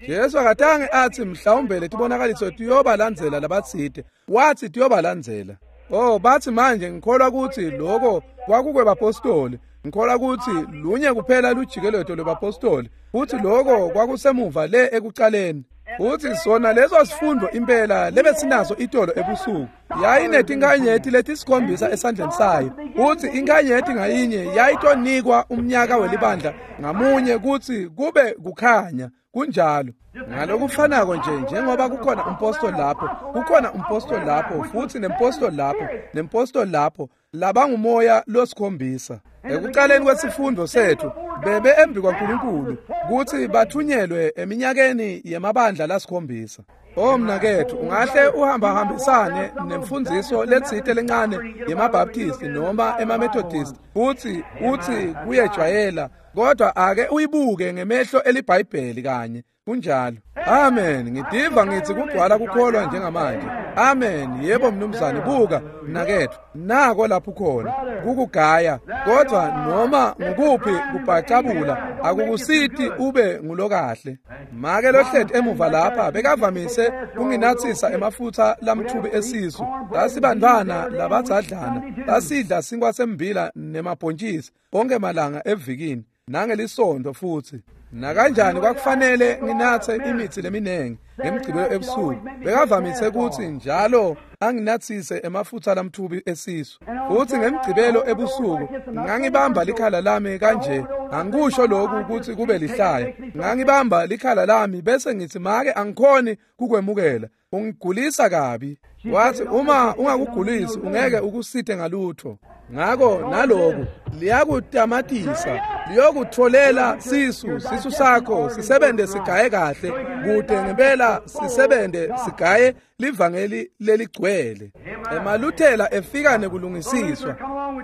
Jesu akatange athi mhlawumbe letibonakaliso tiyobalandzela labatsite, wathi tiyobalandzela. Oh, bathi manje ngikholwa ukuthi lokho kwakukwebapostoli, ngikholwa ukuthi lunye kuphela lujikeleto lwebapostoli, futhi lokho kwakusemuva le ekucaleni. Uthi sona leso sifundo impela lebesinaso itolo ebusuku yayinetinkanyeti letisikhombisa esandleni sayo. Uthi inkanyeti ngayinye yayitonikwa umnyaka welibandla ngamunye kutsi kube kukhanya. Kunjalo ngalokufanako nje njengoba kukhona umpostoli lapho, kukhona umpostoli lapho futhi nempostoli lapho nempostoli lapho, labangumoya losikhombisa. Ekuqaleni kwesifundo sethu bebe embi kwaNkulunkulu kutsi bathunyelwe eminyakeni yemabandla lasikhombisa. Oh mnaketfu, ungahle uhambahambisane nemfundziso letsite lencane yemaBaptist noma emaMethodist futsi utsi kuyejwayela, kodwa ake uyibuke ngemehlo eliBhayibheli kanye. Kunjalo. Amen. Ngidiva ngithi kugcwala kukholwa njengamanje. Amen. Yebo mnumzane, buka mnaketfu, nako lapho khona kukugaya, kodwa noma ngukuphi kubhacabula akukusiti ube ngulokahle. Make lohleti emuva lapha bekavamise kunginatsisa emafutha lamthubi esisu. Lasibantwana labadzadlana lasidla sinkwa sembila nemabhontjisi onke malanga evikini nangelisondo futhi. Nakanjani kwakufanele nginatse imithi leminengi ngemgcibelo ebusuku. Bekavamise kutsi njalo anginatsise emafutha lamthubi esisu. Futhi ngemgcibelo ebusuku ngangibamba likhala lami kanje. Angikusho lokhu ukuthi kube lihlaya. Ngangibamba likhala lami bese ngithi make angikhoni kukwemukela, ungigulisa kabi. Wathi uma ungakugulisi ungeke ukusithe ngalutho. Ngako naloku liyakutamatisa, liyokutholela sisu, sisu sakho sisebente sigaye kahle, kude ngempela sisebente sigaye livangeli leligcwele. Emaluthela efika nekulungisiswa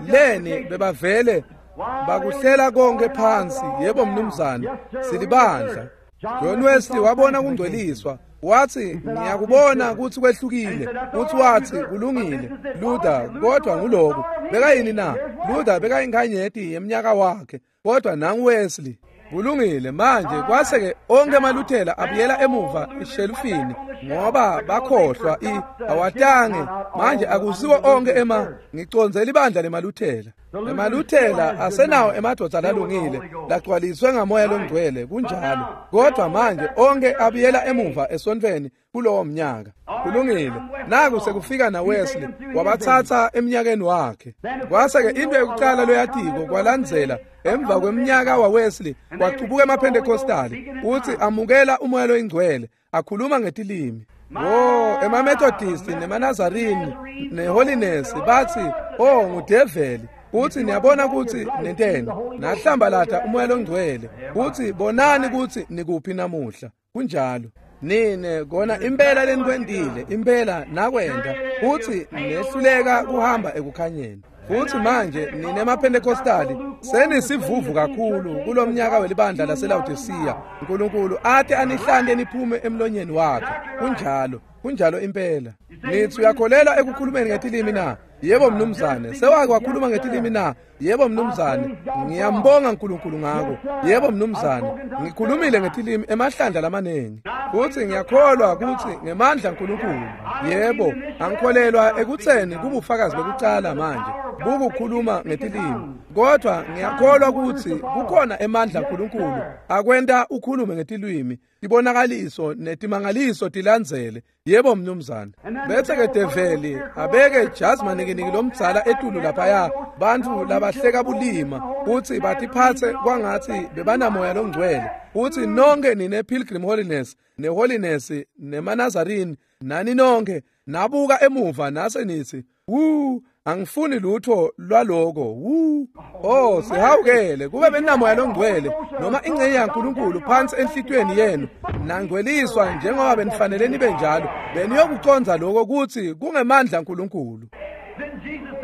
leni bebavele bakuhlela konke phansi. Yebo mnumzane, silibandla. John Wesley wabona kungcweliswa, wathi ngiyakubona ukuthi kwehlukile. Uthi wathi kulungile Luther, kodwa nguloku bekayini na? Luther bekayinkanyeti yeminyaka wakhe, kodwa nangu Wesley. Kulungile manje kwase-ke onke amaluthela abuyela emuva eshelufini ngoba bakhohlwa i awatange. Manje akusiwo onke ema ngicondzela ibandla lemaluthela. Emaluthela asenawo emadvodza lalungile lagcwaliswe ngamoya longcwele, kunjalo, kodwa manje onke abuyela emuva esontweni kulowo mnyaka. Kulungile, naku sekufika na Wesley wabathatha eminyakeni wakhe. Kwase-ke into yokuqala loyatiko kwalandzela emva kweminyaka wa Wesley kwacubuka emaPentecostali, uthi amukela umoya loyingcwele akhuluma ngetilimi. Oh, emaMethodist nemaNazarini neHoliness bathi oh ngudeveli. Uthi niyabona ukuthi nenteni nahlambalata umoya longcwele. Uthi bonani ukuthi nikuphi namuhla. Kunjalo. Nine kona impela lenikwentile, impela nakwenda. Uthi nehluleka kuhamba ekukhanyeni. Futhi manje nine emaPentecostali senisivuvu kakhulu kulomnyaka welibandla laseLaodicea. uNkulunkulu ate anihlante niphume emlonyeni wakhe. Kunjalo, kunjalo impela. Nithi uyakholelwa ekukhulumeni ngetilimi na? Yebo mnumzane. Sewake wakhuluma ngetilimi na? Yebo mnumzane. Ngiyambonga uNkulunkulu ngako. Yebo mnumzane. Ngikhulumile ngetilimi emahlandla lamanengi. Futhi ngiyakholwa ukuthi ngemandla uNkulunkulu. Yebo, angikholelwa ekutheni kubufakazi bekucala manje bukukhuluma ngetilimi, kodwa ngiyakholwa ukuthi kukhona emandla uNkulunkulu akwenta ukhulume ngetilimi, tibonakaliso netimangaliso tilandzele. Yebo mnumzane. Bese ke develi abeke jazi manikiniki lomdzala etulu laphaya, bantfu labahleka bulima kutsi batiphatse kwangatsi bebanamoya longcwele. Uthi nonke nine Pilgrim Holiness neHoliness nemaNazarini nani nonke nabuka emuva nase nithi wu angifuni lutho lwaloko. Wu oh sihawukele kube benamoya longcwele noma ingcenye yaNkulunkulu phansi enhlitiyweni yenu, nangcweliswa njengoba benifanele nibe njalo, beniyokucondza lokho kutsi kungemandla aNkulunkulu.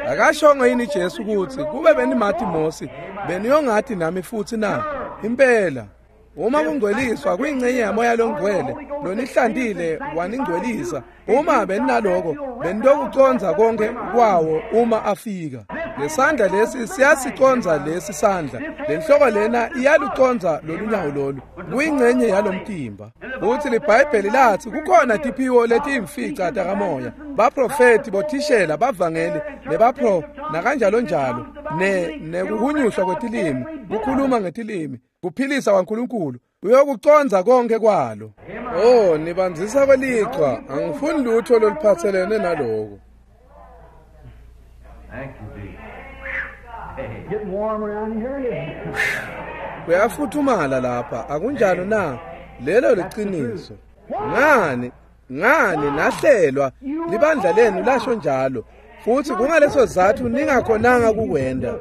Akashongo yini Jesu kutsi kube benimati Mosi beniyongati nami futsi na? Impela. Uma kungcweliswa kuyingcenye yamoya longcwele lonihlantile waningcwelisa, uma beninaloko benitokucondza konke kwawo uma afika. Lesandla lesi siyasicondza lesi sandla, lenhloko lena iyalucondza lolunyawo lolu, kuyingcenye yalomtimba. Futsi liBhayibheli latsi kukhona tiphiwo letiyimfica takamoya, baprofeti, bothishela, bavangeli, nebapro nakanjalo njalo, ne nekuhunyushwa kwetilimi, kukhuluma ngetilimi, kuphilisa kwaNkulunkulu, uyokucondza konke kwalo. Oh, nibandzisa kwelichwa, angifuni lutho loluphatselene naloko. Kuyafuthumala lapha, akunjalo na? Lelo liqiniso. Ngani ngani nahlelwa libandla lenu lasho njalo, futhi kungaleso sizathu ningakhonanga kukwenda.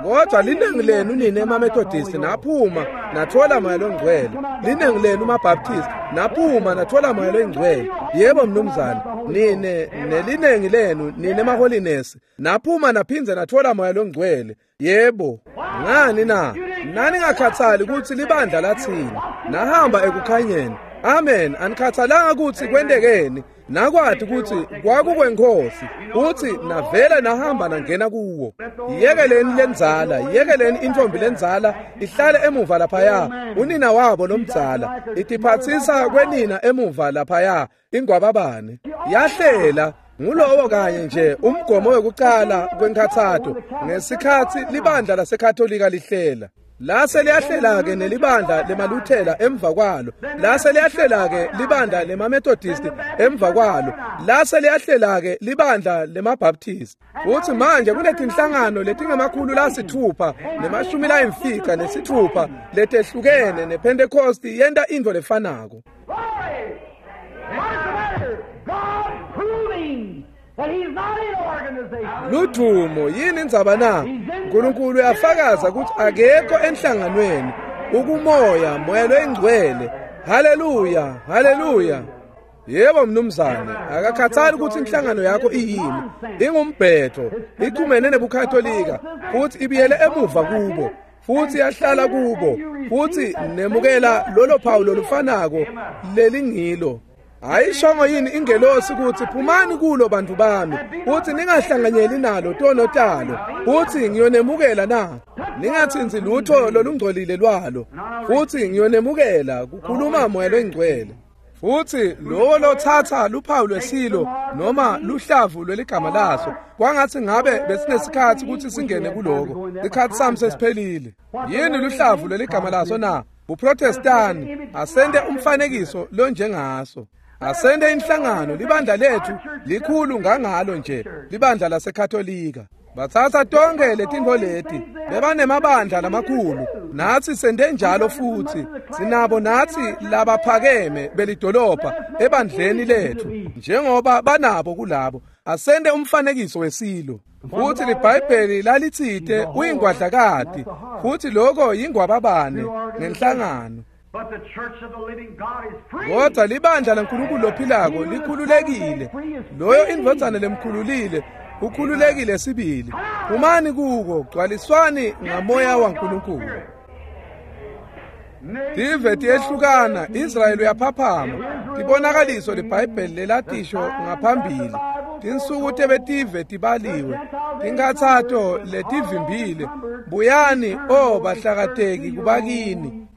Kodwa linengi lenu nine emaMethodist naphuma nathola moya longcwele, linengi lenu maBaptist naphuma nathola moya longcwele. Yebo mnumzane, nine nelinengi lenu nine emaHoliness naphuma naphindze nathola moya longcwele. Yebo. Ngani na? Nani ngakhathali ukuthi libandla lathini, nahamba ekukhanyeni. Amen. Anikhathalanga ukuthi kwentekeni, nakwati ukuthi kwakukwenkosi, uthi navela nahamba nangena kuwo. Yekeleni lenzala, yekeleni intombi lenzala ihlale emuva laphaya, unina wabo lomdzala itiphatsisa kwenina emuva laphaya, ingwababane yahlela. Ngulowo kanye nje umgomo wekucala kwenkhathato ngesikhatsi libandla laseKatolika lihlela. Lase liyahlela ke nelibandla lemaLuthela emva kwalo, lase liyahlela ke libandla lemaMethodist emva kwalo, lase liyahlela ke libandla lemaBaptist. Futhi manje kunetinhlangano letingemakhulu lasithupha nemashumi layimfica nesithupha letehlukene, nePentecost yenta intfo lefanako. Ludumo, yini indzaba na? uNkulunkulu uyafakaza ukuthi akekho enhlanganweni, ukumoya, moya loyingcwele. Haleluya, haleluya. Yebo mnumzane, akakhathali ukuthi inhlangano yakho iyini, ingumbhetho, ichumene nebuKatolika, futhi ibiyele emuva kubo, futhi yahlala kubo, futhi nemukela lolo phawu lolufanako lelingilo. Ayishongo yini ingelosi ukuthi phumani kulo bantu bami, uthi ningahlanganyeli nalo tono talo, uthi ngiyonemukela na? Ningathinzi lutho lolungcolile lwalo, futhi ngiyonemukela, kukhuluma moya longcwele. Futhi lowo lothatha luphawu lwesilo noma luhlavu lweligama laso, kwangathi ngabe besinesikhathi ukuthi singene kuloko, isikhathi sami sesiphelile. Yini luhlavu lweligama laso na? UProtestani asente umfanekiso lonjengaso, asente inhlangano. Libandla lethu likhulu ngangalo nje libandla laseKatolika. Bathatha tonke letintfo leti, bebanemabandla lamakhulu, natsi sente njalo futhi. Sinabo natsi labaphakeme belidolobha ebandleni lethu njengoba banabo kulabo. Asente umfanekiso wesilo. Futhi liBhayibheli lalitsite uyingwadlakati, futhi lokho yingwababane ngenhlangano. Kodwa libandla laNkulunkulu lophilako likhululekile. Loyo indvodzana lemkhululile ukhululekile sibili. Phumani kuko, gcwaliswani ngamoya waNkulunkulu. Tive tiyehlukana, Israyeli uyaphaphama. Tibonakaliso liBhayibheli lelatisho ngaphambili. Tinsuku tebetive tibaliwe, tinkhatsato letivimbile. Buyani, o bahlakateki kubakini.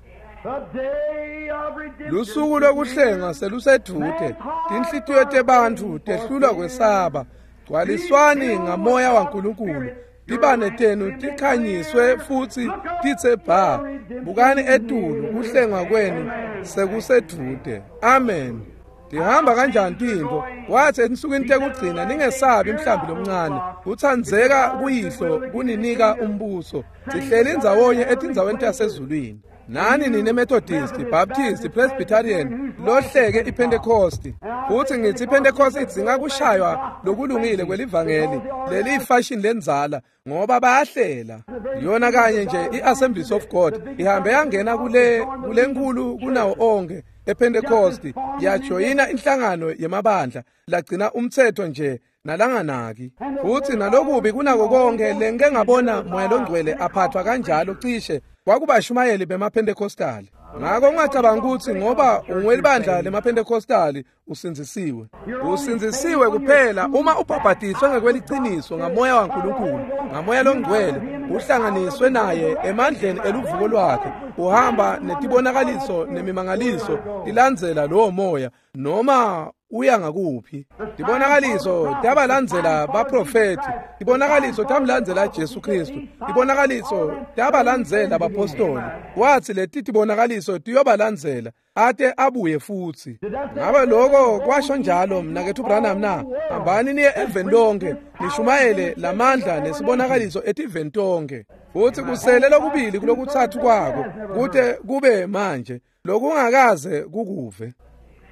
Lusuku lokuhlenga selusedvute, tinhlitiyo tebantfu tehlulwa kwesaba. Gcwaliswani ngamoya waNkulunkulu, tibane tenu tikhanyiswe futhi titse bha. Bukani etulu, kuhlengwa kwenu sekusedvute. Amen. Tihamba kanjani tintfo? Wathi ensukwini tekugcina ningesabi mhlambi lomncane, utsandzeka kuyihlo kuninika umbuso. Sihleli ndzawonye etindzaweni tasezulwini. Nani nine Methodist, Baptist, Presbyterian, lohleke iPentecost. Futhi ngithi iPentecost idzinga kushaywa lokulungile kwelivangeli, leli fashion lenzala, ngoba bayahlela. Yona kanye nje iAssemblies of God ihambe yangena kule kulenkulu kunawo onke. ePhentekosti yajoyina inhlangano yemabandla lagcina umthetho nje nalanganaki. Futhi nalokubi kunako konke lengike ngabona Moya Longcwele aphathwa kanjalo cishe kwakubashumayeli bemaPhentekostali. Ngakho ungacabanga ukuthi ngoba ungwelibandla lemaPhentekostali usindzisiwe. Usindzisiwe kuphela uma ubhabhadiswe ngekweliciniso ngamoya waNkulunkulu, ngamoya longcwele, uhlanganiswe naye emandleni eluvuko lwakhe, uhamba netibonakaliso nemimangaliso ilandzela lowo moya noma uya ngakuphi. Tibonakaliso tabalandzela baprofeti, tibonakaliso tamlandzela Jesu Kristu, tibonakaliso tabalandzela bapostoli. Wathi leti tibonakaliso tiyobalandzela ate abuye futsi. Ngabe lokho kwasho njalo mnaketfu Branham na? Hambani niye eveni lonke nishumayele lamandla nesibonakaliso etiveni tonke. Futhi kusele lokubili kulokutsatfu kwako kute kube manje lokungakaze kukuve.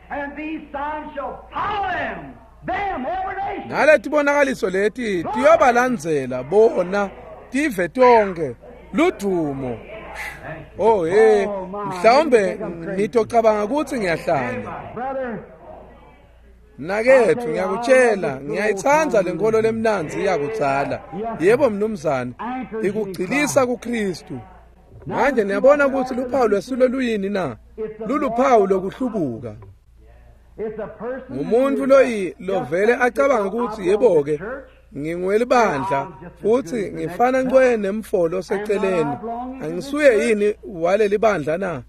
And these signs shall follow them, them every nation.
Naletibonakaliso leti tiyobalandzela bona tive tonke ludumo. Oh hey, mhlawumbe nitocabanga ukuthi ngiyahlanya.
Brother,
Mnaketfu ngiyakutshela, ngiyayitsandza lenkolo lemnandzi yakudzala. Yebo mnumzane, ikugcilisa kuKristu. Manje niyabona ukuthi luphawu lwesilo luyini na? Luluphawu lokuhlubuka.
it's a person
Ngumuntu loyi lovele acabanga ukuthi yebo-ke ngingwelibandla futhi ngifana ncwe nemfolo oseceleni, angisuye yini waleli bandla na?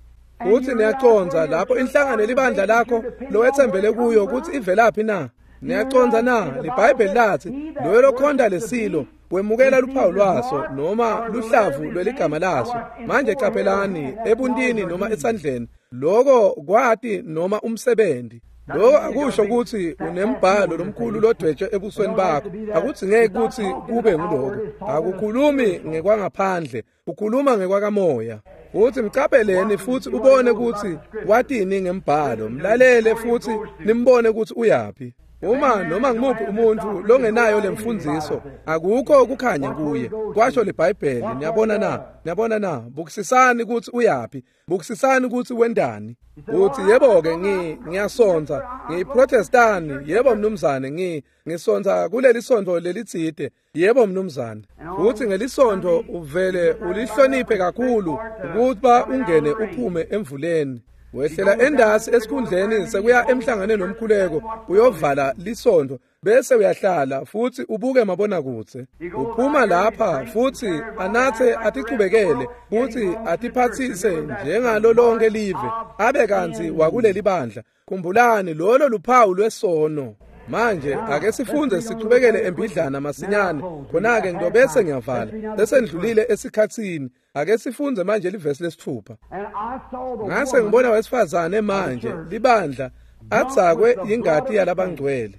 Futhi niyacondza lapho inhlangano elibandla lakho lowethembele kuyo ukuthi ivelaphi na? Niyacondza na? LiBhayibheli lathi loyo lokhonda lesilo wemukela luphawu lwaso noma luhlavu lweligama laso. Manje qaphelani ebuntini noma esandleni, lokho kwati noma umsebenzi. Lokho akusho ukuthi unembhalo lomkhulu lodwetshwe ebusweni bakho. Akudzingeki ukuthi kube nguloko. Akukhulumi ngekwangaphandle, ukhuluma ngekwakamoya. Futhi mcapheleni futhi ubone ukuthi watini ngembhalo, mlalele futhi nimbone ukuthi uyaphi. Uma noma ngimuphi umuntu longenayo lemfundziso, akukho kukhanya kuye, kwasho liBhayibheli. Niyabona na? Niyabona na? Bukisisani ukuthi uyaphi, bukisisani ukuthi wendani. Uthi yebo-ke ngi ngiyasonta, ngiyiProtestani, yebo mnumzane, ngi ngisonta kuleli sonto lelitsite, yebo mnumzane. Futhi ngelisonto uvele ulihloniphe kakhulu ukuba ungene uphume emvuleni. Wehlela endasi esikhundleni sekuya emhlanganweni nomkhuleko, uyovala lisonto bese uyahlala futhi ubuke mabonakudze. Uphuma lapha futhi anathe atichubekele futhi atiphathise njengalo lonke live, abe kantsi wakuleli bandla. Khumbulani, lolo luphawu lwesono. Manje ake sifunde sichubekele embidlana masinyane, khona-ke ngitobese ngiyavala sesendlulile esikhatsini. Ake sifunde manje livesi lesithupha.
And I saw the
Ngase
woman
ngibona wesifazane manje libandla adzakwe ingati yalabangcwele,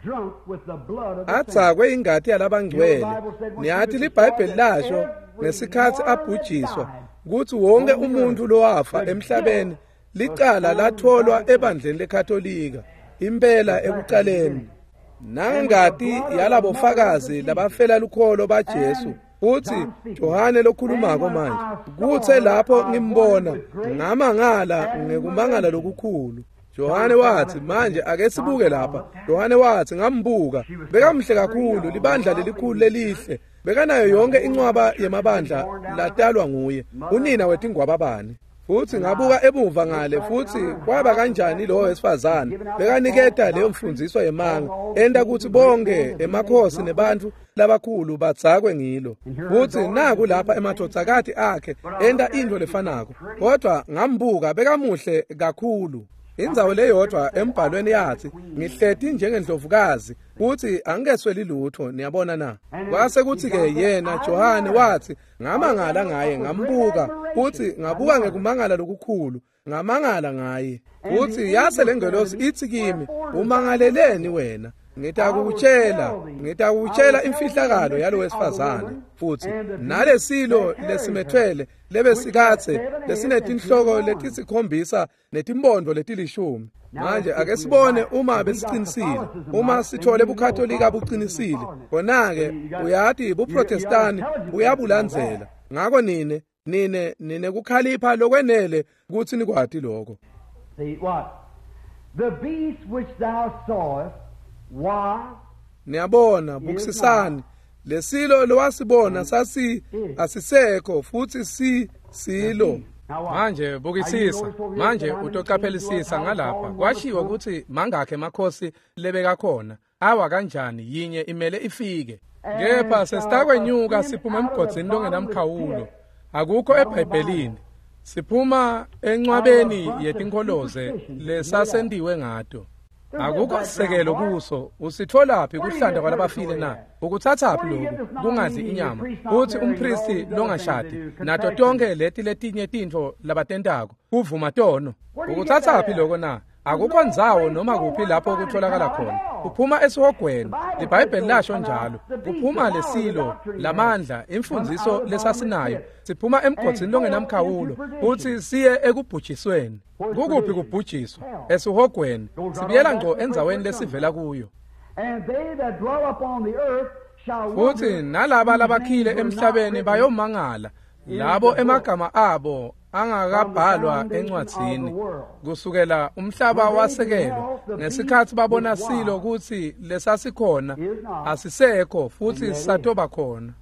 drunk with the blood of the saints.
adzakwe ingati yalabangcwele. Niyathi liBhayibheli lasho ngesikhathi abhujiswa ukuthi wonke umuntu lowafa emhlabeni licala latholwa ebandleni leKatolika impela ekuqaleni, nangengati yalabofakazi labafela lukholo baJesu. Futhi Johane lokhulumako manje, kuthe lapho ngimbona ngamangala ngekumangala lokukhulu. Johane wathi, manje ake sibuke lapha. Johane wathi, ngambuka, bekamhle kakhulu, libandla lelikhulu lelihle, bekanayo yonke incwaba yemabandla latalwa nguye, unina wetingwababane. Futhi ngabuka emuva ngale, futhi kwaba kanjani lowo wesifazane bekaniketa leyo mfundziso yemanga, enta ukuthi bonke emakhosi nebantu labakhulu badzakwe ngilo. Futhi naku lapha emadvodzakati akhe enta intfo lefanako. Kodwa ngambuka, bekamuhle kakhulu. Indzawo leyodvwa embhalweni yathi, ngihleti njengendlovukazi futhi angikesweli lutho. Niyabona na? Kwase kuthi-ke yena Johane wathi, ngamangala ngaye, ngambuka futhi ngabuka ngekumangala lokukhulu, ngamangala ngaye. Futhi yase lengelosi ithi kimi, umangaleleni wena? Ngitakukutshela, ngitakukutshela imfihlakalo yalo wesifazane futhi nalesilo lesimethwele lebesikatse lesinetinhloko letisikhombisa netimpondo letilishumi. Manje ake sibone uma besicinisile, uma sithole buKatolika buqinisile, khona-ke uyati buProtestani buyabulandzela. Ngako nine nine nine kukhalipha lokwenele kutsi nikwati lokho.
See what? The beast which thou sawest was
Niyabona, bukisisani. Lesilo lowasibona sasi asisekho futhi si silo. Manje bukisisa, manje utoqaphelisisa ngalapha. Kwashiwo ukuthi mangakhe emakhosi lebeka khona. Awa kanjani yinye imele ifike. Kepha sesitakwenyuka siphuma emgodzini longenamkhawulo. Akukho eBhayibhelini. Siphuma encwabeni yetinkholoze lesasentiwe ngato. Akukho sisekelo kuso. Usitholaphi kuhlanda kwalabafile na? Ukuthathaphi lokhu kungadli inyama? Uthi umpristi longashadi nato tonke leti letinye tintfo labatentako kuvuma tono. Ukuthathaphi lokho na? Akukho ndzawo noma kuphi lapho kutholakala khona. Uphuma esihogweni. IBhayibheli lasho njalo. Kuphuma lesilo lamandla imfundiso lesasinayo. Siphuma emgodzini longenamkhawulo uthi siye ekubhujisweni. Kukuphi kubhujiswa? Esihogweni. Sibuyela ngqo endzaweni lesivela kuyo.
And they that dwell upon the earth shall
Futhi nalaba labakhile emhlabeni bayomangala labo emagama abo angakabhalwa encwadzini kusukela umhlaba wasekelwa ngesikhathi babona silo kutsi lesasikhona asisekho futhi satoba khona.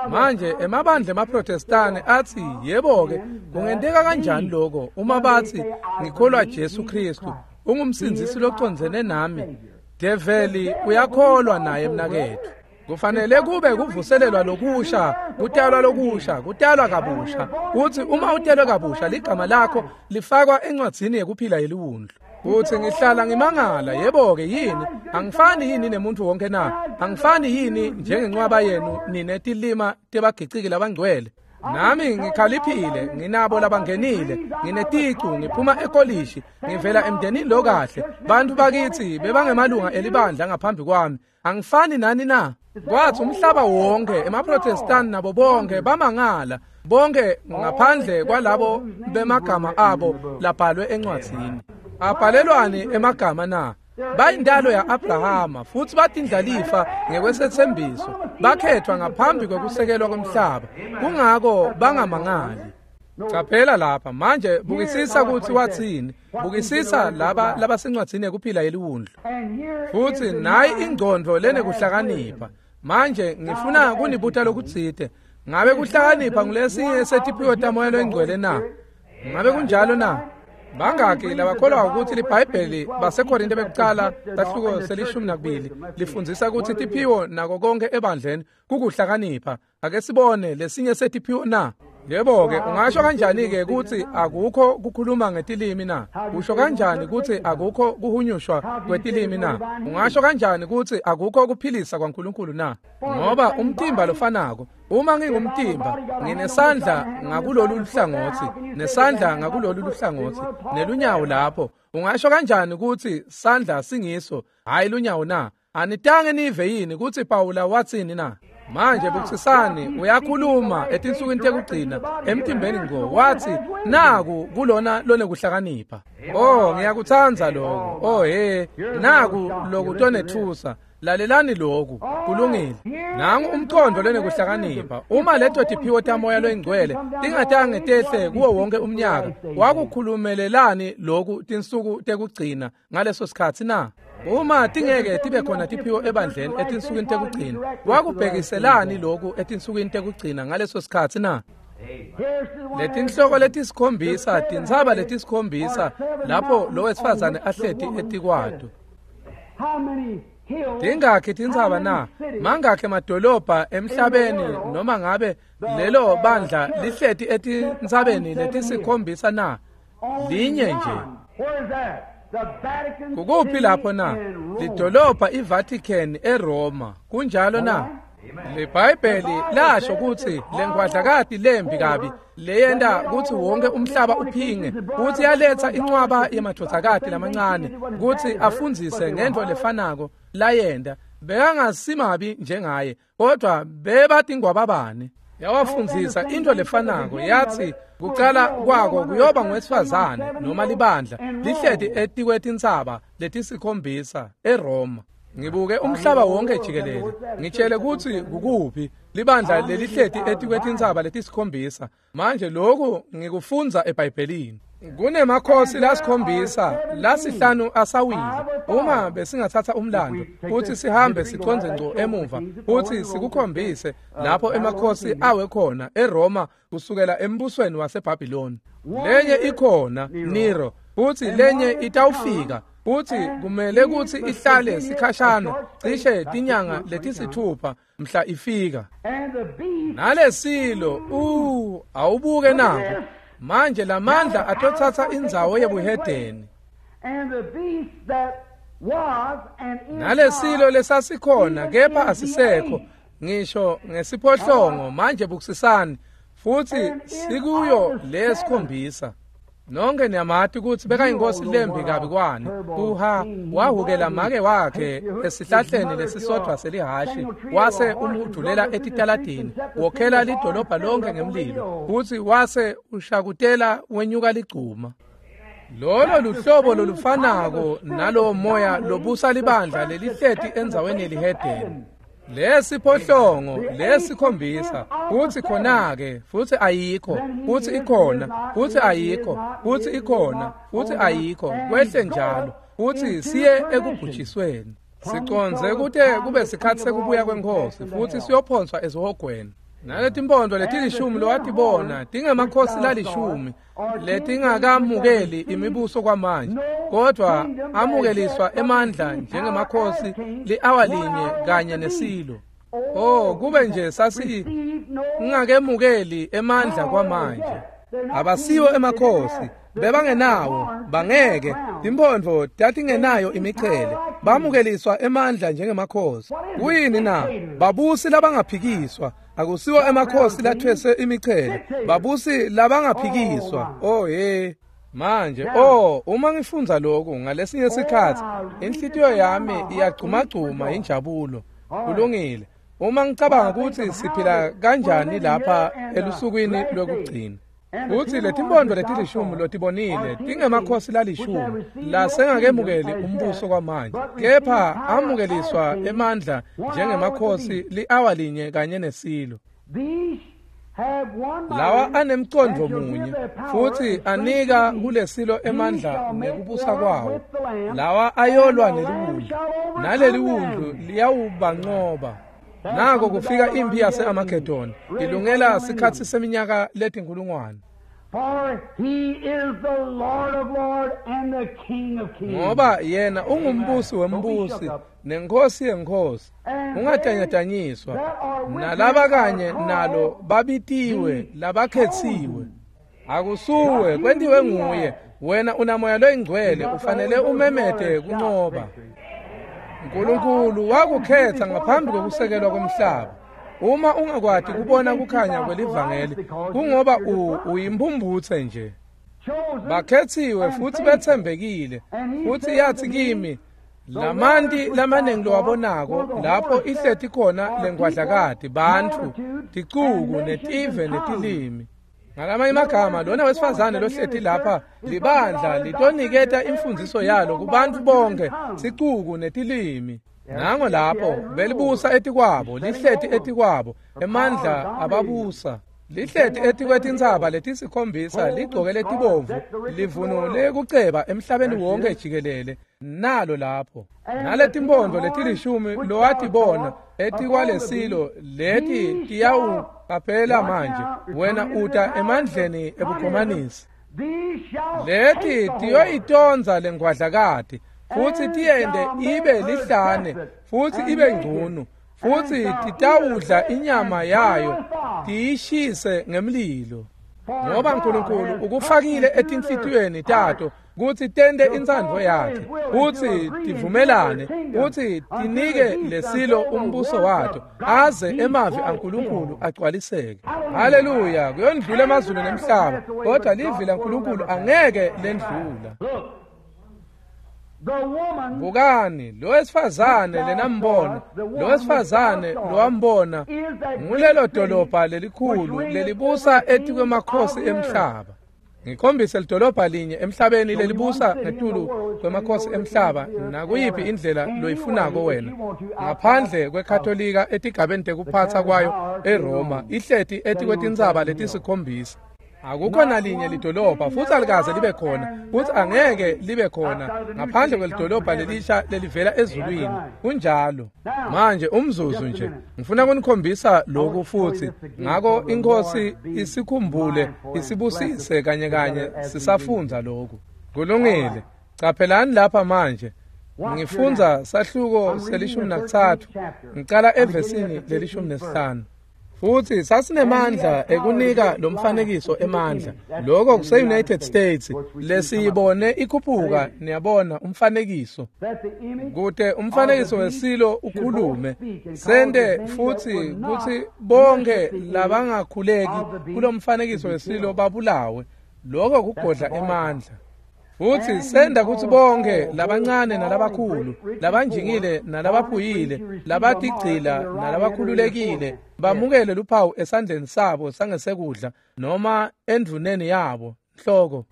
Manje emabandla emaProtestani athi yebo-ke kungenteka kanjani lokho uma bathi ngikholwa Jesu Kristu ungumsindzisi locondzene nami? Develi uyakholwa naye mnaketfu. Kufanele kube kuvuselelwa lokusha, kutalwa lokusha, kutalwa kabusha. Uthi uma utelwe kabusha ligama lakho lifakwa encwadzini yekuphila yeliwundlu. Uthi ngihlala ngimangala, yebo-ke yini? Angifani yini nemuntu wonke na? Angifani yini njengencwaba yenu nine tilima tebagiciki labangcwele? Nami ngikhaliphile, nginabo labangenile, ngineticu, ngiphuma ekolishi, ngivela emndenini lokahle. Bantu bakithi bebangemalunga elibandla ngaphambi kwami. Angifani nani na? Kwathi umhlaba wonke emaProtestani nabo bonke bamangala, bonke ngaphandle kwalabo bemagama abo labhalwe encwadzini. Abhalelwani emagama na? Bayindalo ya-Abrahama futhi batindlalifa ngekwesethembiso, bakhethwa ngaphambi kwekusekelwa komhlaba. Kungako bangamangali. Caphela lapha manje, bukisisa ukuthi wathini. Bukisisa laba labasencwadzini yekuphila yeliwundlu. Futhi nayi ingcondvo lenekuhlakanipha. Manje ngifuna kunibuta lokutsite. Ngabe kuhlakanipha ngulesinye setiphiwo taMoya loyiNgcwele na? Ngabe kunjalo na? Bangaki labakholwa ukuthi liBhayibheli baseKorinte bekucala sahluko selishumi nakubili lifundzisa ukuthi tiphiwo nako konke ebandleni kukuhlakanipha. Ake sibone lesinye setiphiwo na? Yebo-ke, ungasho kanjani-ke ukuthi akukho kukhuluma ngetilimi na? Usho kanjani ukuthi akukho kuhunyushwa kwetilimi na? Ungasho kanjani ukuthi akukho kuphilisa kwaNkulunkulu na? Ngoba umtimba lofanako, uma ngingumtimba, nginesandla ngakulolu luhlangothi, nesandla ngakulolu luhlangothi, nelunyawo lapho. Ungasho kanjani ukuthi sandla singiso, hhayi lunyawo na? Anitange nive yini ukuthi Pawula wathini na? Manje bukisisani, uyakhuluma etinsukwini tekugcina emtimbeni ngqo, wathi naku kulona lonekuhlakanipha. Oh, ngiyakutsandza lokho. Oh he, naku lokutonethusa. Lalelani lokhu, kulungile. Nangu umqondo lonekuhlakanipha. Uma leto tiphiwo taMoya loyiNgcwele tingatange tehle kuwo wonke umnyaka, wakukhulumelelani lokhu tinsuku tekugcina ngaleso sikhathi na? Uma tingeke tibe khona tiphiwo ebandleni etinsukwini tekugcina, wakubhekiselani lokhu etinsukwini tekugcina ngaleso sikhathi na? Letinhloko letisikhombisa, tintsaba letisikhombisa lapho lo wesifazane ahleti etikwato. Tingakhi tintsaba na? Mangakhi emadolobha emhlabeni noma ngabe lelo bandla lihleti etintsabeni letisikhombisa na? Linye nje. Kukuphi lapho na? Lidolobha iVatican eRoma. Kunjalo na? LiBhayibheli lasho ukuthi lengwadlakati lembi kabi leyenta ukuthi wonke umhlaba uphinge, ukuthi yaletha incwaba yemadvodzakati lamancane ukuthi afundzise ngento lefanako layenta. Bekangasimabi njengaye, kodwa bebatingwababane. Yawafundzisa into lefanako, yathi kucala kwako kuyoba ngowesifazane noma libandla lihleti etikwetintsaba letisikhombisa eRoma. Ngibuke umhlaba wonke jikelele, ngitshele ukuthi kukuphi Libandla lelihleti etikwetintsaba letisikhombisa. Manje lokhu ngikufundza eBhayibhelini. Kunemakhosi lasikhombisa lasihlanu asawile. Uma besingathatha umlando futhi sihambe siconze ngco emuva futhi sikukhombise lapho emakhosi awe khona eRoma kusukela embusweni waseBhabhiloni. Lenye ikhona Nero, futhi lenye itawufika, futhi kumele kutsi ihlale sikhashana cishe tinyanga letisithupha mhla ifika. Nalesilo u awubuke nako. Manje lamandla atothatha indzawo yebuhedeni. Nalesilo lesasikhona kepha asisekho ngisho ngesiphohlongo. Manje bukusisani futhi sikuyo lesikhombisa. Nonke niyamati kutsi bekayinkosi lembi kabi kwani. Uha wahukela make wakhe esihlahleni lesisodvwa selihashi, wase umhudulela etitaladini, wokhela lidolobha lonke ngemlilo, futsi wase ushakutela wenyuka ligcuma. Lolo luhlobo lolufanako nalowo moya lobusa libandla lelihleti endzaweni yelihedeni. Lesiphohlongo lesikhombisa futhi khona-ke futhi ayikho futhi ikhona futhi ayikho futhi ikhona futhi ayikho, kwehle njalo futhi siye ekubhujisweni. Siconze kute kube sikhathi sekubuya kwenkosi futhi siyophonswa esihogweni. Naletimpondo letilishumi lowatibona tingemakhosi lalishumi letingakamukeli imibuso kwamanje, kodwa amukeliswa emandla njengemakhosi li-awa linye kanye nesilo. Oh, kube nje sasi ngingakemukeli emandla kwamanje. Abasiwo emakhosi, bebangenawo, bangeke. Timpondo tatingenayo imichele, bamukeliswa emandla njengemakhosi. Kuyini na? Babusi labangaphikiswa. Akusiwo emakhosi lathwese imichele, babusi labangaphikiswa. Oh hey, manje oh uma ngifundza lokhu ngalesinye sikhathi inhlitiyo yami iyagcumagcuma injabulo. Kulungile. Uma ngicabanga ukuthi siphila kanjani lapha elusukwini lwekugcina. Futhi letimpondo letilishumi lotibonile tingemakhosi lalishumi lasengakemukeli umbuso kwamanje, kepha amukeliswa emandla njengemakhosi li-awa linye kanye nesilo. Lawa anemcondvo munye futhi anika kulesilo emandla nekubusa kwawo. Lawa ayolwa neliwundlu, naleliwundlu liyawubanqoba. Nako kufika impi yase-Amagedoni ilungela sikhatsi seminyaka letinkulungwane. Ngoba yena ungumbusi wembusi nenkosi yenkosi, ungatanyatanyiswa. Nalaba kanye nalo babitiwe labakhetsiwe. Akusuwe kwentiwe nguye, wena unamoya loyingcwele, ufanele umemete kunqoba. Nkulunkulu wakukhetha ngaphambi kokusekelwa komhlaba. Uma ungakwati kubona kukhanya kwelivangeli, kungoba uyimphumphutse nje. Bakhethiwe futhi bethembekile. Futhi yathi kimi, lamanti lamaningi lowabonako lapho ihleti khona lengwadlakati, bantfu, ticuku, netive, netilimi. Ngalamanye amagama, lona wesifazane lohleti lapha libandla litoniketa imfundiso yalo kubantfu bonke, sicuku netilimi. Nango lapho belibusa etikwabo, lihleti etikwabo, emandla ababusa. Lihleti etikwetintsaba letisikhombisa, ligcoke letibomvu, livunule kuceba emhlabeni wonke jikelele. Nalo lapho naletimpondo letilishumi lowatibona etikwalesilo, leti tiyawuqaphela manje wena uta emandleni ebukhomanisi. Leti tiyoyitondza lengwadlakati futhi tiyende ibe lihlane futhi ibe ngcunu, futhi titawudla inyama yayo tiyishise ngemlilo. Ngoba Nkulunkulu ukufakile etinhlitiyweni tato kutsi tente intsandvo yakhe, kutsi tivumelane, kutsi tinike lesilo umbuso wato, aze emavi aNkulunkulu agcwaliseke. Haleluya! Kuyondlula emazulu nemhlaba, kodwa livi laNkulunkulu angeke lendlula. Bukani, lo wesifazane lenambona, lo wesifazane lowambona ngulelo dolobha lelikhulu lelibusa etikwemakhosi emhlaba. Ngikhombise lidolobha linye emhlabeni lelibusa ngetulu kwemakhosi emhlaba nakuyiphi indlela loyifunako wena ngaphandle kweKatolika etigabeni tekuphatsa kwayo eRoma ihleti etikwetintsaba letisikhombisa. Akukho nalinye lidolobha futhi alikaze libe khona futhi angeke libe khona ngaphandle kwelidolobha lelisha lelivela ezulwini. Kunjalo. Manje umzuzu nje ngifuna kunikhombisa lokhu futhi ngako iNkosi isikhumbule isibusise kanye kanye sisafundza lokhu. Kulungile. Caphelani lapha manje. Ngifundza sahluko selishumi nakutsatfu ngicala evesini lelishumi nesihlanu. Futhi sasinemandla ekunika lo mfanekiso emandla. Lokho kuse-United States lesiyibone ikhuphuka niyabona umfanekiso. Kute umfanekiso wesilo ukhulume sende futhi kutsi bonke labangakhuleki kulo mfanekiso wesilo babulawe. Lokho kugodla emandla. Futhi senda kutsi bonke labancane nalabakhulu, labanjingile nalabaphuyile, labatigcila nalabakhululekile bamukele luphawu esandleni sabo sangesekudla noma endvuneni yabo nhloko.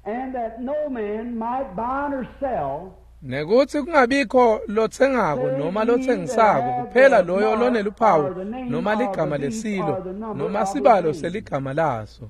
Nekutsi kungabikho lotsengako noma lotsengisako kuphela loyo loneluphawu noma ligama lesilo noma sibalo seligama laso.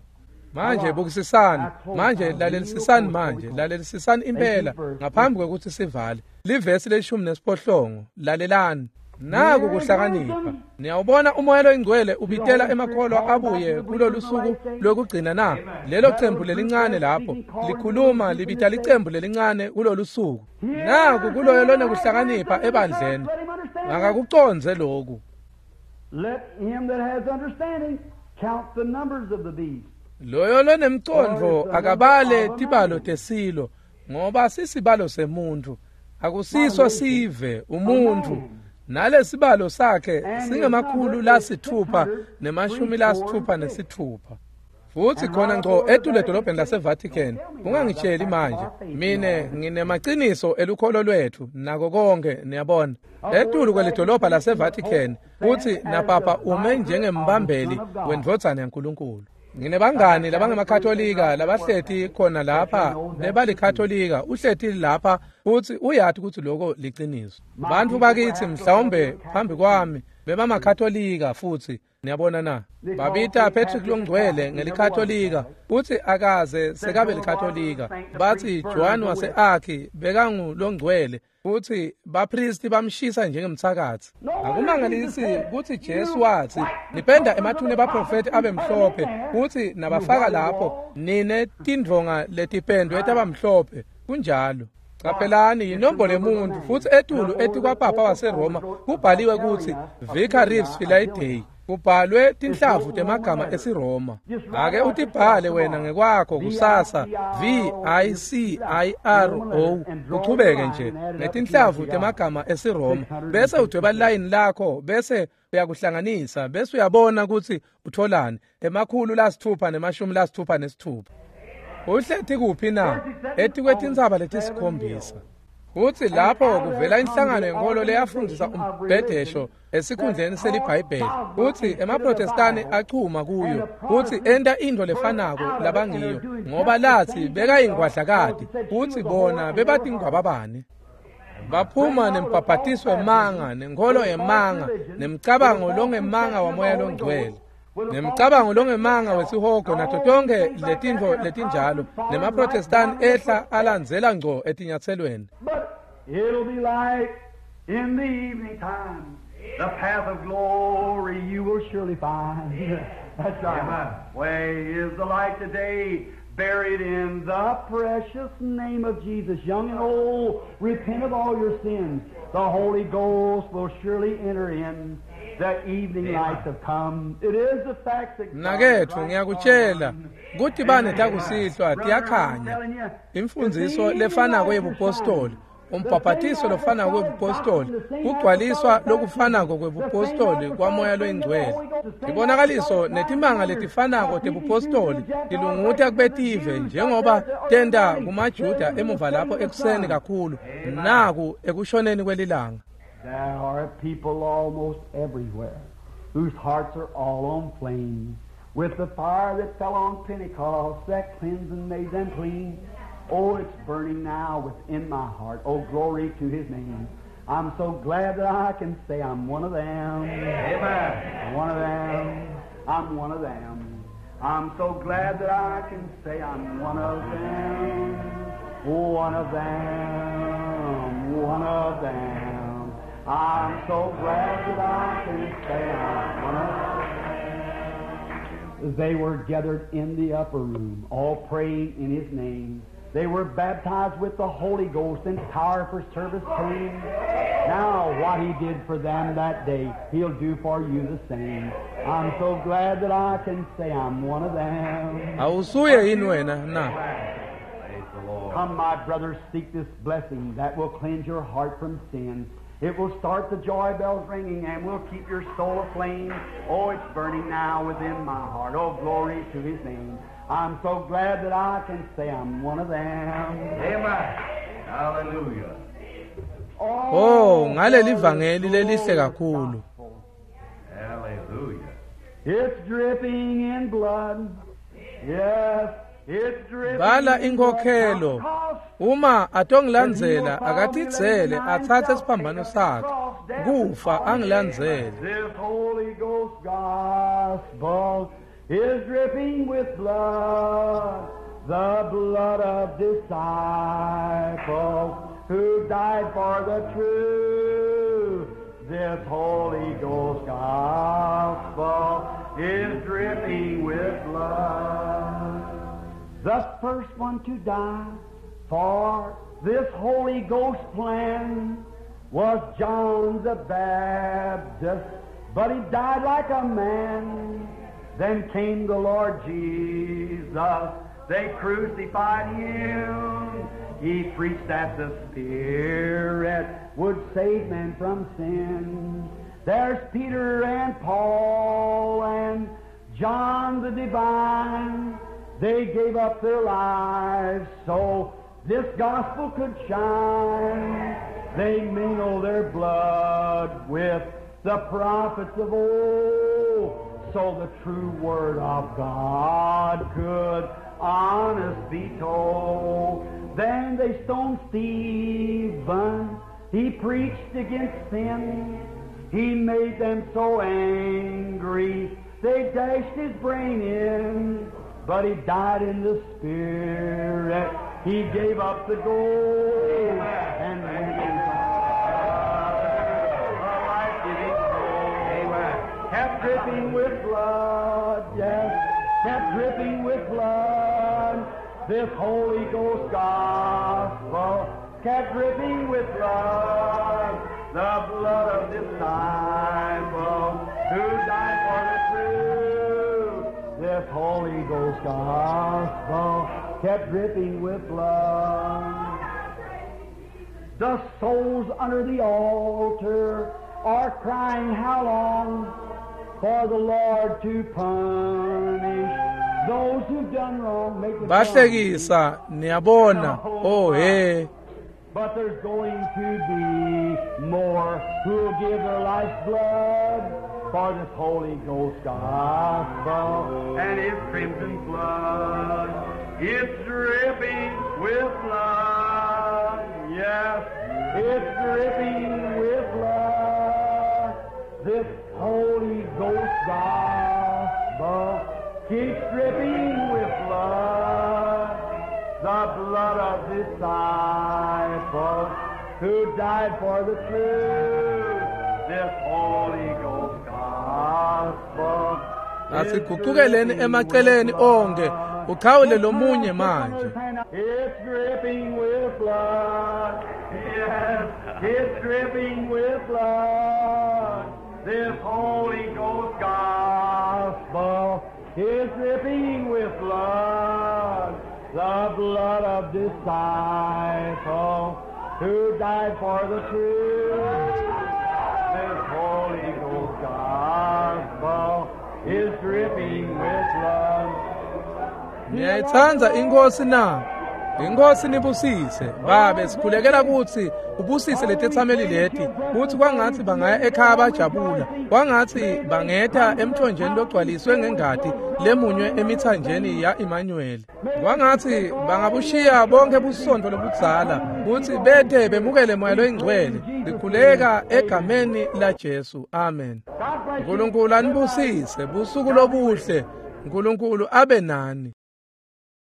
Manje bukisisani, manje lalelisisani, manje lalelisisani impela ngaphambi kwekutsi sivale. Livesi leshumi nesiphohlongo, lalelani. Naku kuhlakanipha. Niyawubona umoya loyingcwele ubitela emakholwa abuye kulolu suku lokugcina na? Lelo cembu lelincane lapho likhuluma libita licembu lelincane kulolu suku. Naku kuloyo lonekuhlakanipha ebandleni. Ngakakucondze lokhu.
Let him that has understanding count the numbers of the beast.
Loyo lonemcondvo akabale tibalo tesilo ngoba sisibalo semuntu akusiso sive umuntu nalesibalo sakhe singemakhulu lasithupha nemashumi lasithupha nesithupha. Futhi khona ngco etule edolobheni laseVatican. Ungangitsheli manje mine nginemaqiniso elukholo lwethu nako konke niyabona. Etulu kwelidolobha laseVatican futhi napapa ume njengembambeli wendvodzana yaNkulunkulu. Nginebangani labangemakatolika labahleti khona lapha bebalikatolika uhleti lapha futhi uyati ukuthi lokho liciniso. Bantfu bakithi mhlawumbe phambi kwami bebamakatolika futhi niyabona na. Babita Patrick longcwele ngelikatolika futhi akaze sekabe likatolika. Bathi Joan wase-Arki bekangulongcwele futhi bapristi bamshisa njengemthakathi. Akumangalisi kutsi Jesu wathi nipenda emathune abaprofeti abe mhlophe futhi nabafaka lapho nine tindvonga letipendwe tabamhlophe. Kunjalo. Caphelani yinombolo yemuntu futhi etulu etikwapapa waseRoma kubhaliwe kutsi Vicarius Filii Dei. Kubhalwe tinhlavu temagama esiRoma. Ake utibhale wena ngekwakho kusasa V I C I R O uchubeke nje ngetinhlavu temagama esiRoma bese udweba line lakho bese uyakuhlanganisa bese uyabona ukuthi utholani emakhulu lasithupha nemashumi lasithupha nesithupha. Uhleti kuphi na? Etikwetintsaba letisikhombisa. Futhi lapho kuvela inhlangano yenkolo leyafundisa umbhedesho esikhundleni seliBhayibheli. Futhi emaProtestani achuma kuyo futhi enta into lefanako labangiyo ngoba lathi bekayingwadlakati futhi bona bebatingwababane. Baphuma nembhabhatiso wemanga nenkolo yemanga nemcabango longemanga wamoya longcwele nemcabango longemanga wesihogo nato tonke letintfo letinjalo nemaProtestani ehla alandzela ngco etinyatselweni.
It'll be light in the evening time. The path of glory you will surely find. That's right. Amen. Way is the light today, buried in the precious name of Jesus. Young and old, repent of all your sins. The Holy Ghost will surely enter in. The evening lights have come. It is the fact that
Nakethu ngiyakutshela kuthi bane takusihlwa tiyakhanya. Imfundiso lefanako yebupostoli, umbhabhatiso lofanako webupostoli, kugcwaliswa lokufanako kwebupostoli kwamoya loyingcwele. Ibonakaliso netimanga letifanako tebupostoli tilunguta kubetive njengoba tenta kumaJuda emuva lapho ekuseni kakhulu naku ekushoneni kwelilanga.
There are people almost everywhere whose hearts are all on flame With the fire that fell on Pentecost, that cleansed and made them clean. Oh, it's burning now within my heart. Oh, glory to His name. I'm so glad that I can say I'm one of them.
Amen.
One of them. I'm one of them. I'm so glad that I can say I'm one of them. One of them. One of them. I'm so glad that I can say I'm one of them. They were gathered in the upper room, all praying in His name. They were baptized with the Holy Ghost and power for service came. Now what He did for them that day, He'll do for you the same. I'm so glad that I can say I'm one of them.
Awusuye yini wena na?
Praise the Lord.
Come, my brothers, seek this blessing that will cleanse your heart from sin. It will start the joy bells ringing and will keep your soul aflame. Oh, it's burning now within my heart. Oh, glory to His name. I'm so glad that I can say I'm one of them.
Amen. Hallelujah.
Oh, ngaleli vangeli lelihle kakhulu.
Hallelujah.
It's dripping in blood. Yes, it's dripping.
Bala
in
inkhokhelo.
blood.
Uma atongilandzela akatitsele atsatse isiphambano sakhe. Kufa angilandzele.
This Holy Ghost gospel is dripping with blood, the blood of disciples who died for the truth. This Holy Ghost gospel is dripping with blood. The first one to die for this Holy Ghost plan was John the Baptist, but he died like a man. Then came the Lord Jesus. They crucified him. He preached that the Spirit would save men from sin. There's Peter and Paul and John the Divine. They gave up their lives so this gospel could shine. They mingled their blood with the prophets of old, so the true word of God could honest be told. Then they stoned Stephen. He preached against sin. He made them so angry they dashed his brain in. But he died in the Spirit. He gave up the ghost and went into the life-giving soul. Kept dripping with blood, yes, kept dripping with blood. This Holy Ghost gospel kept dripping with blood, the blood of disciples who died for the truth. This Holy Ghost gospel kept dripping with blood. The souls under the altar are crying, how long for the Lord to punish those who've done wrong? Make the
Bahlekisa niyabona. Oh hey.
But there's going to be more who'll give their life's blood for this Holy Ghost gospel
And His crimson blood. It's dripping with blood. Yes,
It's dripping with blood. This Holy Ghost gospel keeps dripping with blood. The blood of disciples who died for the truth.
This Holy Ghost gospel.
Asiguqukeleni emaceleni onke ukhawule lomunye manje.
It's dripping with blood.
Yes,
It's dripping with blood.
this Holy Ghost
Gospel is dripping with blood. The blood of disciples who died for the truth. This Holy Ghost gospel is dripping with blood.
Niyayitsandza inkosi na? Inkosi nibusise. Babe, sikhulekela kutsi ubusise letetsameli leti, kutsi kwangatsi bangaya ekhaya bajabula, kwangatsi bangeta emthonjeni logcwaliswe ngengati lemunywe emithanjeni ya Emmanuel. Kwangatsi bangabushiya bonke busontfo lobudzala kutsi bete bemukele Moya loyiNgcwele. Sikhuleka egameni la Jesu. Amen. Nkulunkulu anibusise. Busuku lobuhle. Nkulunkulu abe nani.